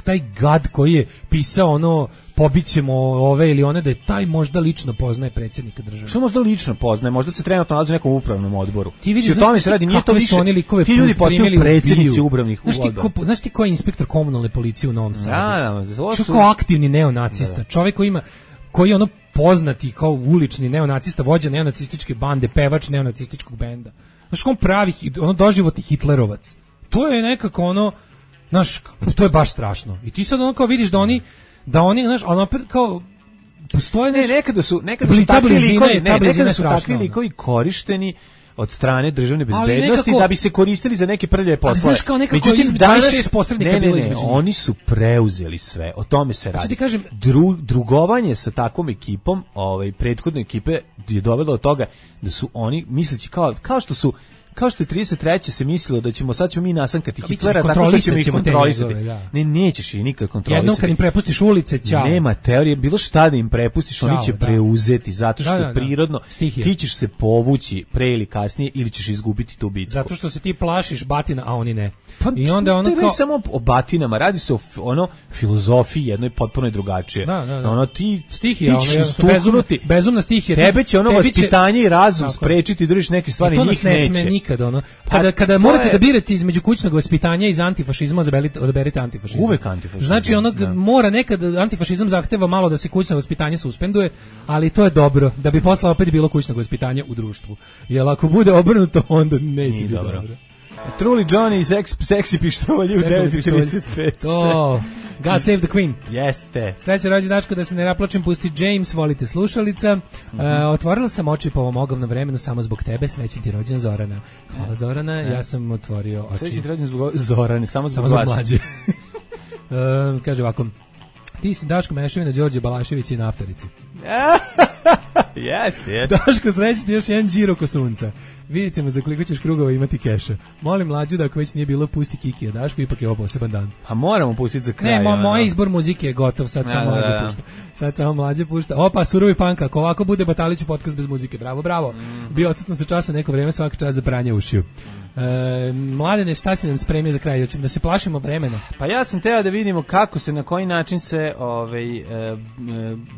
taj gad koji je pisao pobićemo ove ili one, da je taj možda lično poznaje predsjednika države. Što možda lično poznaje? Možda se trenutno nalazi u nekom upravnom odboru. Ti vidiš, ti ljudi postaju predsjednici upravnih odbora. Znaš ti ko je inspektor komunalne policije u Novom Sadu? Čovjek kao aktivni neonacista. Čovjek koji je poznati kao ulični neonacista, vođa neonacističke bande, pevač neonacističkog benda. Znaš, on pravi, doživotni hitlerovac. To je nekako znaš, to je baš strašno. I ti sad kao vidiš da oni, znaš, ali opet kao postoje nekada su takvi likovi korišteni od strane državne bezbednosti da bi se koristili za neke prljave poslove. Znaš, kao nekako između 26 posrednika bilo između. Oni su preuzeli sve, o tome se radi. Kažem, drugovanje sa takvom ekipom, prethodne ekipe je dovelo do toga da su oni, misleći kao što je 33. se mislilo da ćemo mi nasankati Hitlera, tako što ćemo ih kontrolisati. Ne, nećeš ih nikad kontrolisati. Jednom kad im prepustiš ulice, ćao. Nema teorije, bilo šta da im prepustiš, oni će preuzeti, zato što je prirodno. Ti ćeš se povući pre ili kasnije ili ćeš izgubiti tu bitku. Zato što se ti plašiš batina, a oni ne. Pa, i onda ne samo o batinama, radi se o filozofiji jednoj potpuno drugačije. Ti ćeš stuknuti. Bezumna stihija. Tebe će vaspitanje i razum sprečiti da držiš neke stvari, njih neće. Nikad kada morate da birate između kućnog vaspitanja i antifašizma, odaberite antifašizam. Uvek antifašizam. Znači mora nekad antifašizam zahteva malo da se kućno vaspitanje suspenduje, ali to je dobro da bi posle opet bilo kućnog vaspitanja u društvu. Jer ako bude obrnuto, onda neće biti dobro. Truly Johnny i Sexy pištolji u 9:35. To, God save the Queen. Jeste. Sreća rođendačko, da se ne naplačem, pusti James, volite slušalica. Otvorila sam oči po ovom ogavnom vremenu samo zbog tebe, srećen ti rođen Zorana. Hvala Zorana, ja sam otvorio oči. Srećen ti rođen zbog Zorane, samo zbog mlađe. Kaže ovako, ti si Daško Mešavina, Đorđe Balašević i na Aftarici. Jeste. Daško, srećen ti još jedan džiro ko sunca. Vidjet ćemo za koliko ćeš krugova imati keša. Molim mlađu da ako već nije bilo, pusti Kiki, a Daško ipak je ovo poseban dan. Pa moramo pustiti za kraj. Ne, moj izbor muzike je gotov, sad samo mlađe pušta. Sad samo mlađe pušta. Opa, surovi panka, ako ovako bude Batalić podcast bez muzike. Bravo. Bio odsutno sa časa neko vreme, svaki čas za pranje ušiju. Mladene, šta si nam spremio za kraj? Da se plašimo vremena? Pa ja sam teo da vidimo kako se, na koji način se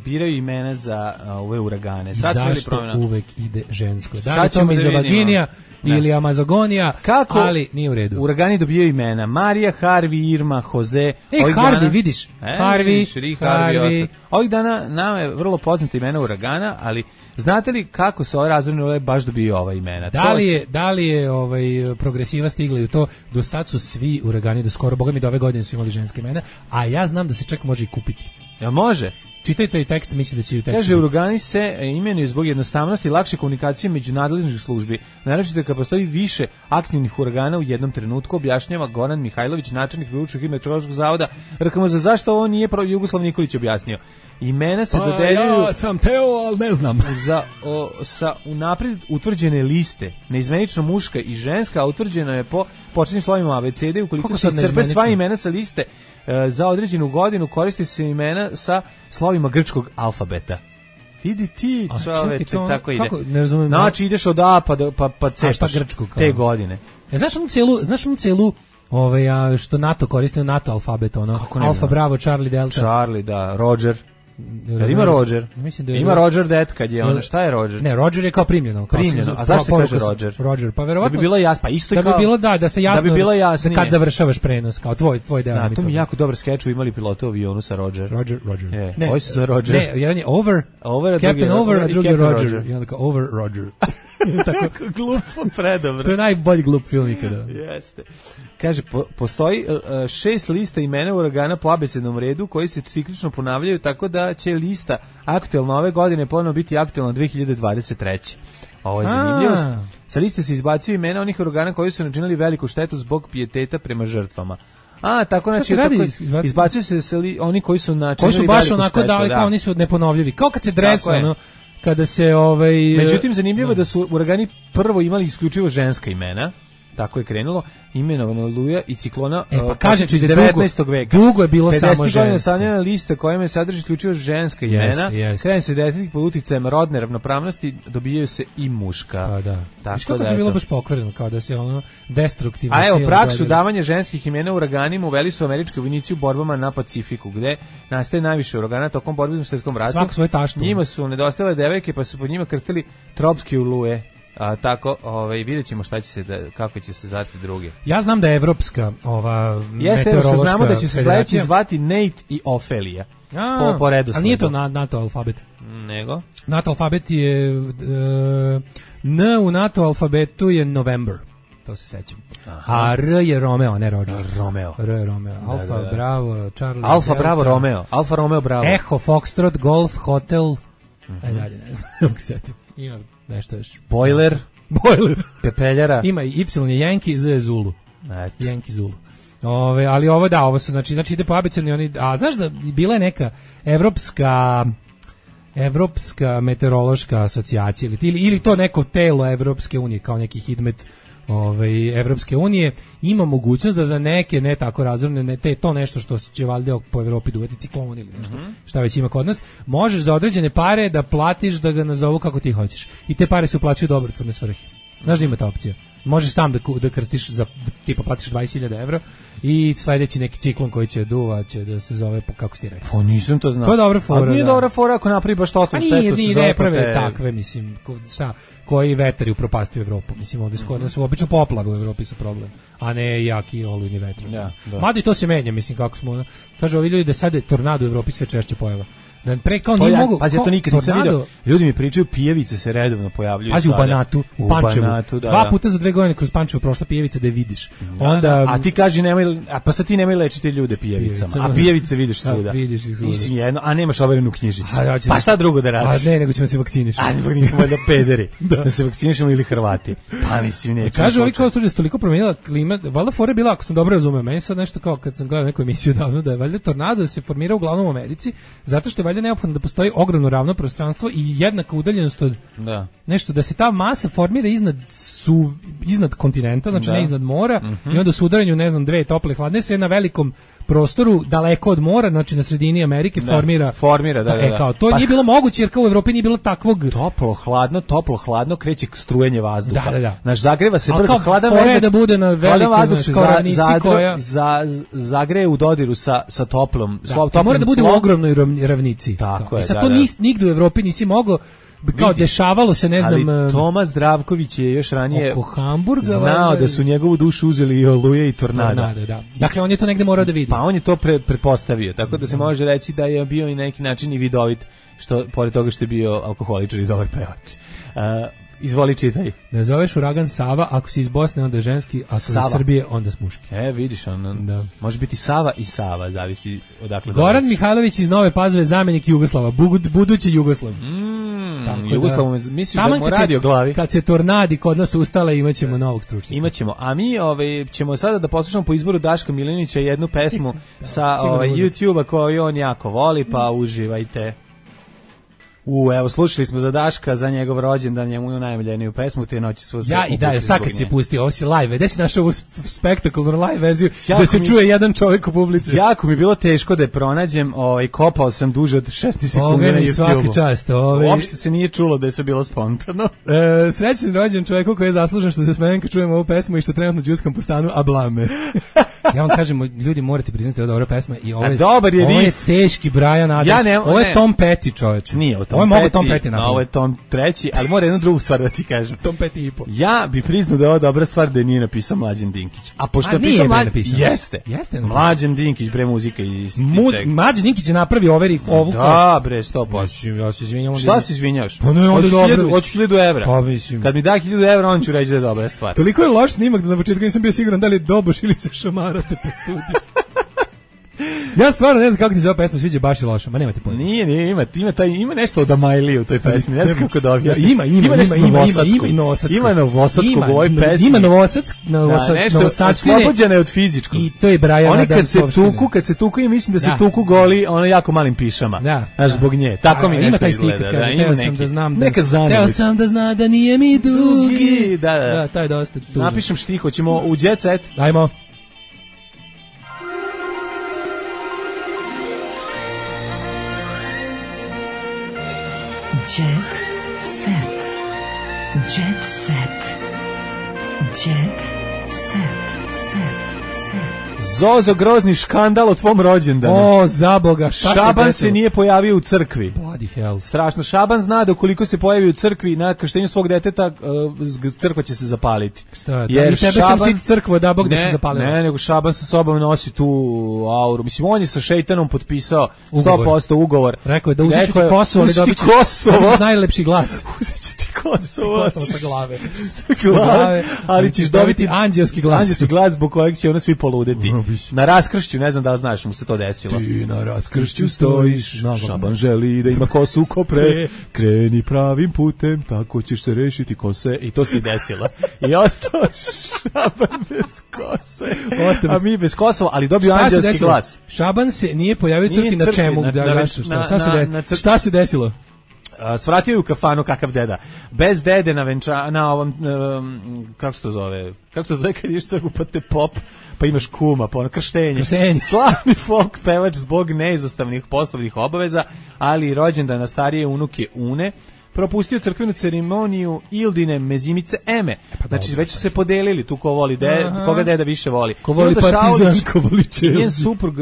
biraju imena za ove uragane. Sad zašto uvek ide žensko? Da li to mizovaginija ili Amazogonija, ali nije u redu. Uragani dobijaju imena Marija, Harvey, Irma, Jose. Harvey, vidiš? Harvey. Ovih dana nama je vrlo poznato imena uragana, ali znate li kako se ove razorne oluje baš dobiju ova imena? Da li je progresiva stigla i u to? Do sad su svi uragani, do skoro, boga mi do ove godine su imali ženske imena, a ja znam da se čak može i kupiti. Jel može? Čitajte i tekst, mislim da će i u tekstu. Kaže, uragani se imenuju zbog jednostavnosti i lakše komunikacije među nadležnih službi. Naročito kad postoji više aktivnih uragana u jednom trenutku, objašnjava Goran Mihajlović, načelnik Republičkog meteorološkog zavoda RKMZ. Zašto ovo nije Jugoslav Nikolić objasnio? Imena se dodeljuju... Ja sam teo, ali ne znam. Sa unaprijed utvrđene liste, neizmenično muška i ženska, utvrđeno je po početnim slovima abecede, ukoliko se iscrpe sva imena sa liste za određenu godinu, koristi se imena sa slovima grčkog alfabeta. Vidi ti, čoveče, tako ide. Ne razumem. Znači, ideš od A pa cepaš te godine. Znaš onu celu što NATO koristi, NATO alfabet, Alfa, Bravo, Charlie, Delta. Charlie, da, Roger. Ima Roger. Ima Roger Dead kad je ono, šta je Roger? Ne, Roger je kao primljeno. A zašto se kaže Roger? Roger, pa verovatno. Da bi bilo jasno, pa isto kao. Da bi bilo da se jasno. Da bi bilo jasnije. Kad završavaš prenos, kao tvoj deo. Da, to mi jako dobar skeč, imali pilota u avionu sa Roger. Roger. Ne, ovo se zove Roger. Ne, jedan je Captain Over, a drugi je Roger. I onda kao Over Roger. Tako glupo, predobro. To je najbolji glup film ikada. Jeste. Kaže, postoji 6 lista imena uragana po abecednom redu koji se ciklično ponavljaju, tako da će lista aktuelna ove godine ponovno biti aktuelna 2023. Ovo je zanimljivost. Sa liste se izbacuju imena onih uragana koji su načinili veliku štetu zbog pijeteta prema žrtvama. Tako znači izbacuju se oni koji su načinili koji su baš onako štetu, dali kao oni su neponovljivi. Kao kad se dresa, kada se Međutim, zanimljivo da su uragani prvo imali isključivo ženska imena. Tako je krenulo, imenovano Luja i ciklona pa kažem ti, iz 19. veka. Dugo je bilo samo žensko. Stavljena lista kojima sadrži isključivo ženska imena. Krene se desetik pod uticajem rodne ravnopravnosti, dobijaju se i muška. Pa da. Tako da je bilo baš pokvareno, kao da se ono destruktivno. A evo, praksu davanja ženskih imena uraganima uveli su američki vojnici u borbama na Pacifiku, gde nastaje najviše uragana tokom borbe u Svjetskom ratu. Svako svoje taštu. Njima su nedostajale devojke, pa su pod njima krstili tropske oluje. Tako, vidjet ćemo kako će se zvati drugi. Ja znam da je evropska meteorološka znamo da će se sledeći zvati Nate i Ofelija. Po redosledu. Ali nije to NATO alfabet. Nego? NATO alfabet je N u NATO alfabetu je November. To se sećam. A R je Romeo, ne Roger. R je Romeo. Alfa, Bravo, Charlie, Alfa, Delta, Bravo, Romeo. Alfa, Romeo, Bravo. Echo, Foxtrot, Golf, Hotel. Dalje, ne znam. Ima nešto još. Boiler. Pepeljara. Ima i Y je Yankee, Z je Zulu. Yankee Zulu. Ali ovo su, znači ide po abecedni oni. A znaš da bila je neka evropska meteorološka asocijacija ili to neko telo Evropske unije kao neki hidmet Evropske unije ima mogućnost da za neke ne tako razorne to nešto što će valjda po Evropi duvati ciklon ili nešto šta već ima kod nas, možeš za određene pare da platiš da ga nazovu kako ti hoćeš i te pare se uplaćuju dobrotvorne svrhe. Znaš da ima ta opcija? Možeš sam da krstiš tipa platiš 20.000 evra i sledeći neki ciklon koji će duva će da se zove kako ti rekao. Pa nisam to znao. To je dobra fora. A nije dobra fora ako napravi baš totalno štetu. Nije prave takve, mislim, koji vetari upropastuju Evropu. Mislim, ovdje su obično poplave u Evropi su problem, a ne jaki olujni vetar. Mada i to se menja, mislim, kako smo. Kaže, ovi ljudi da sad je tornado u Evropi sve češće pojava. Da pre kao nije mogu. Pazi, ja to nikad nisam vidio. Ljudi mi pričaju, pijevice se redovno pojavljuju. Pazi, u Banatu, u Pančevu. Dva puta za 2 godine kroz Pančevo prošla pijevica da je vidiš. Onda a ti kaži nemoj, pa sad ti nemoj lečiti ljude pijevicama. A pijevice vidiš svuda. Vidiš ih svuda. Mislim jedno, a nemaš overenu knjižicu. Pa šta drugo da radiš? A ne, nego ćemo se vakcinišemo. A ne, nismo da pederi. Da se vakcinišemo ili Hrvati. Pa mislim neće. Kaže, ovi kao slučaj toliko promenila klima. Valjda fora bila, ako sam dobro razumeo, meni sad nešto kao kad sam gledao neku emisiju davno da je valjda tornado se formira uglavnom u Americi, zato što je valjda neophodno da postoji ogromno ravno prostranstvo i jednaka udaljenost od nešto, da se ta masa formira iznad kontinenta, znači ne iznad mora, i onda su udaranju, ne znam, 2 tople hladne se na velikom prostoru daleko od mora, znači na sredini Amerike formira, da. Kao, to nije bilo moguće jer kao u Evropi nije bilo takvog toplo, hladno kreće strujenje vazduha. Da. Znaš, zagreva se brzo, hladan da bude na velikoj ravnici koja zagreje u dodiru sa toplom. Mora da bude u ogromnoj ravnici. Tako je, to nigde u Evropi nisi mogao kao dešavalo se, ne znam... Ali Toma Zdravković je još ranije oko Hamburga znao da su njegovu dušu uzeli i oluje i tornada. Da. Dakle, on je to negde morao da vidi. Pa on je to pretpostavio, tako da se može reći da je bio i na neki način i vidovit, što pored toga što je bio alkoholičar i dobar pevač. Izvoli, čitaj. Ne zoveš uragan Sava, ako si iz Bosne onda je ženski, ako iz Srbije onda s muški. Vidiš, može biti Sava i Sava, zavisi odakle. Goran Mihajlović iz Nove Pazove, zamenik Jugoslava, budući Jugoslav. Jugoslav, misliš da mu radi o glavi? Kad se tornadi kod nas ustale, imaćemo novog stručnjaka. Imaćemo, a mi ćemo sada da poslušamo po izboru Daška Milinovića jednu pesmu sa YouTube-a koju on jako voli, pa uživajte. Evo, slušali smo za Daška, za njegov rođendan, njemu najomiljeniju pesmu, te noći su se... sad kad si pustio, ovo si live, gde si našao ovu spektakularnu live verziju, da se čuje jedan čovjek u publici? Jako mi je bilo teško da je pronađem, kopao sam duže od 16 sekundi na YouTube-u. Svaki čast. Uopšte se nije čulo da je sve bilo spontano. Srećan rođen čovjeku koji je zaslužen što se smejem kad čujemo ovu pesmu i što trenutno džuskam po stanu, a blame. Ja vam kažem, ljudi morate priznati da je dobra pesma i ovo je teški Brian Adams, ovo je Tom Petty, čoveče. Nije ovo je mogo Tom Petty napraviti. Ovo je Tom treći, ali mora jednu drugu stvar da ti kažem. Tom Petty i po. Ja bi priznao da je ovo dobra stvar da je nije napisao Mlađan Dinkić. A pošto je napisao Jeste. Mlađan Dinkić, bre, muzika i Mlađan Dinkić je napravio ovu. Da, bre, 100%. Ja se izvinjam. Šta se izvinjavaš? Pa ne, onda dobro. Hoću 1000 evra. Pa mislim. Kad mi da 1000 evra, on ću reći da je dobra stvar. Toliko je loš snimak da na početku nisam bio siguran da li je doboš ili se šamarate po studiju. Ja stvarno ne znam kako ti se ova pesma sviđa, baš je loša, ma nemate pojma. Nije, ima nešto od Amajlije u toj pesmi, ne znam kako da objasnim. Ima novosadskog. Ima novosadskog u ovoj pesmi. Ima novosadskine. Oslobođena je od fizičkog. I to je Brian Adams. Oni kad se tuku i mislim da se tuku goli, ono jako malim pišama. Znaš, zbog nje. Tako mi nešto izgleda. Neka zanimić. Teo sam da zna da nije mi dugi. Da, to je dosta tužno. Napišem štih, hoćemo u Jet Set. Ajmo. Jet set. Jet set. Jet set. Zozo, grozni škandal o tvom rođendanu. O, za Boga, Šaban se nije pojavio u crkvi. Bloody hell. Strašno. Šaban zna da ukoliko se pojavi u crkvi na krštenju svog deteta, crkva će se zapaliti. Šta? I tebe sam sit crkvo da Bog da se zapalila. Ne, nego Šaban sa sobom nosi tu auru. Mislim, on je sa šejtanom potpisao 100% ugovor. Rekao je da uzet ću ti Kosovo, ali dobit ćeš najlepši glas. Uzet ću ti Kosovo. Sa glave. Sa glave. Ali ćeš dobiti anđelski glas. Anđelski glas zbog kojeg će ono svi poludeti. Na raskršću, ne znam da li znaš, mu se to desilo. Ti na raskršću stojiš, Šaban želi da ima kosu ko pre, kreni pravim putem, tako ćeš se rešiti kose. I to se desilo. I ostao Šaban bez kose. A mi bez Kosova, ali dobio anđelski glas. Šaban se nije pojavio crkvi na čemu? Šta se desilo? Svratio je u kafanu kakav deda. Bez dede na ovom, kako se to zove kad ideš crkvu pa te pop, pa imaš kuma, pa ono krštenje. Slavni folk pevač zbog neizostavnih poslovnih obaveza, ali i rođendan na starije unuke Une, propustio crkvenu ceremoniju Ildine mezimice Eme. Znači, već su se podelili tu ko voli koga deda više voli. Ko voli Partizan, ko voli Chelsea. Njen suprug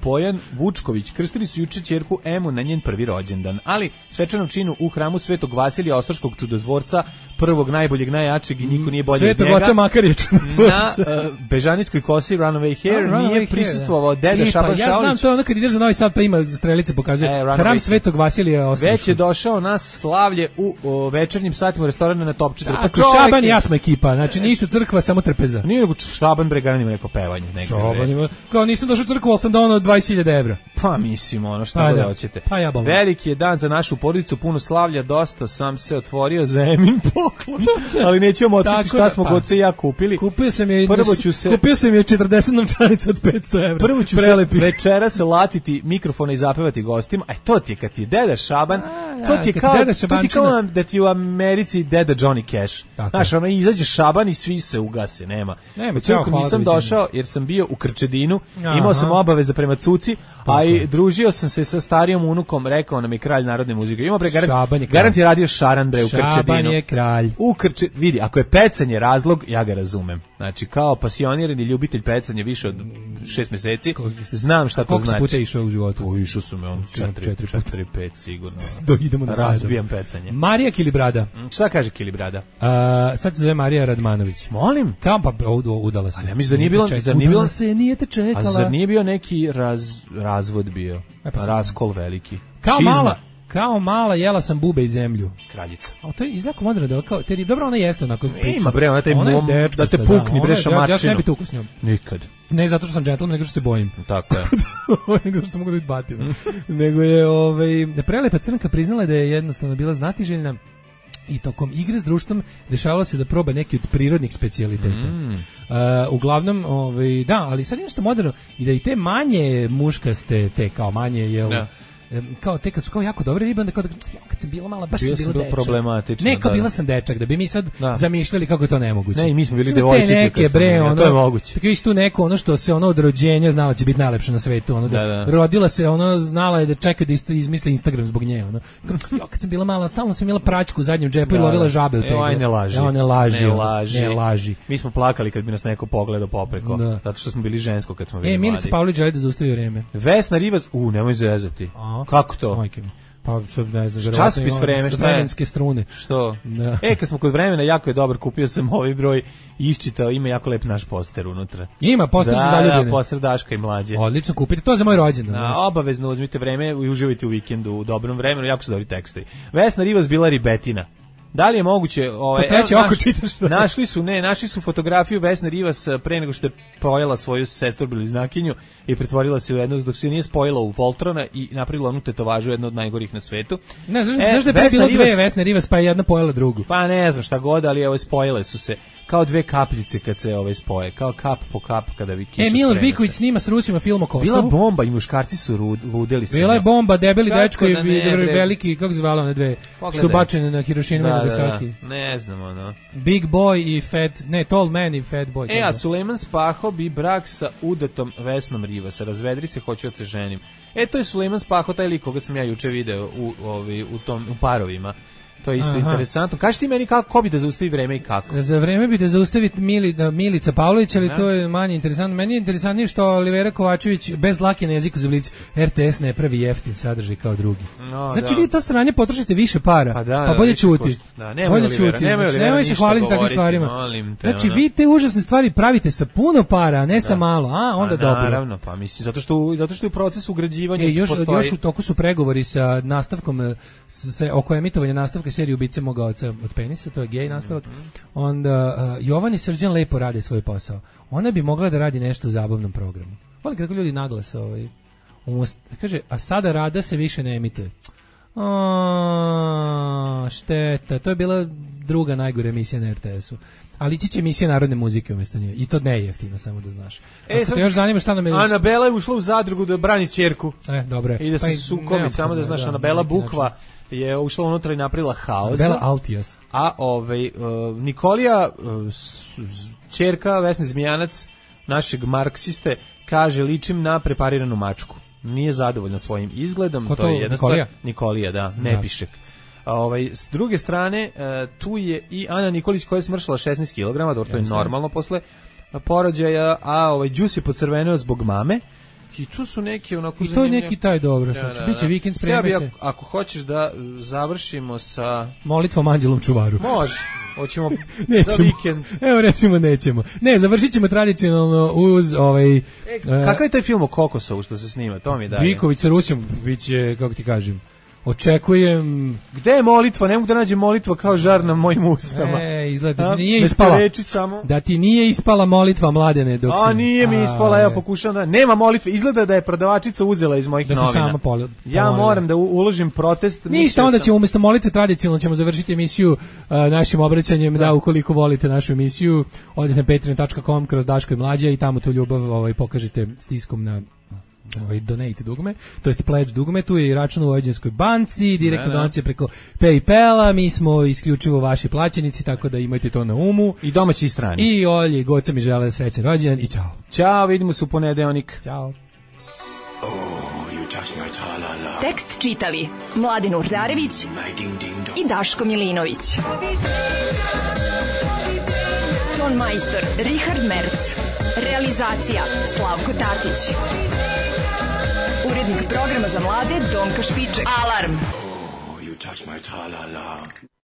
Bojan Vučković krstili su juče ćerku Emu na njen prvi rođendan, ali svečanom činu u hramu Svetog Vasilija Ostroškog čudotvorca, prvog, najboljeg, najjačeg i niko nije bolji od njega. Svetog Oca makar je čudotvorca. Na Bežanijskoj kosi Runaway Hair nije prisustvovao deda Šaban Šaulić. Ja znam, to je ono kad ideš za Novi Sad pa ima strelice pokazuje. Hram Svetog Vasilija Ostroškog. Već je došao na slavlje u večernjim satima u restoranu na Top 4. Ako Šaban i ja smo ekipa, znači ništa crkva, samo trpeza. Nije nego Šaban Bregan ima neko pevanje. Šaban ima, kao nisam došao u crkvu, ali sam donao 20.000 evra. Pa mislim, ono šta da hoćete. Pa ja bom. Veliki je dan za našu porodicu, puno slavlja, dosta sam se otvorio za Emin poklon, ali nećemo otkriti šta smo Goce i ja kupili. Kupio sam je 40 novčanica od 500 evra. Prvo ću se večeras latiti mikrofona i zapevati gostima, a to ti je kad ti je deda Šaban, to ti je kao da ti u Americi deda Johnny Cash. Znaš, ono izađe Šaban i svi se ugase, nema. Nisam došao jer sam bio u Krčedinu, imao sam obaveze prema Cuci, a i družio sam se sa starijom unukom, rekao nam je kralj narodne muzike. Ima garant je radio Šaran bre u Krčedinu. Šaban je kralj. Vidi, ako je pecanje razlog, ja ga razumem. Znači, kao pasionirani ljubitelj pecanja više od 6 meseci, znam šta to znači. Koliko si puta išao u životu? Išao sam 4-5 sigurno. Idemo na razbijam pecanje. bacanje. Marija Kilibrada. Šta kaže Kilibrada? Sad se zove Marija Radmanović. Molim? Kao pa udala se. A ja mislim da nije bilo... Udala se, nije te čekala. A zar nije bio neki razvod bio? Raskol veliki. Kao mala jela sam bube i zemlju. Kraljica. A to je izlako moderno da kao dobro ona jeste onako priča. Ima bre, ona taj mom da te pukni bre šamačinu. Ja se ne bi tukao s njom. Nikad. Ne zato što sam džentlmen, nego što se bojim. Tako je. Nego što mogu da biti batina. Nego je prelepa crnka priznala da je jednostavno bila znatiželjna i tokom igre s društvom dešavalo se da proba neki od prirodnih specijaliteta. Uglavnom, da, ali sad je nešto moderno i da i te manje muškaste, te kao manje, jel... Da. Kao te kad su kao jako dobre ribe, onda kao kad sam bila mala, baš sam bila dečak. Problematično. Ne, kao bila sam dečak, da bi mi sad zamišljali kako je to nemoguće. Ne, i mi smo bili devojčice. Neke bre, to je moguće. Tako viš tu neko, ono što se od rođenja znala će biti najlepše na svetu, rodila se, znala je da čeka da izmisli Instagram zbog nje, kad sam bila mala, stalno sam imala praćku u zadnjem džepu i lovila žabe u teglu. Ne laži. Mi smo plakali kad bi nas neko pogledao popreko, zato što smo bili žensko kad smo bili mladi. Milica Pavlović želi da zaustavi vreme. Vesna Rivas, nemoj zezati. Kako to? Majke mi. Pa ne znam, časopis Vreme, šta je? Vremenske strune. Što? Da. Kad smo kod Vremena, jako je dobar, kupio sam ovaj broj i iščitao, ima jako lep naš poster unutra. Ima poster za zaljubljene. Da, poster Daška i Mlađe. Odlično, kupite, to za moj rođendan. Obavezno uzmite Vreme i uživajte u vikendu u dobrom vremenu, jako su dobri tekstovi. Vesna Rivas bila ribetina. Da li je moguće, našli su fotografiju Vesne Rivas pre nego što je pojela svoju sestru bliznakinju i pretvorila se u jednu, dok se nije spojila u Voltrona i napravila onu tetovažu, jednu od najgorih na svetu. Ne, znaš da je pre bilo dve Vesne Rivas, pa je jedna pojela drugu. Pa ne znam šta god, ali spojile su se kao dve kapljice kad se spoje, kao kap po kap kada vi kiša. Miloš Biković snima s Rusima film o Kosovu. Bila bomba i muškarci su ludeli se. Bila je bomba, debeli dečko i veliki, kako se zvala one dve, su bačene na Hirošimu i Nagasaki. Ne znam, Big Boy i Tall Man i Fat Boy. A Sulejman Spaho bi brak sa udatom Vesnom Rivas. Razvedri se, hoću da se ženim. To je Sulejman Spaho, taj lik koga sam ja juče video u Parovima. To je isto interesantno. Kaži ti meni ko bi da zaustavi vreme i kako? Za vreme bi da zaustavi Milica Pavlović, ali to je manje interesantno. Meni je interesantnije što Olivera Kovačević bez dlake na jeziku za blic RTS ne pravi jeftin sadržaj kao drugi. Znači vi to sranje potrošite više para, pa bolje ćuti. Bolje ćuti. Nemoj se hvaliti takvim stvarima. Znači vi te užasne stvari pravite sa puno para, a ne sa malo. Onda dobro. Naravno, pa mislim, zato što je u procesu ugrađivanja postoji. Još u toku su pregovori sa nastavkom, oko emitovanja nastavka seriju Ubice moga oca od penisa, to je gej nastavak. Onda Jovan i Srđan lepo rade svoj posao. Ona bi mogla da radi nešto u zabavnom programu. Volim kako ljudi naglas kaže, a sada Rada se više ne emituje. Šteta, to je bila druga najgore emisija na RTS-u. Ali ići će emisija narodne muzike umjesto nje. I to ne je jeftino, samo da znaš. Ako te još zanima šta nam je... Anabela je ušla u zadrugu da brani ćerku. Dobro. I da se sukobi, samo da znaš, Anabela Bukva je ušla unutra i napravila haos. Bela Altijas. A Nikolija, ćerka Vesne Zmijanac, našeg marksiste, kaže, ličim na prepariranu mačku. Nije zadovoljna svojim izgledom. Ko to je Nikolija? Nikolija, da, Nepišek. S druge strane, tu je i Ana Nikolić koja je smršala 16 kg, dobro, to je normalno posle porođaja, a Đus je pocrveneo zbog mame. I tu su neki onako... I to je neki taj dobro, znači, bit će vikend, spremi se. Ako hoćeš da završimo sa... Molitvom Anđelom Čuvaru. Može, hoćemo za vikend. Evo recimo nećemo. Ne, završit ćemo tradicionalno uz kakav je taj film o Kokosovu što se snima, to mi daje. Biković sa Rusijom, bit će, kako ti kažem, očekujem... Gde je molitva? Ne mogu da nađem molitva kao žar na mojim ustama. Izgleda nije ispala. Da ti nije ispala molitva, Mladene, dok si... Nije mi ispala, evo pokušavam da... Nema molitve, izgleda da je prodavačica uzela iz mojih novina. Da se sama ja moram da uložim protest. Ništa, onda ćemo umjesto molitve tradicionalno ćemo završiti emisiju našim obraćanjem, da ukoliko volite našu emisiju, odite na patreon.com kroz Daško i Mlađa i tamo tu ljubav pokažete stiskom na... donate dugme, to jest pledge dugme, tu je i račun u Vojvođanskoj banci, direktno donacije preko PayPala, mi smo isključivo vaši plaćenici, tako da imajte to na umu. I domaći i strani. I Olji i Goca mi žele srećan rođendan i čao. Ćao, vidimo se u ponedeljak. Ćao. Tekst čitali Mladin Urdarević i Daško Milinović. Ton majstor Richard Merc. Realizacija Slavko Tatić. Urednik programa za mlade Donka Špiček. Alarm! touch my tra-la-la.